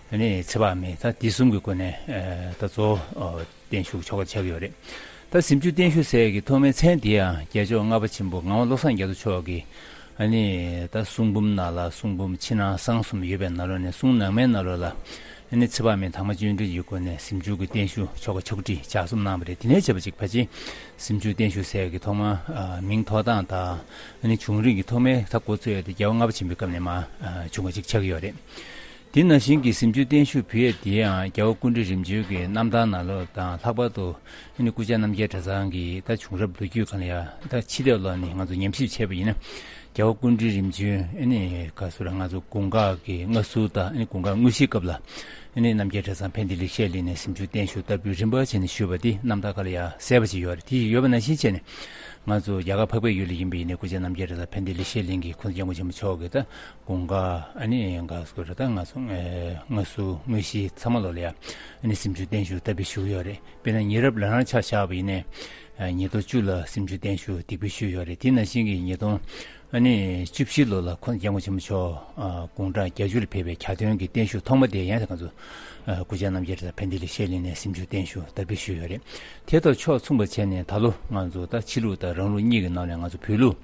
ཨ་ནི་ཚེ་དཔག་མེད། ད་འདི་གསུམ་གྱི་སྒོ་ནས། ཨ། ད་གཙོ་བོ། ཨ། བརྟན་བཞུགས་ཆོ་ག་ཆགས་ཀྱི་ཡོད་རེད། ད་གཟིམ་འཇུག་བརྟན་བཞུགས་ཟེར་ཡག་གི་ཐོག་མའི་མཚན་འདི་ཡང་རྒྱལ་མཆོག་ལྔ་པ་ཆེན་པོ་ངག་དབང་བློ་བཟང་རྒྱ་མཚོ་མཆོག་གིས། ཨ་ནི་ད་གསུང་འབུམ་ནང་ལ། གསུང་འབུམ་ཕྱི་ནང་གསང་གསུམ་ཡོད་པའི་ནང་ལོགས་ནས། གསུང་ནང་མའི་ནང་ལོགས་ལ། ཨ་ནི་ཚེ་དཔག་མེད་དང་པོ་བརྗོད་འདོན་གྱི་སྒོ་ནས་གཟིམ་འཇུག་གི་བརྟན་བཞུགས་ཆོ་ག་ཕྱོགས་སྒྲིག་ལྗགས་རྩོམ་གནང་བ་རེད། དེ་ནས་བྱས་པ་ཅིག་ཕལ་ཆེར་གཟིམ་འཇུག་བརྟན་བཞུགས་ཟེར་ཡག་གི་ཐོག་མ། ཨ། མིང་ཐོགས་སྟངས་དང་། ཨ་ནི་བྱུང་རིམ་གྱི་ཐོག་མའི་ད་འགོ་བཙུགས་ཡག་དེ་རྒྱལ་བ་ལྔ་པ་ཆེན་པོའི་སྐབས་ནས་མར། ཨ། བྱུང་བ་ཅིག་ཆགས་ཀྱི་ཡོད་རེད། དེ་ནང་བཞིན་གྱི་གཟིམ་ཆུང་བརྟན་བཞུགས་ཕུལ་ཡས་དེ་ཡང་རྒྱལ་བ་སྐུ་ཕྲེང་རིམ་བྱོན་གྱི་རྣམ་ཐར་ནང་ལོགས་དང་། ལྷག་པར་དུ་ཨ་ནི་སྐུ་བཅར་རྣམ་རྒྱལ་གྲྭ་ཚང་གི་ད་བྱུང་རབས་ལོ་རྒྱུས་སྒང་ལ་ཡང་ད་ཕྱི་ལོགས་ལ་ནི་ང་ཚོ་ཉམས་ཞིབ་བྱས་པ་ཡིན་ན། རྒྱལ་བ་སྐུ་ཕྲེང་རིམ་བྱོན་ཨ་ནི་ག་ཟེར་ར། ང་ཚོ་དགུང་ཁ་གི་མངའ་གསོལ་དང་ཨ་ནི་དགུང་ཁ་དངོས་གཞིའི་སྐབས་ལ་ཨ་ནི་རྣམ་རྒྱལ་གྲྭ་ཚང་ཕན་བདེ་ལེགས་བཤད་གླིང་ནས་གཟིམ་ཆུང་བརྟན་བཞུགས་བསྟར་འབུལ་རིམ་པ་བྱས་ནས་ཞུས་པ་དེ་རྣམ་ཐར་སྒང་ལ་ཡང་གསལ་པོ་ཅིག་ཡོད་རེད། དེ་ཡོད་པ་ནང་བཞིན་བྱས་ནས་ང་ཚོ་རྒྱ་གར་འཕགས་པའི་ཡུལ་ལ་ཡིན་པ་ཡིན་ནའི་སྐུ་བཅར་རྣམ་རྒྱལ་གྲྭ་ཚང་ཕན་བདེ་ལེགས་བཤད་གླིང་གི་ཁོང་སྐྱབས་མགོན་ཆེན་པོ་མཆོག་གིས་ད་དགུང་ཁ་ཨ་ནི་ག་ཟེར་ར། ད་ང་ཚོ་ཨེ་མངའ་གསོལ་དངོས་གཞི་ཚང་མ་ལོགས་ལ་ཡང་ཨ་ནི་གཟིམ་ཆུང་བརྟན་བཞུགས་བསྟར་འབུལ་ཞུས་ཡོད་རེད། དཔེར་ན་ཉེ་རབས་ལ་རང་ཆ་བཞག་པ་ཡིན་ནའི་ཨ་ཉིས་སྟོང་བཅུ་ལ་གཟིམ་ཆུང་བརྟན་བཞུགས་འདེགས་འབུལ་ཞུས་ཡོད་རེད། དེ་ནང་བཞིན་གྱི་ཉིས་སྟོང་ཨ་ནི་བཅུ་བཞི་ལོ་ལ་ཁོང་སྐྱབས་མགོན་ཆེན་པོ་མཆོག་ཨ་དགུང་གྲངས་བརྒྱད་ཅུ་ལ་ཕེབས་པའི་གྱ་སྟོན་གྱི་བརྟན་བཞུགས་ཐོག་མ་དེ་ཡང་ང་ཚོ་ཨ་སྐུ་བཅར་རྣམ་རྒྱལ་གྲྭ་ཚང་ཕན་བདེ་ལེགས་བཤད་གླིང་ནས་གཟིམ་ཆུང་བརྟན་བཞུགས་བསྟར་འབུལ་ཞུས་ཡོད་རེད། དེ་དང་ཕྱོགས་མཚུངས་པ་བྱས་ནས་ད་ལོ་ང་ཚོ་ད་ཕྱི་ལུགས་དང་རང་ལུགས་གཉིས་ཀྱི་ནང་ནས་ང་ཚོ་བོད་ལུགས་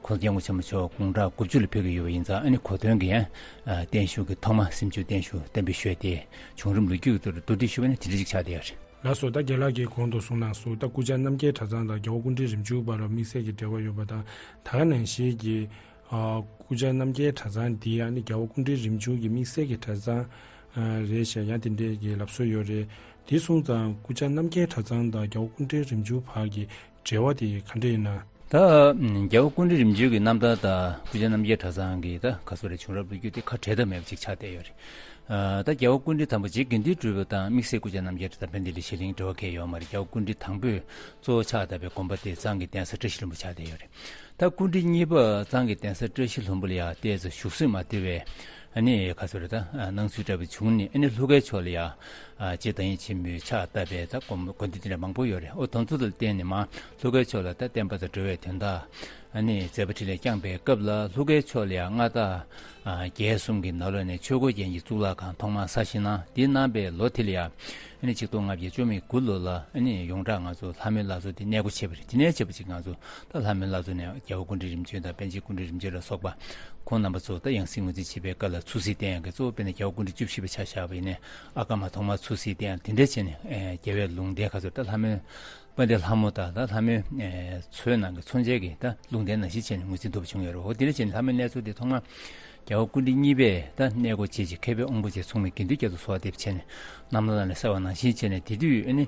ཁོང་སྐྱབས་མགོན་ཆེན་པོ་མཆོག་དགུང་གྲངས་དགུ་བཅུ་ལ་ཕེབས་ཀྱི་ཡོད་པ་ཡིན་ཙང་། ཨ་ནི་གོ་སྟོན་གྱི་ཡང་ཨ་བརྟན་བཞུགས་ཀྱི་ཐོག་མ་གཟིམ་ཆུང་བརྟན་བཞུགས་བསྟར་འབུལ་ཞུས་ཏེ། བྱུང་རིམ་ལོ་རྒྱུས་ཀྱི་ཐོག་ཏུ་བསྡུ་སྒྲིག་ཞུས་པ་ནི་དེ་འདྲ་ཅིག་ཆགས་བསྡད་ཡོད་རེད། ལགས་སོ། ད་རྒན་ལགས་ཀྱིས་གོང་དུ་གསུངས་གནང་སོང་། ད་སྐུ་བཅར་རྣམ་རྒྱལ་གྲྭ་ཚང་དང་རྒྱལ་བ་སྐུ་ཕྲེང་རིམ་བྱོན་བར་ལ་དམིགས་བསལ་གྱི་འབྲེལ་བ་ཡོད་པ་དང་། ད་ག་ནང་བཞིན་གྱི་ཨ་སྐུ་བཅར་རྣམ་རྒྱལ་གྲྭ་ཚང་འདི་ཨ་ནི་རྒྱལ་བ་སྐུ་ཕྲེང་རིམ་བྱོན་གྱི་དམིགས་བསལ་གྱི་གྲྭ་ཚང་ཨ་རེད་ཞེས་ཡང་དེ་འདྲའི་གི་ལབ་སྲོལ་ཡོད་རེད། དེ་སོང་ཙང་སྐུ་བཅར་རྣམ་རྒྱལ་གྲྭ་ཚང་དང་རྒྱལ་བ་སྐུ་ཕྲེང་རིམ་བྱོན་བར་གྱི་འབྲེལ་བ་དེ་ག་འདྲ་ཡིན་ན། ད་རྒྱལ་བ་སྐུ་ཕྲེང་རིམ་བྱོན་གྱི་རྣམ་ཐར་དང་སྐུ་བཅར་རྣམ་རྒྱལ་གྲྭ་ཚང་གི་ད་ག་ཟེར་རེད། བྱུང་རབས་ལོ་རྒྱུས་དེ་ཁ་བྲལ་ཐབས་མེད་པ་ཅིག་ཆགས་བསྡད་ཡོད་རེད། ཨ་ད་རྒྱལ་བ་སྐུ་ཕྲེང་དང་པོ་རྗེ་དགེ་འདུན་གྲུབ་པ་དང་དམིགས་བསལ་སྐུ་བཅར་རྣམ་རྒྱལ་གྲྭ་ཚང་ཕན་བདེ་ལེགས་བཤད་གླིང་འབྲེལ་བ་གང་ཡང་ཡོད་མ་རེད། རྒྱལ་བ་སྐུ་ཕྲེང་དང་པོས་གཙོ་བོ་ཆགས་བསྡད་པའི་དགོན་པ་དེ་གཙང་གི་གདན་ས་བཀྲ་ཤིས་ལྷུན་པོ་ཆགས་བསྡད་ཡོད་རེད། ད་སྐུ་ཕྲེང་གཉིས་པ་གཙང་གི་གདན་ས་བཀྲ་ཤིས་ལྷུན་པོ་ལ་ཡང་ཏོག་ཙམ་བཞུགས་སྲོལ་མ་བཏུལ་བའི་ཨ་ནི་ག་ཟེར་རེད། ད་སྣང་ཚུལ་འདྲ་པོ་བྱུང་ནས། ཨ་ནི་ལྷོ་ཁའི་ཕྱོགས་ལ་ཡང་ཨ་རྗེ་བདག་ཉིད་ཆེན་པོས་ཕྱག་བཏབ་པའི་ད་དགོན་དགོན་སྡེ་དེ་འདྲ་མང་པོ་ཡོད་རེད། ཨོ་དེ་ཚོ་ལ་བརྟེན་ནས་མར་ལྷོ་ཁའི་ཕྱོགས་ལ་ད་བསྟན་པ་དང་འགྲོ་བའི་དོན་དག་ཨ་ནི་མཛད་པ་འཕྲིན་ལས་བསྐྱངས་པའི་སྐབས་ལ། ལྷོ་ཁའི་ཕྱོགས་ལ་ཡང་མངའ་བདག་ཨ་རྒྱལ་གསུམ་གྱི་ནང་ལོགས་ནས་ཆོས་འཁོར་རྒྱལ་གྱི་གཙུག་ལག་ཁང་ཐོག་མར་གསར་བཞེངས་གནང་། དེ་གནང་པའི་ལོ་དེ་ལ་ཡང་ཨ་ནི་ཆིག་སྟོང་ལྔ་བརྒྱ་བཅུ་མེད་དགུ་ལོ་ལ་ཨ་ནི་ཡོངས་གྲགས་ང་ཚོ་ལྷ་མོའི་བླ་མཚོ་དེ་གནས་སྒོ་ཕྱེ་བ་རེད། དེ་ནས་བྱས་པ་ཅིག་ང་ཚོ་ད་ལྷ་མོའི་བླ་མཚོ་ནས་རྒྱལ་བ་སྐུ་ཕྲེང་རིམ་བྱོན་དང་པཎ་ཆེན་སྐུ་ཕྲེང་རིམ་བྱོན་ལ་སོགས་པ་ཁོང་རྣམ་པ་ཚོ་ད་ཡང་སྲིད་ངོས་འཛིན་བྱེད་པའི་སྐབས་ལ་ཚུར་གཟིགས་བསྟན་ཡག་གི་གཙོ་བོ། དཔེར་ན་རྒྱལ་བ་སྐུ་ཕྲེང་བཅུ་བཞི་པ་ཆ་བཞག་པ་ཡིན་ནའི་ཨ་ཀརྨ་ཐོག་མར་ཚུར་གཟིགས་བསྟན་ཡག་དེ་འདྲ་བྱས་ནས། ཨེ་རྒྱལ་བའི་ལུང་བསྟན་ག་ཚོད་ད་ལྷ་མོའི་དཔལ་ལྡན་ལྷ་མོ་དང་། ད་ལྷ་མོའི་ཨེ་མཚོའི་ནང་གི་མཚོ་མཇལ་གྱི་ད་ལུང་བསྟན་ནང་བཞིན་བྱས་ནས་ངོས་འཛིན་ཐུབ་པ་བྱུང་ཡོད་རེད། འོ་དེ་འདྲ་བྱས་ནས་ལྷ་མོའི་གནས་མཚོ་དེ་ཐོག་མར་རྒྱལ་བ་སྐུ་ཕྲེང་གཉིས་པས་ད་གནས་སྒོ་ཕྱེ་བྱས། མཁས་པའི་དབང་པོ་བཅས་མཚུངས་མེད་དགེ་འདུན་བརྒྱད་དུ་གསོལ་བ་འདེབས་བྱས་ནས་རྣམ་ཐར་ནང་ལ་གསལ་བ་ནང་བཞིན་བྱས་ནས། དེ་དུས་ཨ་ནི་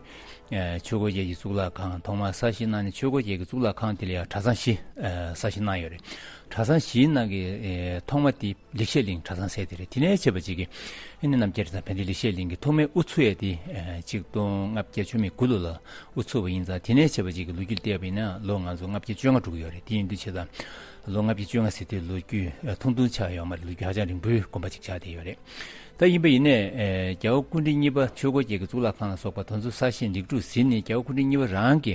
ཨེ་ཆོས་འཁོར་རྒྱལ་གྱི་གཙུག་ལག་ཁང་ཐོག་མར་གསར་བཞེངས་གནང་ནས། ཆོས་འཁོར་རྒྱལ་གྱི་གཙུག་ལག་ཁང་དེ་ལ་ཡང་གྲྭ་ཚང་བཞི་ཨེ་གསར་བཞེངས་གནང་ཡོད་རེད། གྲྭ་ཚང་བཞིའི་ནང་གི་ཨེ་ཐོག་མ་དེ་ལེགས་བཤད་གླིང་གྲྭ་ཚང་ཟེར་དེ་རེད། དེ་ནས་བྱས་པ་ཅིག་གིས་ཨ་ནི་རྣམ་རྒྱལ་གྲྭ་ཚང་ཕན་བདེ་ལེགས་བཤད་གླིང་གི་ཐོག་མའི་དབུ་ཚུགས་ཡས་དེ་ཨེ་ཆིག་སྟོང་ལྔ་བརྒྱ་བཅུ་མེད་དགུ་ལོ་ལ་དབུ་ཚུགས་པ་ཡིན་ཙང་། དེ་ནས་བྱས་པ་ཅིག་གི་ལོ་རྒྱུས་བལྟས་པ་ཡིན་ན་ལོ་ང་ཚོ་ལྔ་བརྒྱ་བཅོ་ལྔ་འགྲོ་གི་ཡོད་རེད། དེ་ཡིན་དུས་བྱས་ཙང་ལོ་ལྔ་བརྒྱ་བཅོ་ལྔ་ཟེར་དུས་ལོ་རྒྱུས་ཨེ་ཐུང་ཐུང་ཆགས་ཡོད་མ་རེད། ལོ་རྒྱུས་ཧ་ཅང་རིང་པོའི་དགོན་པ་ཅིག་ཆགས་བསྡད་ཡོད་རེད། ད་ཡིན་པ་ཡིན་ནའི་ཨེ་རྒྱལ་བ་སྐུ་ཕྲེང་གཉིས་པ་ཆོས་འཁོར་རྒྱལ་གྱི་གཙུག་ལག་ཁང་ལ་སོགས་པ་དེ་ཚོ་གསར་བཞེངས་ལེགས་གྲུབ་ཟིན་ནས། རྒྱལ་བ་སྐུ་ཕྲེང་གཉིས་པ་རང་གི་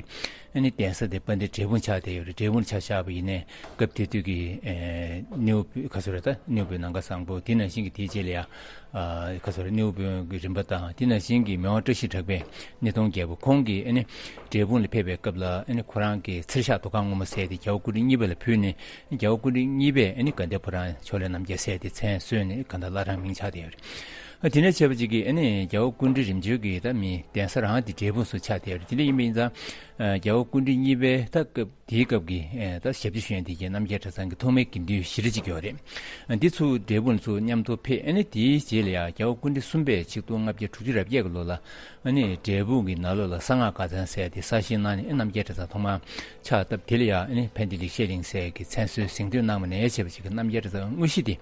ཨ་ནི་གདན་ས་དེ་དཔལ་ལྡན་འབྲས་སྤུངས་ཆགས་བསྡད་ཡོད་རེད། འབྲས་སྤུངས་ཆ་བཞག་པ་ཡིན་ནའི་སྐབས་དེ་དུས་ཀྱི་ཨེ་སྣེའུ་བུ་ག་ཚོད་རེད། ད་སྣེའུ་བུ་ནམ་མཁའ་བཟང་པོ། དེ་ནང་བཞིན་གྱི་དེའི་རྗེས་ལ་ཡང་ཨ་ག་ཚོད་རེད། སྣེའུ་བུ་གི་རིམ་པ་དང་། དེ་ནང་བཞིན་གྱི་མི་དབང་བཀྲ་ཤིས་གྲགས་པའི་སྣེ་གདོང་རྒྱལ་པོ་ཁོང་གིས་ཨ་ནི་འབྲས་སྤུངས་ལ་ཕེབས་པའི་སྐབས་ལ་ཨ་ནི་ཁོ་རང་གི་ཚེར་ཤག་རྡོ་ཁང་སྔོན་མོ་ཟེར་དེ་རྒྱལ་བ་སྐུ་ཕྲེང་གཉིས་པ་ལ་ཕུལ་ནས། རྒྱལ་བ་སྐུ་ཕྲེང་གཉིས་པས་ཨ་ནི་དགའ་ལྡན་ཕོ་བྲང་ཕྱོགས་ལས་རྣམ་རྒྱལ་ཟེར་དེ་མཚན་གསོལ་ནས་གང་ལྟར་བླ་བྲང་མིང་ཆགས་བསྡད་ཡོད་རེད། ཨ་དེ་ནས་བྱས་པ་ཅིག་གིས་ཨ་ནི་རྒྱལ་བ་སྐུ་ཕྲེང་རིམ་བྱོན་གྱི་ད་མི་གདན་ས་རང་དེ་འབྲས་སྤུངས་སུ་ཆགས་བསྡད་ཡོད་རེད། དེ་འདྲ་ཡིན་པ་ཡིན་ཙང་ཨ་རྒྱལ་བ་སྐུ་ཕྲེང་གཉིས་པའི་ད་སྐབས་དེའི་སྐབས་ཀྱི་ཨ་ད་ཞབས་ཕྱི་ཞུ་མཁན་དེ་གའི་རྣམ་རྒྱལ་གྲྭ་ཚང་གི་ཐོག་མའི་དགེ་འདུན་བཞི་རེ་ཅིག་ཡོད་རེད། ཨ་འདི་ཚོ་འབྲས་སྤུངས་ཚུར་མཉམ་དུ་ཕེབས། ཨ་ནི་དེའི་རྗེས་ལ་ཡང་རྒྱལ་བ་སྐུ་ཕྲེང་གསུམ་པས་ཆིག་སྟོང་ལྔ་བརྒྱ་དྲུག་ཅུ་རེ་བརྒྱད་ཀྱི་ལོ་ལ་ཨ་ནི་འབྲས་སྤུངས་ཀྱི་ནང་ལོགས་ལ་གསང་སྔགས་དགའ་ཚལ་ཟེར་དེ་གསར་བཞེངས་གནང་ནས། ཨ་རྣམ་རྒྱལ་གྲྭ་ཚང་ཐོག་མར་ཕྱག་བཏབ། དེ་ལ་ཡང་ཨ་ནི་ཕན་བདེ་ལེགས་བཤད་གླིང་ཟེར་གྱི་མཚན་གསོལ་གཟེངས་བསྟོད་གནང་བ་ནས་བྱས་པ་ཅིག་གི་རྣམ་རྒྱལ་གྲྭ་ཚང་དངོས་གཞི་དེ་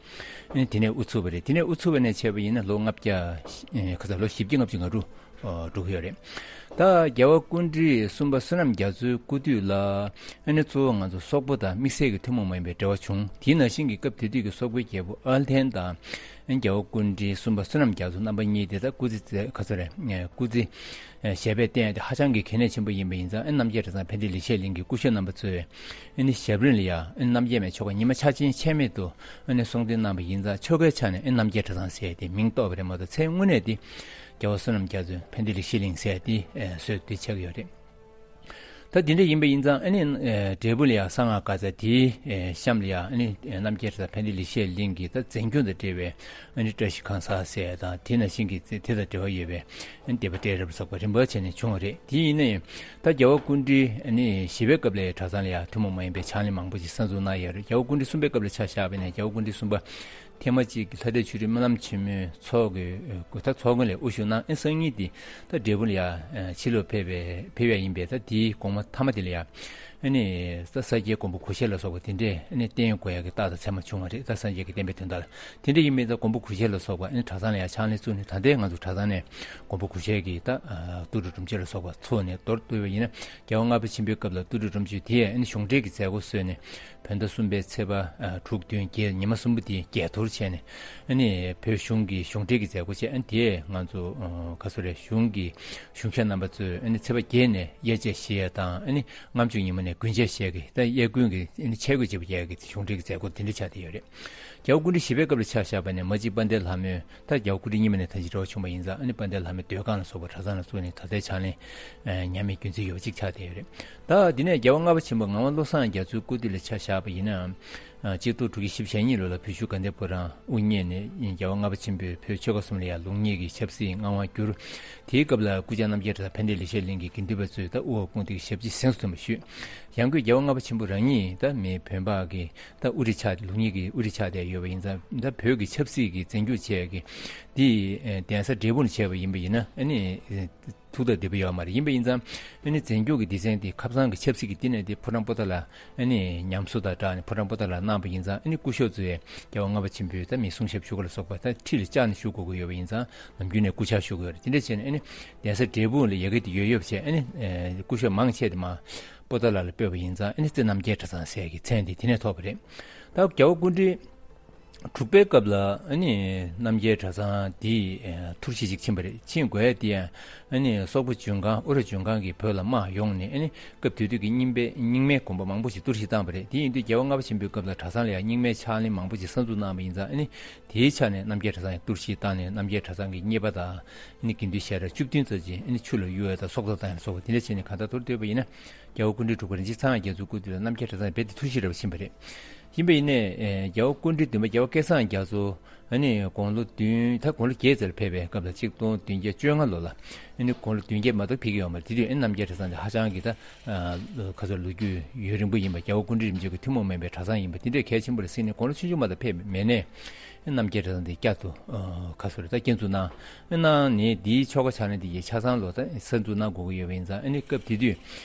ཨ་ནི་དེ་ནས་དབུ་ཚུགས་པ་རེད། དེ་ནས་དབུ་ཚུགས་པ་ནས་བྱས་པ་ཡིན་ན་ལོ་ལྔ་བརྒྱ་ཨེ་ག་ཚོད། ལོ་བཞི་བརྒྱ་ལྔ་བཅུ་ང་དྲུག་ཨོ་འགྲོ་གི་ཡོད་རེད། ད་རྒྱལ་བ་སྐུ་ཕྲེང་གསུམ་པ་བསོད་ནམས་རྒྱ་མཚོའི་སྐུ་དུས་ལ་ཨ་ནི་གཙོ་བོ་ང་ཚོ་སོག་པོ་དང་དམིགས་བསལ་གྱི་ཐུན་མོང་མ་ཡིན་པའི་འབྲེལ་བ་བྱུང་། དེའི་ནང་བཞིན་གྱི་སྐབས་དེ་དུས་ཀྱི་སོག་པོའི་རྒྱལ་པོ་ཨལ་ཐན་དང་ཨ་ནི་རྒྱལ་བ་སྐུ་ཕྲེང་གསུམ་པ་བསོད་ནམས་རྒྱ་མཚོ་རྣམ་པ་གཉིས་དེ་ད་སྐུ་ཚེ་ག་ཚོད་རེད། སྐུ་ཚེ་ཞབས་པད་བརྟན་ཡག་དེ་ཧ་ཅང་གི་གལ་གནད་ཆེན་པོ་ཡིན་པ་ཡིན་ཙང་། ཨ་རྣམ་རྒྱལ་གྲྭ་ཚང་ཕན་བདེ་ལེགས་བཤད་གླིང་གི་སྐུ་ཞབས་རྣམ་པ་ཚོས་ཨ་ནི་ཞབས་རིམ་ལ་ཡང་ཨ་རྣམ་རྒྱལ་མའི་ཆོ་ག་ཉི་མ་འཆར་ཅན་ཆད་མེད་དུ་ཨ་ནི་གསུང་འདོན་གནང་བ་ཡིན་ཙང་། ཆོ་གའི་ཆ་ནས་ཨ་རྣམ་རྒྱལ་གྲྭ་ཚང་ཟེར་ཏེ་མིང་བཏགས་པ་རེད་མ་གཏོགས། མཚན་དངོས་གནས་དེ་རྒྱལ་བ་བསོད་ནམས་རྒྱ་མཚོའི་ཕན་བདེ་ལེགས་བཤད་གླིང་ཟེར་ཏེ་ཨེ་སྲོལ་དེ་ཆགས་ཀྱི་ཡོད་རེད། ད་དེ་འདྲ་ཡིན་པ་ཡིན་ཙང་། ཨ་ནི་ཨེ་འབྲས་སྤུངས་ལ་ཡང་གསང་སྔགས་དགའ་ཚལ་དེའི་ཨེ་གཤམ་ལ་ཡང་ཨ་ནི་ཨེ་རྣམ་རྒྱལ་གྲྭ་ཚང་ཕན་བདེ་ལེགས་བཤད་གླིང་གི་ད་མཛེས་ལྗོངས་དང་འབྲེལ་བའི་ཨ་ནི་བཀྲ་ཤིས་ཁང་གསར་ཟེར་དང་། དེ་ནང་བཞིན་གྱི་དེ་དང་འབྲེལ་བ་ཡོད་པའི་ཨ་ནི་སྡེ་པ་སྤྲེལ་རབ་སོགས་པ་རིམ་པ་བྱས་ནས་བྱུང་བ་རེད། དེ་ཡིན་ན་ཡང་ད་རྒྱལ་བ་སྐུ་ཕྲེང་ཨ་ནི་བཞི་པའི་སྐབས་ལ་གྲྭ་ཚང་ལ་ཡང་ཐུན་མོང་མ་ཡིན་པའི་ཕྱག་ལེན་མང་པོ་ཞིག་གསར་འཛུགས་གནང་ཡོད་རེད། རྒྱལ་བ་སྐུ་ཕྲེང་གསུམ་པའི་སྐབས་ལ་ཆ་བཞག་པ་ཡིན་ན། རྒྱལ་བ་སྐུ་ཕྲེང་གསུམ་པ་ ཐེངས་མ་གཅིག་གི་ལྷ་འདྲེ་ཆོས་སྒྲོན་སྨོན་ལམ་ཆེན་མོའི་ཚོགས་ཀྱི་ད་ཚོགས་མགོན་ལ་དབུ་བཞུགས་གནང་། ཨེ་སང་ཉིན་དེ་ད་འབྲས་སྤུངས་ལ་ཡ་ཕྱི་ལོགས་ཕེབས་པའི་ཕེབས་ཡ་ཡིན་པས། ད་དེའི་དགོང་མོ་མཐའ་མ་དེ་ལ་ཡ་ཨ་ནི་ད་ས་སྐྱའི་མགོན་པོ་གུ་ཤལ་ལ་སོགས་པ་དེ་འདྲས་ཨ་ནི་བསྟེན་དགོས་ཡ་གི་རྟགས་དང་མཚན་མ་བྱུང་བ་རེད། ད་སངས་རྒྱས་ཀྱི་བསྟན་པའི་དོན་དག་ལ་དེ་འདྲས་ཡིན་མིན། ད་མགོན་པོ་གུ་ཤལ་ལ་སོགས་པ་ཨ་ནི་གྲྭ་ཚང་ལ་ཡ་ཕྱག་ལེན་བཙུགས་ནས། ད་ལྟའི་ང་ཚོ་གྲྭ་ཚང་ནས་མགོན་པོ་གུ་ཤལ་གྱི་ད་ཏུ་ཏྲ་སྒྲུབ་མཆོད་ལ་སོགས་པ་ཚོགས་ནས་མདོར་བསྡུས་པ་ཡིན་ན། རྒྱལ་བ་ལྔ་པ་ཆེན་པོའི་སྐབས་ལ་ཏུ་ཏྲ་སྒྲུབ་མཆོད་དེ་ཨ་ནི་གཞུང་འབྲེལ་གྱི་མཛད་སྒོ་བཟོས་ནས། བོད་ཟླ་གསུམ་པའི་ཚེས་པ་དྲུག་བདུན་བརྒྱད་ཉི་མ་གསུམ་པོ་དེ་བརྒྱད་ཐོར་བྱས་ནས། ཨ་ནི་བོད་གཞུང་གི་གཞུང་འབྲེལ་གྱི་མཛད་སྒོ་བྱས། ཨ་ནི་དེ་ང་ཚོ་ག་ཚོད་རེད། གཞུང་གི་གཞུང་ཞབས་རྣམ་པ་ཚོས་ཨ་ནི་ཚེས་པ་བརྒྱད་ནས་དབྱར་ཆད་བཞེས་ཡ་དང་། ཨ་ནི་ལྔ་བཅུ་ཉིན་མོ་ནས་དགུན་ཆད་བཞེས་ཀྱི། ད་དབྱར་དགུན་གྱི་ཨ་ནི་ཆས་གོས་བརྗེ་པོ་རྒྱག་གི་གཞུང་འབྲེལ་གྱི་མཛད་སྒོ་དེ་འདྲ་ཆགས་བསྡད་ཡོད་རེད། རྒྱལ་བ་སྐུ་ཕྲེང་བཞི་པའི་སྐབས་ལ་ཆ་བཞག་པ་ནས་མ་གཅིག་དཔལ་ལྡན་ལྷ་མོའི། ད་རྒྱལ་བ་སྐུ་ཕྲེང་གཉིས་པ་ནས་ད་ཅི་འདྲ་བ་བྱུང་བ་ཡིན་ཙང་། ཨ་ནི་དཔལ་ལྡན་ལྷ་མོའི་སྡོད་ཁང་ལ་སོགས་པ་གྲྭ་ཚང་ལ་བཙུགས་ནས་ད་ལྟའི་ཕྱག་ལེན་ཉམས་མེད་རྒྱུན་འཛིན་ཡོད་པ་ཅིག་ཆགས་བསྡད་ཡོད་རེད། ད་དེ་ནས་རྒྱལ་བ་ལྔ་པ་ཆེན་པོ་ངག་དབང་བློ་བཟང་རྒྱ་མཚོའི་སྐུ་དུས་ལ་ཆ་བཞག་པ་ཡིན་ན། གཅིག་སྟོང་དྲུག་བརྒྱ་བཞི་བཅུ་ཞེ་གཉིས་ལོ་ལ་བོད་གཞུང་དགའ་ལྡན་ཕོ་བྲང་དབུ་བརྙེས་ནས། རྒྱལ་བ་ལྔ་པ་ཆེན་པོས་བོད་ཆོལ་ཁ་གསུམ་ལ་ཡང་ལུགས་གཉིས་ཀྱི་ཆབ་སྲིད་མངའ་དབང་བསྒྱུར། དེའི་སྐབས་ལ་སྐུ་བཅར་རྣམ་རྒྱལ་གྲྭ་ཚང་ཕན་བདེ་ལེགས་བཤད་གླིང་གི་དགེ་འདུན་པ་ཚོས་ད་དབུ་འོག་དཔུང་སྡེའི་ཞབས་ཕྱི་གཟེངས་སུ་ཐོན་པ་ཞུས། ཡང་སྒོས་རྒྱལ་བ་ལྔ་པ་ཆེན་པོ་རང་ཉིད་ད་མི་བོད་འབངས་ཀྱི་ད་དབུ་ཁྲིད་ཆགས་ཏེ། ལུགས་གཉིས་ཀྱི་དབུ་ཁྲིད་ཆགས་བསྡད་ཡོད་པ་ཡིན་ཙང་། ད་བོད་ཀྱི་ཆབ་སྲིད་ཀྱི་འཛིན་སྐྱོང་བྱས་ཀྱི་འདི་གདན་ས་འབྲས་སྤུངས་ནས་བྱས་པ་ཡིན་པ་ཡིན་ན། ཨ་ནི་ཐུགས་ཐག་བདེ་པོ་ཡོད་མ་རེད། ཡིན་པ་ཡིན་ཙང་ཨ་ནི་འཛིན་སྐྱོང་གི་སྡེ་ཚན་དེ་ཁ་སང་གི་ཆབ་སྲིད་ཀྱི་སྟེང་ནས་དེ་ཕོ་བྲང་པོ་ཏཱ་ལ་ཨ་ནི་ཉམས་གསོ་དང་སྦྲགས་ནས་ཕོ་བྲང་པོ་ཏཱ་ལ་གནང་བ་ཡིན་ཙང་། ཨ་ནི་སྐུ་ཞབས་ཚོས་རྒྱལ་བ་ལྔ་པ་ཆེན་པོའི་ད་མི་གསུང་ཞབས་ཞུ་ག་ལ་སོགས་པ་ད་ཁྲི་ལ་བཅར་ནས་ཞུ་དགོས་ཀྱི་ཡོད་པ་ཡིན་ཙང་། ནམ་རྒྱུན་ནས་སྐུ་ཕྱག་ཞུ་གི་ཡོད་རེད། དེ་འདྲ་བྱས་ནས་ཨ་ནི་གདན་ས་འབྲས་སྤུངས་ལ་ཡ་གི་དེ་ཡོད་ཡོད་བྱས། ཨ་ནི་སྐུ་ཞབས་མང་ཆེ་དེ་མར་པོ་ཏཱ་ལ་ལ་སྤོས་པ་ཡིན་ཙང་། ཨ་ནི་རྩེ་རྣམ་རྒྱལ་གྲྭ་ཚང་ཟེར་གྱི་མཚན་དེ་དེ་ནས་ཐོབ་པ་རེད། ད་རྒྱལ་བ་སྐུ་ཕྲེང་དྲུག་པའི་སྐབས་ལ་ཨ་ནི་རྣམ་རྒྱལ་གྲྭ་ཚང་འདི་ཨེ་ཐུར་བཞེས་ཅིག་ཕྱིན་པ་རེད། ཕྱིན་དགོས་ཡ་དེ་ཡང་ཨ་ནི་སོག་པོ་ལྗོན་ཁང་། ཨུ་ར་ལྗོན་ཁང་གིས་བོད་ལ་དམག་ཡོང་ནས། ཨ་ནི་སྐབས་དེ་དུས་ཀྱི་རྙིང་པའི་རྙིང་མའི་དགོན་པ་མང་པོ་ཞིག་གཏོར་བཤིག་བཏང་བ་རེད། དེ་ཡིན་དུས་རྒྱལ་བ་ལྔ་པ་ཆེན་པོའི་སྐབས་ལ་གྲྭ་ཚང་ལ་ཡང་རྙིང་མའི་ཕྱག་ལེན་མང་པོ་ཞིག་གསར་འཛུགས་གནང་བ་ཡིན་ཙང་། ཨ་ནི་དེའི་ཆ་ནས་རྣམ་རྒྱལ་གྲྭ་ཚང་ཡང་གཏོར་བཤིག་བཏང་ནས། རྣམ་རྒྱལ་གྲྭ་ཚང་གི་གཉེར་པ་དང་ཨ་ནི་དགེ་འདུན་ཞལ་གྲངས་བཅུ་བདུན་ཙམ་ཅིག་ཨ་ནི་ཆུ་ལ་གཡུག་ཡ་དང་སྲོག་ཐོག་བཏང་ཡ་སོགས་པ་དེ་འདྲ་བྱས་ནས། གང་ལྟར་མདོར་བསྡུས་པ་ཡིན་ན་རྒྱལ་བ་སྐུ་ཕྲེང་བཅུ་ཚང་རྒྱ་མཚོའི་སྐུ་དུས་ལ་རྣམ་རྒྱལ་གྲྭ་ཚང་རྦད་དེ་ཐུར་བཞེས་རེད་པ་ཕྱིན་པ་རེད། ཡིན་པ་ཡིན་ནའི་ཨེ་རྒྱལ་བ་སྐུ་ཕྲེང་བདུན་པ་རྒྱལ་བ་སྐལ་བཟང་རྒྱ་མཚོ་ཨ་ནི་དགུང་ལོ་བདུན། ད་དགུང་ལོ་བརྒྱད་ཙམ་ལ་ཕེབས་པའི་སྐབས་ལ་གཅིག་སྟོང་བདུན་བརྒྱ་བཅོ་ལྔ་ལོ་ལ། ཨ་ནི་དགུང་ལོ་བདུན་བརྒྱད་མ་གཏོགས་ཕེབས་ཀྱི་ཡོད་མ་རེད། དེ་དུས་ཨ་ནི་རྣམ་རྒྱལ་གྲྭ་ཚང་དེ་ཧ་ཅང་གི་ད་ཨ་ཁ་སོ་ལོ་རྒྱུས་ཡུན་རིང་པོ་ཡིན་པ། རྒྱལ་བ་སྐུ་ཕྲེང་རིམ་བྱོན་གྱི་ཐུན་མོང་མ་ཡིན་པའི་གྲྭ་ཚང་ཡིན་པ་དེ་འདྲས་གལ་ཆེན་པོ་རེད་བསམས་ནས། དགུང་ལོ་ཆུང་ཆུང་མ་གཏོགས་ཕེབས་མེད་ནའི་ཨ་ནི་རྣམ་རྒྱལ་གྲྭ་ཚང་དེ་བསྐྱར་དུ་ཨ་ཁ་སོ་རེད། ད་བསྐྱར་འཛུགས་གནང་། གནང་ནས་དེའི་ཆོ་ག་ཕྱག་ལེན་དེ་ཡི་ཆ་ཚང་ལོ་ད་གསར་འཛུགས་གནང་དགོས་ཀྱི་ཡོད་པ་ཡིན་ཙང་། ཨ་ནི་སྐབས་དེ་དུས་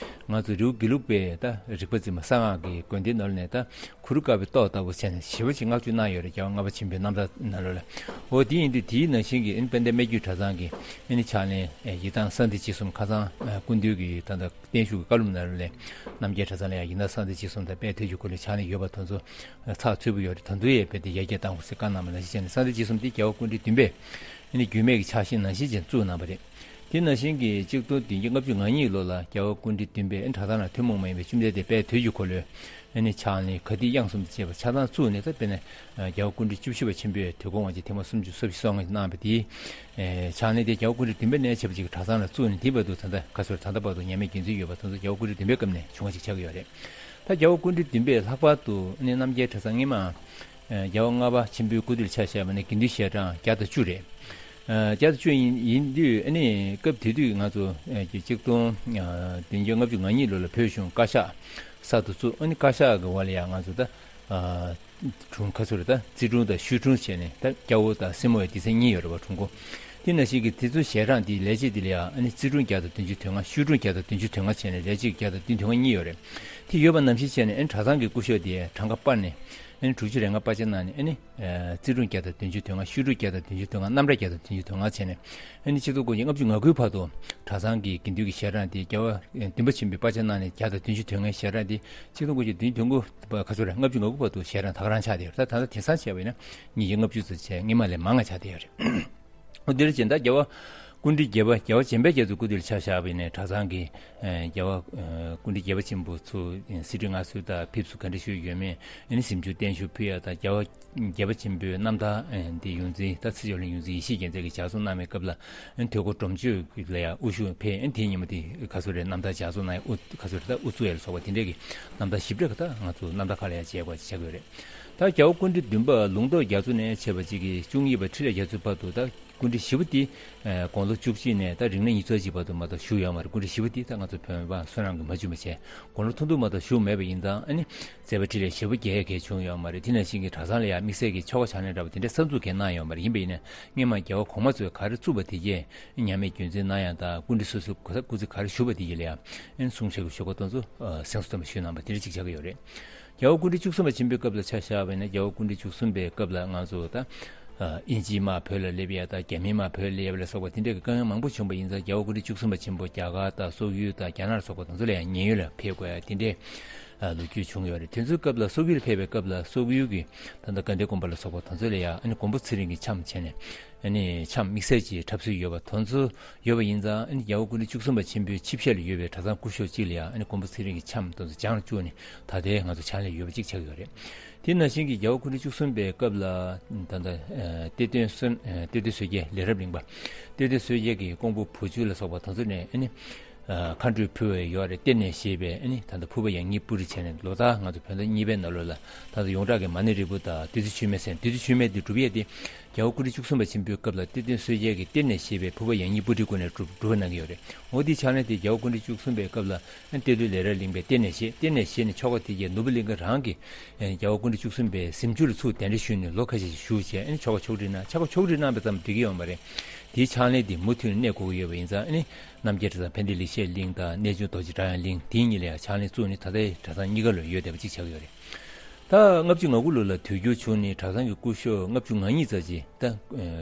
ང་ཚོ་རི་བོ་དགེ་ལུགས་པའི་ད་རིག་པ་འཛིན་པ་གསང་སྔགས་ཀྱི་དགོན་སྡེ་ནང་ནས་ད་གུ་རུ་དཀར་པོའི་ཏོག་ལྟ་བུ་བྱས་ནས་ཞེ་པོ་ཅིག་བསྔགས་བརྗོད་གནང་ཡོད་རེད། རྒྱལ་བ་ལྔ་པ་ཆེན་པོའི་རྣམ་ཐར་ནང་ལོགས་ལ། འོ་དེ་ཡིན་དུས་དེའི་ནང་བཞིན་གྱི་ཨ་ནི་དཔལ་ལྡན་སྨད་རྒྱུད་གྲྭ་ཚང་གི་ཨ་ནི་ཕྱག་ལེན་ཨེ་ཡི་དམ་གསང་བདེ་སྤྱི་གསུམ། ཁ་སང་ཨ་སྐུ་མདུན་གྱི་ད་ལྟ་བརྟན་བཞུགས་ཀྱི་བཀའ་སློབ་ནང་ལོགས་ལ་རྣམ་རྒྱལ་གྲྭ་ཚང་ལ་ཡང་ཡི་དམ་གསང་བདེ་སྤྱི་གསུམ་དང་དཔལ་དུས་ཀྱི་འཁོར་ལོའི་ཕྱག་ལེན་ཡོད་པ་དེ་ཚོ་ཚགས་ཚུད་པོ་ཡོད་རེད། ད་དུང་ཡང་རྦད་དེ་ཡར་རྒྱས་གཏང་དགོས་ཟེར་བཀའ་གནང་བ་ནང་བཞིན་བྱས་ནས། གསང་བདེ་སྤྱི་གསུམ་དེ་རྒྱལ་བ་སྐུ་ཕྲེང་བདུན་པས་ཨ་ནི་རྒྱུད་སྨད་ཀྱི་ཕྱག་བཞེས་ནང་བཞིན་བྱས་བཙུགས་གནང་བ་རེད། དེ་ནང་བཞིན་གྱི་གཅིག་སྟོང་བདུན་བརྒྱ་ལྔ་བཅུ་ང་གཉིས་ལོ་ལ་རྒྱལ་བ་སྐུ་ཕྲེང་བདུན་པས་ཨ་ནི་གྲྭ་ཚང་ལ་ཐུན་མོང་མ་ཡིན་པའི་བཅོམ་ལྡན་འདས་དཔལ་དུས་ཀྱི་འཁོར་ལོའི་ཨ་ནི་ཕྱག་ལེན་ག་ཏི་དབྱངས་གསུམ་དང་བཅས་པ་ཆ་ཚང་བཙུགས་ནས། ད་དཔེར་ན་རྒྱལ་བ་སྐུ་ཕྲེང་བཅུ་བཞི་པ་ཆེན་པོས་དུས་འཁོར་དབང་ཆེན་ཐེངས་མ་སུམ་ཅུ་སོ་བཞི་སོ་ལྔ་གནང་བ་དེའི་ཨེ་ཕྱག་ལེན་དེ་རྒྱལ་བ་སྐུ་ཕྲེང་བདུན་པ་ནས་བྱས་པ་ཅིག་གི་གྲྭ་ཚང་ལ་བཙུགས་ནས། དེའི་བར་དུ་ད་ལྟ་ག་ཚོད་རེད། ད་ལྟ་བར་དུ་ཉམས་མེད་རྒྱུན་འཛིན་ཡོད་པ་དེ་ཚོ་རྒྱལ་བ་སྐུ་ཕྲེང་བདུན་པའི་སྐབས་ནས་བྱུང་བ་ཅིག་ཆགས་ཀྱི་ཡོད་རེད། ད་རྒྱལ་བ་སྐུ་ཕྲེང་བདུན་པས་ལྷག་པར་དུ་ཨ་ནི་རྣམ་རྒྱལ་གྲྭ་ཚང་སྔོན་མ་ཨ་རྒྱལ་བ་ལྔ་པ་ཆེན་པོའི་སྐུ་དུས་ལ་ཆ་བཞག་པ་ན་དགེ་འདུན་ཞལ་གྲངས་བརྒྱ་དང་བཅུ་རེད། ཨ་བརྒྱ་དང་བཅུ་ཡིན་ཡིན་དུས་ཨ་ནི་སྐབས་དེ་དུས་ང་ཚོ་ཨ་གཅིག་སྟོང་ཨ་བདུན་བརྒྱ་ལྔ་བཅུ་ང་གཉིས་ལོ་ལ་བོད་གཞུང་བཀའ་ཤག་གསར་དུ་བཙུགས། ཨ་ནི་བཀའ་ཤག་གི་འོག་ལ་ཡང་ང་ཚོ་ད་ཨ་དྲུང་ཁ་ཚུར་ད་ཙི་ཀྲུང་དང་ཤུས་ཀྲུང་བྱས་ནས། ད་སྐྱ་བོ་དང་སེར་མོ་ཡི་སྡེ་ཚན་གཉིས་ཡོད་རེད་པ། དྲུང་འགོ། དེ་ནང་བཞིན་གྱི་དེ་ཚོའི་ཞལ་གྲངས་དེ་ལས་བྱེད་དེ་ལ་ཡང་ཨ་ནི་ཙི་ཀྲུང་བརྒྱ་དང་བདུན་ཅུ་དོན་ལྔ། ཤུས་ཀྲུང་བརྒྱ་དང་བདུན་ཅུ་དོན་ལྔ་བྱས་ནས་ལས་བྱེད་བརྒྱ་དང་བདུན་དོན་ལྔ་གཉིས་ཡོད་རེད། དེ་ཡོད་པ་ནང་བཞིན་བྱས་ནས་ཨ་ནི་གྲྭ་ཚང་གི་སྐུ་ཞབས་དེ་གྲངས་ཀ་སྤར་ནས་ཨ་ནི་དྲུག་ཅུ་རེ་ལྔ་པར་ཆས་གནང་ནས། ཨ་ནི་ཨ་ཙི་ཀྲུང་བརྒྱ་དང་བདུན་ཅུ་དོན་ལྔ། ཤུས་ཀྲུང་བརྒྱ་དང་བདུན་ཅུ་དོན་ལྔ། རྣམ་གྲྭ་བརྒྱ་དང་བདུན་ཅུ་དོན་ལྔ་བྱས་ནས། ཨ་ནི་ཆིག་སྟོང་དགུ་བརྒྱ་ལྔ་བཅུ་ང་དགུའི་བར་དུ་གྲྭ་ཚང་གི་དགེ་འདུན་གྱི་ཞལ་གྲངས་དེ་རྒྱལ་བ་ཨ་བདུན་པ་ཆེན་པོའི་པར་ཆས་གནང་ནས་བརྒྱ་དང་བདུན་ཅུ་དོན་ལྔའི་ཞལ་གྲངས་དེ་ཆིག་སྟོང་དགུ་བརྒྱ་བདུན་ཅུ་དོན་དགུ་པ་ག་ཚོད་རེད། ལྔ་བཅུ་ང་དགུ་བར་དུ་ཞལ་གྲངས་ད་ག་རང་ཆགས་བསྡད་ཡོད་རེད། ད་ད་ལྟ་དེང་སང་བྱས་པ་ཡིན་ན་ཉིས་བརྒྱ་ལྔ་བཅུ་ཙམ་བྱས། སྔོན་མ་ལས་མང་བ་ཆགས་བསྡད་ཡོད་རེད། འོ་དེར་བྱས་ད་རྒྱལ་བ་སྐུ་ཕྲེང་བརྒྱད་པ་རྒྱལ་བ་བྱམས་པ་རྒྱ་མཚོའི་སྐུ་དུས་ལ་ཆ་བཞག་པ་ཡིན་ནའི་གྲྭ་ཚང་གི་ཨ་རྒྱལ་བ་ཨ་སྐུ་ཕྲེང་བརྒྱད་པ་ཆེན་པོ་ཚོ་གསེར་ཁྲི་མངའ་གསོལ་དང་ཕེབས་བསུ་ག་འདྲ་ཞུས་ཡོད་མེད། ཨ་ནི་གཟིམ་ཆུང་བརྟན་བཞུགས་ཕུལ་ཡ་དང་། རྒྱལ་བ་བརྒྱད་པ་ཆེན་པོའི་རྣམ་ཐར་ཨ་འདི་ཡོངས་འཛིན་ད་ཚེ་མཆོག་གླིང་ཡོངས་འཛིན་ཡེ་ཤེས་རྒྱལ་མཚན་གྱིས་ལྗགས་རྩོམ་གནང་བའི་སྐབས་ལ། ཨ་ནི་དོལ་པོ་སྒྲོམ་གཅོད་ལ་ཡང་དབུ་བཞུགས་ཕེབས། ཨ་ནི་དེའི་ཉིན་མོ་དེ་ག་ཚོད་རེད། རྣམ་ཐར་ལྗགས་རྩོམ་གནང་ཡ་དབུ་ག་ཚོད་རེད། ད་དབུ་བཙུགས་ཡ་ལ་སོགས་པ་དེ་འདྲས་ཀྱི་རྣམ་ཐར་ཞིབ་ཕྲ་གི་ད་ང་ཚོ་རྣམ་ཐར་ཁག་ལ་ཡང་མཇལ་དགོས་ཆགས་ཀྱི་ཡོད་རེད། ད་རྒྱལ་བ་སྐུ་ཕྲེང་བདུན་པ་ལུང་རྟོགས་རྒྱ་མཚོ་ནས་བྱས་པ་ཅིག་གིས་བཅུ་གཉིས་པ་འཕྲིན་ལས་རྒྱ་མཚོའི་བར་དུ་ད་ སྐུ་ཕྲེང་བཞི་པ་དེ་ཨ་དགུང་ལོ་བཅུ་གཅིག་ནས་ད་རིང་ནས་ཉི་ཤུ་རྩ་གཅིག་བར་དུ་མ་གཏོགས་བཞུགས་ཡོད་མ་རེད། སྐུ་ཕྲེང་བཞི་པ་དེ་ད་ང་ཚོ་བོད་པ་བསོད་ནམས་ཀྱིས་མ་བྱུང་བ་བྱས། དགུང་ལོ་ཐུང་ཐུང་མ་གཏོགས་བཞུགས་མེད་པ་ཡིན་ཙང་། ཨ་ནི་མཛད་པ་འཕྲིན་ལས་ཞེ་པོ་རྒྱས་རྒྱས་བྱུང་ཡོད་མ་རེད། དེ་ནང་བཞིན་གྱི་གྲྭ་ཚང་ལ་ཡང་དམིགས་བསལ་གྱི་ཆོ་ག་ཕྱག་ལེན་འདྲ་བ་དེ་འདྲ་གསར་འཛུགས་གང་གནང་ཡོད་མ་རེད། ཡིན་པ་ཡིན་ན་སྔོན་མ་རྒྱལ་བ་གོང་མ་ཚོས་ག་རེ་བཙུགས་པ་དེ་གས་མཉམ་མེད་རྒྱུན་འཛིན་གནང་ཡག་དང་། སྐུ་ཕྲེང་སོ་སོ་ག་ས་སྐུ་ཚེ་ག་རེ་བཞུགས་པ་དེ་གས་ལ་ཡང་ཨ་ནི་གསུང་བཤད་ཀྱི་ཞུ་སྐོར་དེ་ཚོ་ཨ་གསན་སྲོལ་དམ་པ་ཞུས་གནང་པ་དེ་འདྲ་ཅིག་ཆགས་ཀྱི་ཡོད་རེད། རྒྱལ་བ་སྐུ་ཕྲེང་བཅུ་གསུམ་པ་ཆེན་པོའི་སྐབས་ལ་ཆ་བཞག་པ་ཡིན་ན། རྒྱལ་བ་སྐུ་ཕྲེང་བཅུ་གསུམ་པའི་སྐབས་ལ་ང་ཚོ་ད་ཨ་དབྱིན་ཇིའི་དམག་བོད་ལ་སླེབས་ཡ་དང་། རྒྱ་མིའི་དམག་བོད་ལ་སླེབས་ཡ་ལ་སོགས་པ་དེ་འདྲའི་དཀའ་ངལ་མང་པོ་བྱུང་བ་ཡིན་ཙང་། རྒྱལ་བ་སྐུ་ཕྲེང་བཅུ་གསུམ་པ་ཆེན་པོ་རྒྱ་གར་དང་སོག་ཡུལ་དང་རྒྱ་ནག་ལ་སོགས་པ་དེ་ཚོ་ལ་ཡང་ཉེན་གཡོལ་ལ་ཕེབས་དགོས་ཡ་དེ་འདྲའི་ཨ་ལོ་རྒྱུས་བྱུང་ཡོད་རེད། དེ་ཚོའི་སྐབས་ལ་སོག་ཡུལ་ཕེབས་པའི་སྐབས་ལ་སོག་ཡུལ་གྱི་ད་ལྟ་དགའ་ལྡན་དགོན་པ་ལ་སོགས་པ་དེ་ཚོ་ལ་ཡང་ཨ་ནི་མགོན་པོ་ཚེ་རིང་གི་འཆམ་བྱས་ནས། ཨ་ནི་འཆམ་དམིགས་བསལ་གྱི་འཁྲབ་སྲོལ་ཡོད་པ་དེ་ཚོ་ཡོད་པ་ཡིན་ཙང་། ཨ་ནི་རྒྱལ་བ་སྐུ་ཕྲེང་བཅུ་གསུམ་པ་ཆེན་པོའི་ཆིབས་ཞལ་ལ་ཡོད་པའི་གྲྭ་ཚང་སྐུ་ཞབས་གཅིག་ལ་ཡང་ཨ་ནི་མགོན་པོ་ཚེ་རིང་གི་འཆམ་དེ་ཚོ་སྦྱང་ལ་བཅུག་ནས་ད་ལྟའི་ང་ཚོ་ཕྱག་ལེན་ཡོད་པ་གཅིག་ཆགས་ཡོད་རེད། དེ་ནང་བཞིན་གྱི་རྒྱལ་བ་སྐུ་ཕྲེང་བཅུ་གསུམ་པའི་སྐབས་ལ་ད་ལྟ་ཨ་གཏེར་སྟོན་སོན་ཨ་གཏེར་སྟོན་སོས་རྒྱལ་ལས་རབ་གླིང་པ། གཏེར་སྟོན་སོས་རྒྱལ་གྱི་ཀོང་པོ་བུ་བཅོལ་ལ་སོགས་པ་དེ་ཚོ་ནས་ཨ་ནི་ཨ་མཁའ་འགྲོས་ཕུལ་བའི་ཡོད་རེད། གཏེར་ནས་བཞེས་པའི་ཨ་ནི་ད་ལྟ་ཕུར་པ་ཡང་སྙིང་སྤུ་རིས་བྱས་ནས། ལོ་ལྟར་ང་ཚོ་བོད་ཟླ་གཉིས་པའི་ནང་ལོགས་ལ་ད་ལྟ་ཡོངས་གྲགས་ཀྱི་མ་ཎི་རིལ་བུ་དང་བདུད་རྩི་མཆོད་མེ་ཟེར། བདུད་རྩི་མཆོད་མེ་འདི་སྒྲུབ་ཡས་དེ་རྒྱལ་བ་སྐུ་ཕྲེང་བཅུ་གསུམ་པ་ཆེན་པོའི་སྐབས་ལ་གཏེར་སྟོན་སོས་རྒྱལ་གྱིས་གཏེར་ནས་བཞེས་པའི་ཕུར་པ་ཡང་སྙིང་སྤུ་རིས་བསྐུར་ནས་སྒྲུབ་སྒྲུབ་གནང་གི་ཡོད་རེད། འོ་དེའི་ཕྱག་ལེན་དེ་རྒྱལ་བ་སྐུ་ཕྲེང་བཅུ་གསུམ་པའི་སྐབས་ལ་གཏེར་སྟོན་ལས་རབ་གླིང་པས་གཏེར་ནས་བཞེས། གཏེར་ནས་བཞེས་ནས་ཆོ་ག་དེ་རྗེས་ནོར་བུ་གླིང་ག་རང་གིས་རྒྱལ་བ་སྐུ་ཕྲེང་བཅུ་གསུམ་པའི་གཟིམ་ཆུང་ལ་ཚུར་གདན་འདྲེན་ཞུས་ནས་ལོ་ཁ་ཤས་ཤིག་བཞུགས་བྱས། ཨ་ནི་ཆོ་ག་ཕྱོགས་སྒྲིག་གནང་། ཆོ་ག་ཕྱོགས་སྒྲིག་གནང་བ་ཙམ་འགྲིག་གི་ཡོད་མ་རེད། དེའི་ཕྱག་ལེན་དེ་མུ་མཐུད་ནས་གནས་དགོས་ཀྱི་ཡོད་པ་ཡིན་ཙང་། ཨ་ནི་རྣམ་རྒྱལ་གྲྭ་ཚང་ཕན་བདེ་ལེགས་བཤད་གླིང་དང་གནས་ཆུང་རྡོ་རྗེ་སྒྲ་དབྱངས་གླིང་དེ་གཉིས་ལ་ཡང་ཕྱག་ལེན་བཙུགས་ནས་ད་ལྟའི་གྲྭ་ཚང་གཉིས་ཀ་ལ་ཡོད་བསྡད་པ་གཅིག་ཆགས་ཀྱི་ཡོད་རེད། ད་ལྔ་བཅུ་ང་དགུ་ལོ་ལ་དུས་འགྱུར་བྱུང་ནས་གྲྭ་ཚང་གི་སྐུ་ཞབས་ལྔ་བཅུ་ང་གཉིས་ཙམ་ཅིག་ད་ཨ་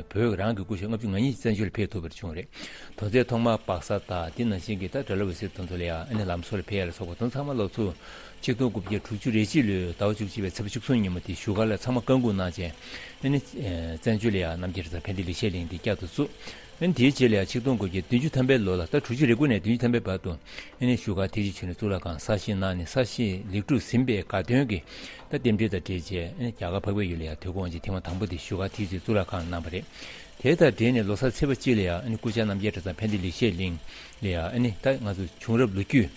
བོད་རང་གི་སྐུ་ཞབས་ལྔ་བཅུ་ང་གཉིས་བཙན་བྱོལ་ལ་ཕེབས་ཐུབ་པ་བྱུང་རེད། དོན་ཚན་ཐོག་མར་སྦག་ས་དང་། དེ་ནང་བཞིན་གྱི་ད་སྒྲ་བླ་འོད་ཟེར་དེ་ཚོ་ལ་ཡང་ཨ་ནི་ལམ་བཟོ་ལ་ཕེབས་ཡ་ལ་སོགས་པ་དེ་ཚང་མ་ལོ་ཚོ་ཆིག་སྟོང་དགུ་བརྒྱ་དྲུག་ཅུ་རེ་གཅིག་ལོའི་ཟླ་བ་བཅུ་གཅིག་པའི་ཚེས་པ་བཅུ་གསུམ་ཉིན་མོ་དེ་བཞུགས་སྒར་ལ་ཚང་མ་བཀའ་འགུག་གནང་བྱས། ཨ་ནི་ཨ་བཙན་བྱོལ་ལ་ཡང་རྣམ་རྒྱལ་གྲྭ་ཚང་ཕན་བདེ་ལེགས་བཤད་གླིང་འདི་བསྐྱར་དུ་བཙུགས། ཨ་ནི་དེའི་རྗེས་ལ་ཡང་ཆིག་སྟོང་དགུ་བརྒྱ་བདུན་ཅུ་ཐམ་པའི་ལོ་ལ། ད་དྲུག་ཅུ་རེ་དགུ་ནས་བདུན་ཅུ་ཐམ་པའི་བར་དུ་ཨ་ནི་བཞུགས་སྒར་ཐེག་ཆེན་ཆོས་གླིང་གཙུག་ལག་ཁང་གསར་བཞེངས་གནང་ནས། གསར་བཞེངས་ལེགས་གྲུབ་ཟིན་པའི་དགའ་སྟོན་གྱི་ད་རྟེན་འབྲེལ་དང་འབྲེལ་བྱས། ཨ་ནི་རྒྱ་གར་འཕགས་པའི་ཡུལ་ལ་ཡང་དུས་འཁོར་དབང་ཆེན་ཐེངས་མ་དང་པོ་དེ་བཞུགས་སྒར་ཐེག་ཆེན་གཙུག་ལག་ཁང་གནང་བ་རེད། དེ་དང་འབྲེལ་ནས་ལོ་གསར་ཚེས་པ་གཅིག་ལ་ཡང་ཨ་ནི་སྐུ་བཅར་རྣམ་རྒྱལ་གྲྭ་ཚང་ཕན་བདེ་ལེགས་བཤད་གླིང་ལ་ཡང་། ཨ་ནི་ད་ང་ཚོ་བྱུང་རབས་ལོ་རྒྱུས་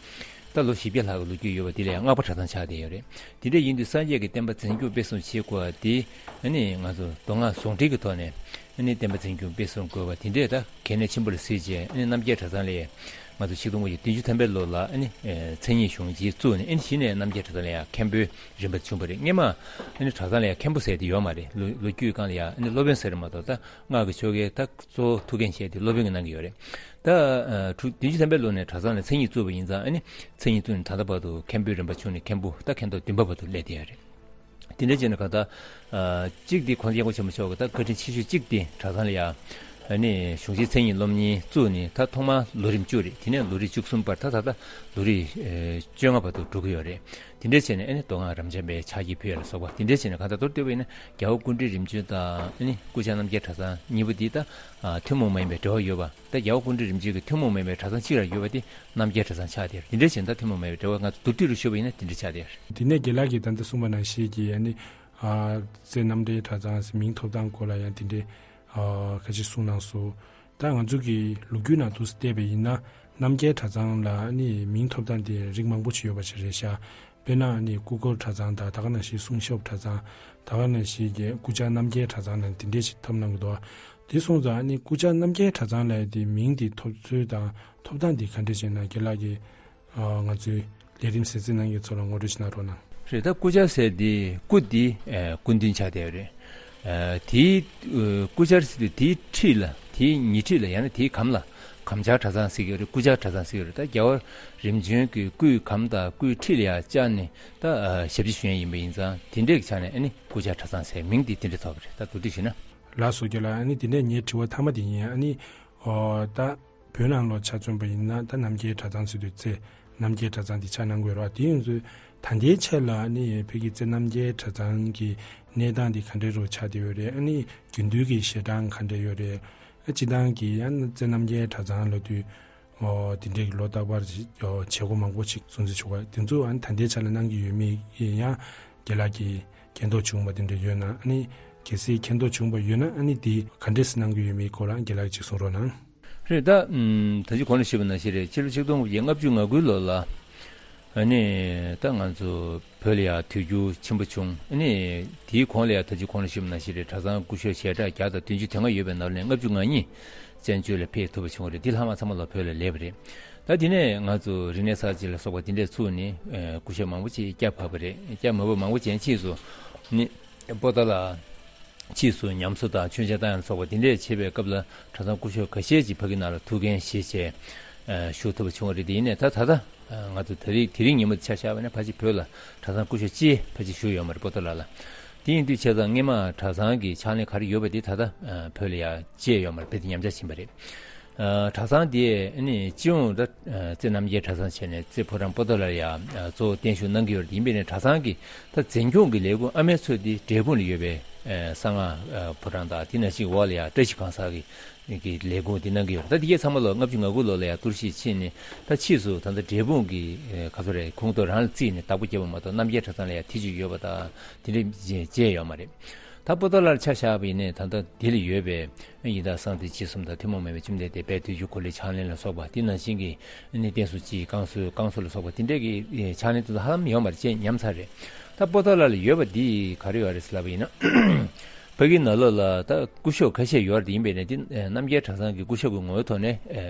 ད་ལོ་བཞི་བརྒྱ་ལྷག་གི་ལོ་རྒྱུས་ཡོད་པ་དེ་ལ་ཡང་སྔགས་པ་གྲྭ་ཚང་ཆགས་བསྡད་ཡོད་རེད། དེ་འདྲ་ཡིན་དུས་སངས་རྒྱས་ཀྱི་བསྟན་པ་འཛིན་སྐྱོང་སྤེལ་གསུམ་བྱེད་དགོས་པ་དེ། ཨ་ནི་ང་ཚོ་མདོ་སྔགས་ཟུང་འབྲེལ་གྱི་ཐོག་ནས་ཨ་ནི་བསྟན་པ་འཛིན་སྐྱོང་སྤེལ་གསུམ་དགོས་པ་དེ་འདྲས་ད་གལ་གནད་ཆེན་པོ་ལ་གཟིགས་བྱས། ཨ་ནི་རྣམ་རྒྱལ་གྲྭ་ཚང་ལ་ཡང་ང་ཚོ་ཆིག་སྟོང་དགུ་བརྒྱ་བདུན་ཅུ་ཐམ་པའི་ལོ་ལ་ཨ་ནི་ཨེ་མཚན་ཉིད་གཞུང་ཆེན་བཙུགས་ནས། ཨ་ནི་གཞི་ནས་རྣམ་རྒྱལ་གྲྭ་ཚང་ལ་ཡང་མཁན་པོའི་རིམ་པ་བྱུང་བ་རེད། སྔོན་མ་ཨ་ནི་གྲྭ་ཚང་ལ་ཡང་མཁན་པོ་ཟེར་དེ་ཡོད་མ་རེད། ལོ་ལོ་རྒྱུས་སྒང་ལ་ཡང་ཨ་ནི་སློབ་དཔོན་ཟེར་མ་གཏོགས། ད་སྔགས་ཀྱི་ཆོ་གའི་ད་གཙོ་བོ་ཐུགས་འགན་བཞེས་དེ་སློབ་དཔོན་གྱིས་གནང་གི་ཡོད་རེད། ད་ཨ་དྲུག་བདུན་ཅུ་ཐམ་པའི་ལོ་ནས་གྲྭ་ཚང་ལ་མཚན་ཉིད་བཙུགས་པ་ཡིན་ཙང་། ཨ་ནི་མཚན་ཉིད་བཙུགས་ནས་ད་ལྟ་བར་དུ་མཁན་པོའི་རིམ་པ་བྱུང་ནས་མཁན་པོ་ད་མཁན་ཐོག་བདུན་པ་བར་དུ་སླེབས་བསྡད་ཡོད་རེད། དེ་འདྲ་བྱས་ན་གང་ལྟར་ཨ་གཅིག་དེ་༸གོང་ས་༸སྐྱབས་མགོན་ཆེན་པོ་མཆོག་གི་ད་བཀའ་དྲིན་ཆེ་ཤོས་གཅིག་དེ་གྲྭ་ཚང་ལ་ཡང་ཨ་ནི་གཞུང་ཆེན་མཚན་ཉིད་སློབ་གཉེར་བཙུགས་ནས། ད་ཐོག་མར་ལོ་རིམ་བཅུ་རེད། དེ་ནས་ལོ་རིམ་བཅུ་གསུམ་བར། ད་ད་ལྟ་ལོ་རིམ་ཨེ་བཅོ་ལྔ་བར་དུ་འགྲོ་གི་ཡོད་རེད། དེ་འདྲ་བྱས་ནས་ཨ་ནི་མདོ་སྔགས་རབ་འབྱམས་པའི་ཕྱག་བགྱིས་ཕུལ་ཡ་ལ་སོགས་པ། དེ་འདྲ་བྱས་ནས་གང་ལྟར་མདོར་བསྡུས་པ་ཡིན་ན། རྒྱལ་བ་སྐུ་ཕྲེང་རིམ་བྱོན་དང་ཨ་ནི་སྐུ་བཅར་རྣམ་རྒྱལ་གྲྭ་ཚང་གཉིས་པོ་འདི་ད་ཨ་ཐུན་མོང་མ་ཡིན་པའི་འབྲེལ་བ་ཡོད་པ། ད་རྒྱལ་བ་སྐུ་ཕྲེང་རིམ་བྱོན་གྱི་ཐུན་མོང་མ་ཡིན་པའི་གྲྭ་ཚང་གཅིག་ལ་ཡོད་པ་དེ་རྣམ་རྒྱལ་གྲྭ་ཚང་ཆགས་བསྡད་ཡོད་རེད། དེ་འདྲ་བྱས་ན་ད་ཐུན་མོང་མ་ཡིན་པའི་འབྲེལ་བ་ང་ཚོ་མདོར་བསྡུས་རུ་ཞུས་པ་ཡིན་ན་དེ་འདྲ་ཆགས་བསྡད་ཡོད་རེད། དེ་ནས་རྒན་ལགས་ཀྱིས་ད་ལྟ་གསུངས་པ་ནང་བཞིན་གྱི་ཨ་ནི་ཨ་རྩེ་རྣམ་འདྲེན་གྲྭ་ཚང་ཟེར་མིང་ཐོབ་སྟངས་སྐོར་ལ་ཡང་དེ་འདྲའི་ཨ་ཁ་ཅིག་གསུངས་གནང་སོང་། ད་ང་ཚོ་གི་ལོ་རྒྱུས་ནང་དུ་བལྟས་པ་ཡིན་ན། རྣམ་རྒྱལ་གྲྭ་ཚང་ལ་ཨ་ནི་མིང་ཐོབ་སྟངས་དེ་རིགས་མང་པོ་ཅིག་ཡོད་པ་ཞིག་རེད་ཤག་དཔེར་ན་ཨ་ནི་སྐུ་འཁོར་གྲྭ་ཚང་དང་། ད་ག་ནང་བཞིན་གསུང་ཞབས་གྲྭ་ཚང་། ད་ག་ནང་བཞིན་གྱི་སྐུ་བཅར་རྣམ་རྒྱལ་གྲྭ་ཚང་ལ་དེ་འདྲས་ཞིག་ཐོབ་གནང་གི་འདུག་དེ་སོང་ཙང་ཨ་ནི་སྐུ་བཅར་རྣམ་རྒྱལ་གྲྭ་ཚང་ལ་དེ་མིང་དེ་ཐོབ་ཚུལ་དང་ཐོབ་སྟངས་དེ་ག་འདྲས་ཞིག་ཡིན་ན་རྒན་ལགས་ཀྱིས་ཨ་ང་ཚོའི་ལས་རིམ་གསན་གཟིགས་གནང་མཁན་ཚོ་ལ་ངོ་སྤྲོད་ཞིག་གནང་རོགས་གནང་། རེད། ད་སྐུ་བཅར་ཟེར་དེ་སྐུ་དེ་ཨ་སྐུ་མདུན་ཆགས་བསྡད་ཡོད་རེད། ཨ་དེའི་ཨ་སྐུ་བཅར་ཟེར་དུས་དེའི་འཁྲིས་ལ། དེའི་ཉེ་འཁྲིས་ལ། ཡང་ན་དེའི་གམ་ལ་གམ་བཅར་གྲྭ་ཚང་ཟེར་གྱི་ཡོད་རེད། སྐུ་བཅར་གྲྭ་ཚང་ཟེར་གྱི་ཡོད་རེད། ད་རྒྱལ་བ་རིམ་བྱོན་གྱི་སྐུའི་གམ་དང་སྐུའི་འཁྲིས་ལ་ཡང་བཅར་ནས་ད་ཨ་ཞབས་ཕྱི་ཞུ་མཁན་ཡིན་པ་ཡིན་ཙང་། དེ་འདྲའི་ཆ་ནས་ཨ་ནི་སྐུ་བཅར་གྲྭ་ཚང་ཟེར་མིང་དེ་དེ་འདྲ་ཐོགས་པ་རེད། ད་མདོར་བསྡུས་ཞུས་ན། ལགས་སོ་རྒན་ལགས། ཨ་ནི་དེ་ནས་ངའི་དྲི་བ་མཐའ་མ་དེ་ཡིན། ཨ་ནི་ཨོ་ད་བོད་ནང་ལོགས་ཆ་མཚོན་པ་ཡིན་ན། ད་རྣམ་རྒྱལ་གྲྭ་ཚང་ཟེར་དུས་རྩེ་རྣམ་རྒྱལ་གྲྭ་ཚང་དེ་ཆ་གནང་གི་ཡོད་རེད་བ། དེ་ཡིན་དུས་ད་ལྟའི་ཆར་ལ་ཨ་ནི་བོད་ཀྱི་རྩེ་རྣམ་རྒྱལ་གྲྭ་ཚང་གི་གནས་སྟངས་དེ་ག་འདྲའི་རུ་ཆགས་བསྡད་ཡོད་རེད། ཨ་ནི་རྒྱུན་མཐུད་ཀྱི་ཞལ་གྲངས་ག་འདྲ་ཡོད་རེད། ཨ་སྤྱིར་བཏང་གི་ཡང་རྩེ་རྣམ་རྒྱལ་གྲྭ་ཚང་ལབ་དུས་ཨོ་དེ་འདྲའི་ལོ་རྟག་པར་བྱེད་སྒོ་མང་པོ་ཞིག་སྲུང་བརྩི་ཞུ་བ་དེ་ཚོ་ཨ་ནི་ད་ལྟའི་ཆར་ལ་གནང་གི་ཡོད་མེད་ཡང་རྒན་ལགས་ཀྱིས་མཁྱེན་རྟོགས་བྱུང་བ་དེ་འདྲ་ཡོད་ན། ཨ་ནི་གལ་སྲིད་མཁྱེན་རྟོགས་བྱུང་བ་ཡོད་ན། ཨ་ནི་དེ་ག་འདྲས་གནང་གི་ཡོད་མེད་སྐོར་ལ་རྒན་ལགས་ཀྱིས་གསུང་རོགས་གནང་། རེད། ད་ཨམ་ད་ཅི་གོང་ལ་ཞུས་པ་ནང་བཞིན་རེད། ཕྱི་ལོ་ཆིག་སྟོང་དགུ་བརྒྱ་ལྔ་བཅུ་ང་དགུའི་ལོ་ལ། ཨ་ནི་ད་ང་ཚོ་བོད་ལ་ཡང་དུས་འགྱུར་ཆེན་པོ་བྱུང་། ཨ་ནི་དེའི་གོང་ལ་ཡང་ད་ཅི་གོང་ལ་ཞུས་པ་ནང་བཞིན་རེད། གྲྭ་ཚང་སྐུ་ཞབས་ཞལ་གྲངས་བརྒྱ་དང་བདུན་ཅུ་དེ་སྔ་ཡོད་པའི་ནང་ནས་ལྔ་བཅུ་ང་གཉིས་བཙན་བྱོལ་ལ་ཕེབས་ཐུབ་པ་བྱུང་བ་རེད། འདི་ལྷག་མ་ཚང་མ་ལོ་བོད་ལ་སླེབས་པ་རེད། ད་དེ་ནས་ང་ཚོ་རིག་གནས་གསར་བརྗེ་ལ་སོགས་པ་དེ་འདྲས་ཚུགས་ནས་ཨ་སྐུ་ཞབས་མང་པོ་ཅིག་བསྐྱབས་བབས་པ་རེད། བསྐྱབས་མ་བབས་མང་པོ་ཅིག་ཕྱིས་སུ་ནི་པོ་ཏཱ་ལ་ཕྱིས་སུ་ཉམས་གསོ་དང་མཆོད་མཇལ་བཏང་ཡ་ལ་སོགས་པ་དེ་འདྲས་བྱེད་པའི་སྐབས་ལ་གྲྭ་ཚང་སྐུ་ཞབས་ཁ་ཤས་ཀྱིས་ཕ་གི་ནང་ལ་ཐུགས་འགན་བཞེས་བྱས་ཨ་བཞུགས་ཐུབ་པ་བྱུང་བ་རེད། དེ་ཡིན་ནའི་ད་ད་ལྟ་ཨ་ང་ཚོ་ད་རེས་དེ་རིང་ཉིན་མོ་ཆ་བཞག་པ་ན་ཕལ་ཆེར་བོད་ལ་གྲྭ་ཚང་སྐུ་ཞབས་གཅིག་ཕལ་ཆེར་བཞུགས་ཡོད་མ་རེད། པོ་ཏཱ་ལ་ལ། དེ་ཡིན་དུས་བྱས་ཙང་སྔས་མ་གྲྭ་ཚང་གི་ཕྱག་ལེན་ག་རེ་ཡོད་པ་དེ་ད་ལྟ་ཨ་བོད་ལ་ཡང་བཅད་ཡོད་མ་རེད། དཔེ་དེ་ཉམས་ཆག་ཕྱིན་པ་རེད། ཨ་གྲྭ་ཚང་དེ་ནི་སྤྱི་ཡོངས་ད་ཨ་རྩེ་རྣམ་རྒྱལ་གྲྭ་ཚང་བྱས་ནས་རྩེ་ཕོ་བྲང་པོ་ཏཱ་ལར་ཡང་ཨ་གཙོ་བོ་བརྟན་བཞུགས་གནང་གི་ཡོད་རེད། ཡིན་པས་ནས་གྲྭ་ཚང་གི་ད་འཛིན་སྐྱོང་གི་ལས་ཁུངས་ཨ་མའི་མཚོ་དེ་འབྲས་སྤུངས་ལ་ཡོད་པའི་ཨ་གསང་སྔགས་ཨ་ཕོ་བྲང་དང་དེ་ནང་བཞིན་འོག་ལ་ཡང་བཀྲ་ཤིས་གང་ཟག་གི་གི་ལས་ཁུངས་དེ་གནང་གི་ཡོད་རེད། ད་དེ་གས་ཚང་མ་ལོ་ལྔ་བཅུ་ང་དགུ་ལོ་ལ་ཡང་གཏོར་བཤིག་ཕྱིན་ནས་ད་ཕྱིས་སུ་ད་ལྟ་འབྲས་སྤུངས་ཀྱི་ཨ་ག་ཚོད་རེད། ཁོངས་གཏོགས་རང་ལ་བརྩིས་ནས་བདག་པོ་བརྒྱབ་པ་མ་གཏོགས་རྣམ་རྒྱལ་གྲྭ་ཚང་ལ་ཡང་དེ་ཅིག་ཡོད་པ་དང་དེ་འདྲ་བྱས་ཡོད་མ་རེད། ད་པོ་ཏཱ་ལར་ཆ་བཞག་པ་ཡིན་ནའི་ད་ལྟ་དེ་ལ་ཡོད་པའི་ཡི་དྭགས་གསང་བདེ་འཇིགས་གསུམ་དང་ཐུན་མོང་མ་ཡིན་པའི་བཅོམ་ལྡན་འདས་དཔལ་དུས་ཀྱི་འཁོར་ལོའི་ཕྱག་ལེན་ལ་སོགས་པ་དེ་ནང་བཞིན་གྱི་ནི་བསྟན་སྲུང་སྤྱི་ཡི་བསྐང་གསོ་བསྐང་གསོ་ལ་སོགས་པ་དེ་འདྲས་ཀྱི་ཕྱག་ལེན་དེ་ཚོ་ཧ་ལམ་ཡོད་མ་རེད་ཅེས་ཉམས་ཚར་རེད། ད་པོ་ཏཱ་ལ་ལ་ཡོད་པ་འདི་ག་རེ་ཡོད་རེད་ཟེར་ལབ་པ་ཡིན་ན། ཕ་གིའི་ནང་ལོགས་ལ་ད་སྐུ་ཞབས་ཁ་ཤས་ཡོད་རེད། ཡིན་པས་ནས་དེ་རྣམ་རྒྱལ་གྲྭ་ཚང་གི་སྐུ་ཞབས་ཀྱི་ངོ་བོའི་ཐོག་ནས་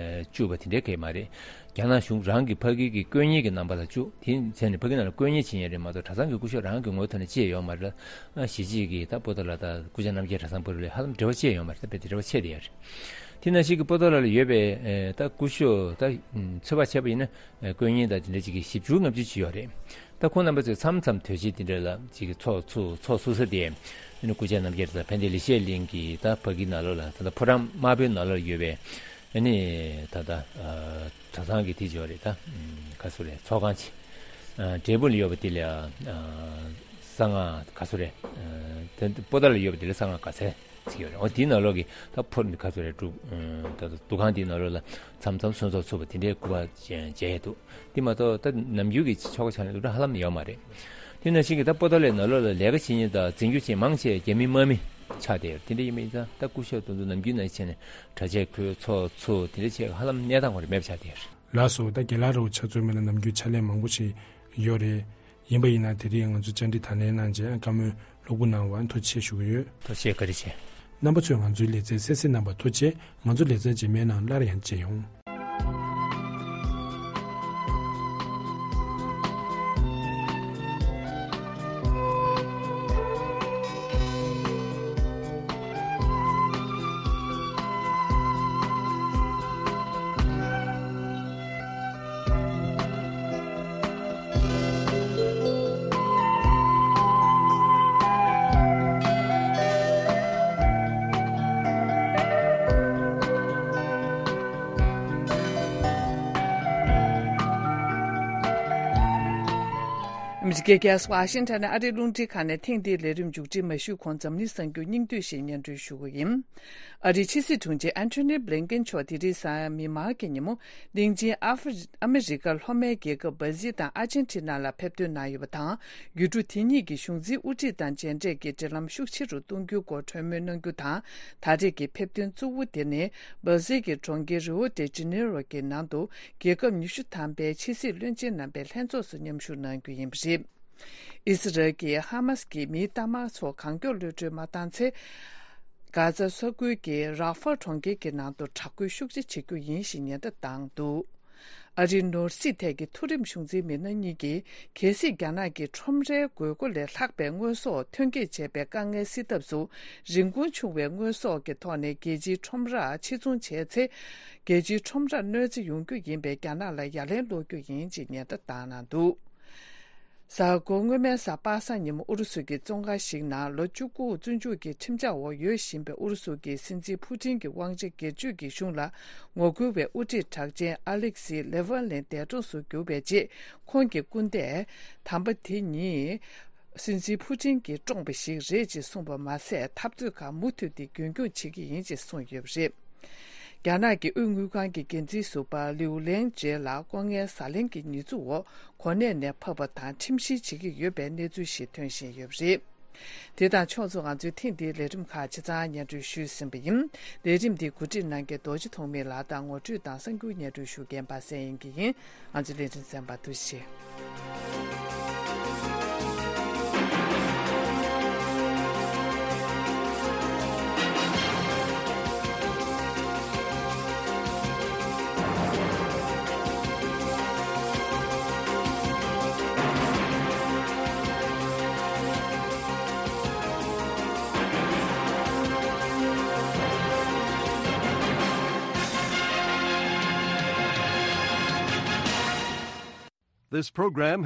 བཅུག་པ་དེ་འདྲའི་གང་ཡང་མ་རེད། རྒྱ་ནག་གཞུང་རང་གི་ཕ་གི་གི་དཀོན་གཉེར་གྱི་རྣམ་པ་ལ་བཅུག་དེ་བྱས་ནས་ཕ་གི་ནང་ལ་དཀོན་གཉེར་བྱེད་མཁན་རེད་མ་གཏོགས་གྲྭ་ཚང་གི་སྐུ་ཞབས་རང་གི་ངོ་བོའི་ཐོག་ནས་བཅས་ཡོད་མ་རེད། གཞིས་བྱེས་ཀྱི་ད་པོ་ཏཱ་ལ་དང་སྐུ་བཅར་རྣམ་རྒྱལ་གྲྭ་ཚང་བར་ལ་ཧ་ལམ་འབྲེལ་བ་བཅས་ཡོད་མ་རེད། ད་དཔེ་དེ་འབྲེལ་བ་ཆད་དེ་ཡོད་རེད། དེ་ནང་བཞིན་གྱི་པོ་ཏཱ་ལ་ལ་ཡོད་པའི་ད་སྐུ་ཞབས་ད་ཚོད་དཔག་བྱས་པ་ཡིན་ན་དཀོན་གཉེར་དང་དེ་འདྲ་ཅིག་གི་བཞི་བཅུ་ལྔ་བཅུ་ཅིག་ཡོད་རེད། ད་ཁོང་རྣམ་པ་ཚོས་མཚམས་མཚམས་དུས་ཆེན་དེ་འདྲ་ལ་ཅིག་གི་ཚོགས་ཚུགས་ཚོགས་ཚུགས་ས་དེ་ནི་སྐུ་བཅར་རྣམ་རྒྱལ་དང་ཕན་བདེ་ལེགས་བཤད་གླིང་གི་ད་ཕ་གི་ནང་ལོགས་ལ་ད་ལྟ་ཕོ་བྲང་དམར་པོའི་ནང་ལོགས་ཡོད་པའི་ཨ་ནི་ད་ལྟ་གྲྭ་ཚང་གི་དེ་ཅིག་ཡོད་རེད། ད་ག་ཚོད་རེད། ཚོགས་ཁང་ཅིག་འབྲས་སྤུངས་ལ་ཡོད་པ་དེ་ལ་གསང་སྔགས་ག་ཚོད་རེད། དེ་པོ་ཏཱ་ལ་ཡོད་པ་དེ་ལ་གསང་སྔགས་ག་ཚད་ཅིག་ཡོད་རེད། འོ་དེའི་ནང་ལོགས་ཀྱི་ད་ཕོ་ག་ཚོད་རེད། འབྲུ་ད་ལྟ་འདུ་ཁང་དེའི་ནང་ལོགས་ལ་མཚམས་མཚམས་གསོལ་ཚོགས་ཚུགས་པ་དེ་འདྲའི་སྐུ་པར་མཇལ་ཡས་འདུག་དེ་མ་གཏོགས་ད་ནམ་རྒྱུན་གྱི་ཆོ་ག་ཕྱག་ལེན་སློབ་གྲྭ་ཧ་ལམ་ཡོད་མ་རེད། དེ་ནང་བཞིན་གྱི་ད་པོ་ཏཱ་ལའི་ནང་ལོགས་ལ་ལས་ཀ་བྱེད་མཁན་དང་འཛིན་སྐྱོང་བྱེད་མཁན་མང་ཆེ་རྒྱ་མི་དམག་མི་ཆགས་བསྡད་ཡོད། དེ་འདྲ་ཡིན་པ་ཡིན་ཙང་ད་སྐུ་ཞབས་དེ་ཚོ་ནམ་རྒྱུན་ནང་བྱས་ནས་གྲྭ་ཆས་གོན་ཚོགས་ཚུགས་དེ་འདྲ་བྱས་ཧ་ལམ་གནས་སྟངས་ཁོ་རང་མེད་པ་ཆགས་བསྡད་ཡོད། ལགས་སོ། ད་རྒན་ལགས་རོགས་ཕྱག་མཛོད་མི་ལ་ནམ་རྒྱུན་ཕྱག་ལས་མང་པོ་ཞིག་ཡོད་རེད། ཡིན་པ་ཡིན་ན་དེ་རིང་ང་ཚོ་བཅར་འདྲི་དང་ལེན་གནང་རྗེས་བཀའ་མོལ་ལྷུག་པོ་གནང་བར་ཐུགས་རྗེ་ཆེ་ཞུ་གི་ཡོད། ཐུགས་རྗེ་ཆེ། བཀའ་དྲིན་ཆེ། རྣམ་པ་ཚོས་ང་ཚོའི་ལེ་ཚན་གསན་གཟིགས་གནང་བར་ཐུགས་རྗེ་ཆེ། ང་ཚོ་ལེ་ཚན་རྗེས་མའི་ནང་སླར་ཡང་མཇལ་ཡོང་། ཨ་མི་རི་ཀའི་རྒྱལ་ས་ཝ་ཤིང་ཊོན་ནས་ཨ་རིའི་རླུང་འཕྲིན་ཁང་ནས་ཐེངས་འདིའི་ལས་རིམ་མཇུག་སྒྲིལ་མ་ཞུས་གོང་འཛམ་གླིང་གསར་འགྱུར་སྙིང་བསྡུས་ཤིག་སྙན་སྒྲོན་ཞུ་གི་ཡིན། ཨ་རིའི་ཕྱི་སྲིད་དྲུང་ཆེ་ཨན་ཐོ་ནི་བྷི་ལིན་ཀེན་མཆོག་དེ་རིང་གཟའ་མིག་དམར་གྱི་ཉིན་མོ་གླིང་ཆེན་ཨ་ཧྥེ་ཨ་མི་རི་ཀར་ལྷོ་མའི་རྒྱལ་ཁབ་སྦར་ཟིལ་དང་ཨར་ཇན་ཊི་ན་ལ་ཕེབས་ཐོན་གནང་ཡོད་པ་དང་། ཡུལ་གྲུ་དེ་གཉིས་ཀྱི་གཞུང་འཛིན་དབུ་ཁྲིད་དང་མཇལ་འཕྲད་ཀྱིས་འབྲེལ་ལམ་ཤུགས་ཆེ་རུ་གཏོང་རྒྱུའི་སྐོར་གྲོས་མོལ་གནང་རྒྱུ་དང་། ད་རེས་ཀྱི་ཕེབས་ཐོན་གཙོ་བོ་དེ་ནི་སྦར་ཟིལ་གྱི་གྲོང་ཁྱེར་རི་ཨོ་ཏེ་ཇི་ནེ་རོ་གྱི་ནང་དུ་རྒྱལ་ཁབ་ཉི་ཤུ་ཐམ་པའི་ཕྱི་སྲིད་བློན་ཆེན་རྣམ་པའི་ལྷན་ཚོགས་སུ་མཉམ་ཞུགས་གནང་རྒྱུ་ཡིན་པ་རེད། ཨི་སི་རལ་གྱིས་ཧ་མཱ་སི་ཀྱི་མིའི་རྟགས་མ་ཚོ་གང་མགྱོགས་གློད་གྲོལ་མ་བཏང་ཚེ། གྷ་ཛ་ས་ཁུལ་གྱི་རཱ་ཧྥ་གྲོང་ཁྱེར་གྱི་ནང་དུ་དྲག་རྒོལ་ཤུགས་ཆེ་བྱེད་རྒྱུ་ཡིན་ཞེས་ཉེན་བརྡ་བཏང་འདུག་ཨ་རིའི་ནོར་སྲིད་ཐད་ཀྱི་མཐོ་རིམ་གཞུང་འཛིན་མི་སྣ་གཉིས་ཀྱིས་གལ་སྲིད་རྒྱ་ནག་གིས་ཁྲོམ་རའི་དགོས་མཁོ་ལས་ལྷག་པའི་དངོས་ཟོག་ཐོན་སྐྱེད་བྱེད་པའི་དཀའ་ངལ་སེལ་ཐབས་སུ་རིན་གོང་ཆུང་བའི་དངོས་ཟོག་གི་ཐོག་ནས་རྒྱལ་སྤྱིའི་ཁྲོམ་རར་ཕྱིར་ཚོང་བྱས་ཚེ། རྒྱལ་སྤྱིའི་ཁྲོམ་རར་གནོད་འཚེ་ཡོང་རྒྱུ་ཡིན་པས་རྒྱ་ནག་ལ་ཡ་ལན་སློག་རྒྱུ་ཡིན་ཅེས་ཉེན་བརྡ་བཏང་གནང་འདུག་གཟའ་འཁོར་སྔོན་མའི་གཟའ་པ་སངས་ཉིན་མོ་ཨུ་རུ་སུ་གྱི་བཙོན་ཁང་ཞིག་ནང་ལོ་བཅུ་དགུ་བཙོན་འཇུག་གི་ཁྲིམས་འཆར་འོག་ཡོད་བཞིན་པའི་ཨུ་རུ་སུ་གྱི་སྲིད་འཛིན་ཕུ་ཊིན་གྱི་དབང་ཆ་སྒེར་གཅོད་ཀྱི་གཞུང་ལ་ངོ་རྒོལ་བའི་དབུ་ཁྲིད་གྲགས་ཅན་ཨ་ལེག་སི་ལེ་ཝན་ལིན་འདས་གྲོངས་སུ་གྱུར་བའི་རྗེས། ཁོང་གི་སྐུ་ཟླས་དམ་པ་དེ་ཉིད་སྲིད་འཛིན་ཕུ་ཊིན་གྱིས་བཀྲོངས་པ་ཞིག་རེད་ཅེས་གསུངས་པ་མ་ཟད། འཐབ་རྩོད་ཁག་མུ་མཐུད་དེ་རྒྱུན་སྐྱོང་བྱེད་ཀྱི་ཡིན་ཅེས་གསུངས་ཡོད་པ་རེད། རྒྱ་ནག་གི་དབུས་དངུལ་ཁང་གི་འགན་འཛིན་ཟུར་པ་ལིའུ་ལེང་ཇེ་ལ་ལྐོག་རྔན་ཟ་ལེན་གྱི་ཉེས་འཛུགས་འོག་གོ་གནས་ནས་ཕབ་པ་དང་ཁྲིམས་བཤེར་བྱེད་ཀྱི་ཡོད་པའི་གནས་ཚུལ་ཞིག་ཐོན་བཞིན་ཡོད་པ་རེད། དེ་དང་ཕྱོགས་མཚུངས། ང་ཚོའི་ཐེངས་འདིའི་ལས་རིམ་ཁག་ཆ་ཚང་སྙན་སྒྲོན་ཞུས་ཟིན་པ་ཡིན། ལས་རིམ་འདི་གོ་སྒྲིག་གནང་མཁན་རྡོ་རྗེ་ཐོགས་མེད་ལགས་དང་ངོ་སྤྲོད་དང་གསར་འགྱུར་སྙན་སྒྲོན་ཞུ་མཁན་པ་སངས་དབྱངས་སྐྱིད་ཡིན། ང་ཚོའི་ལས་རིམ་གསན་པར་ཐུགས་རྗེ་ཆེ། This program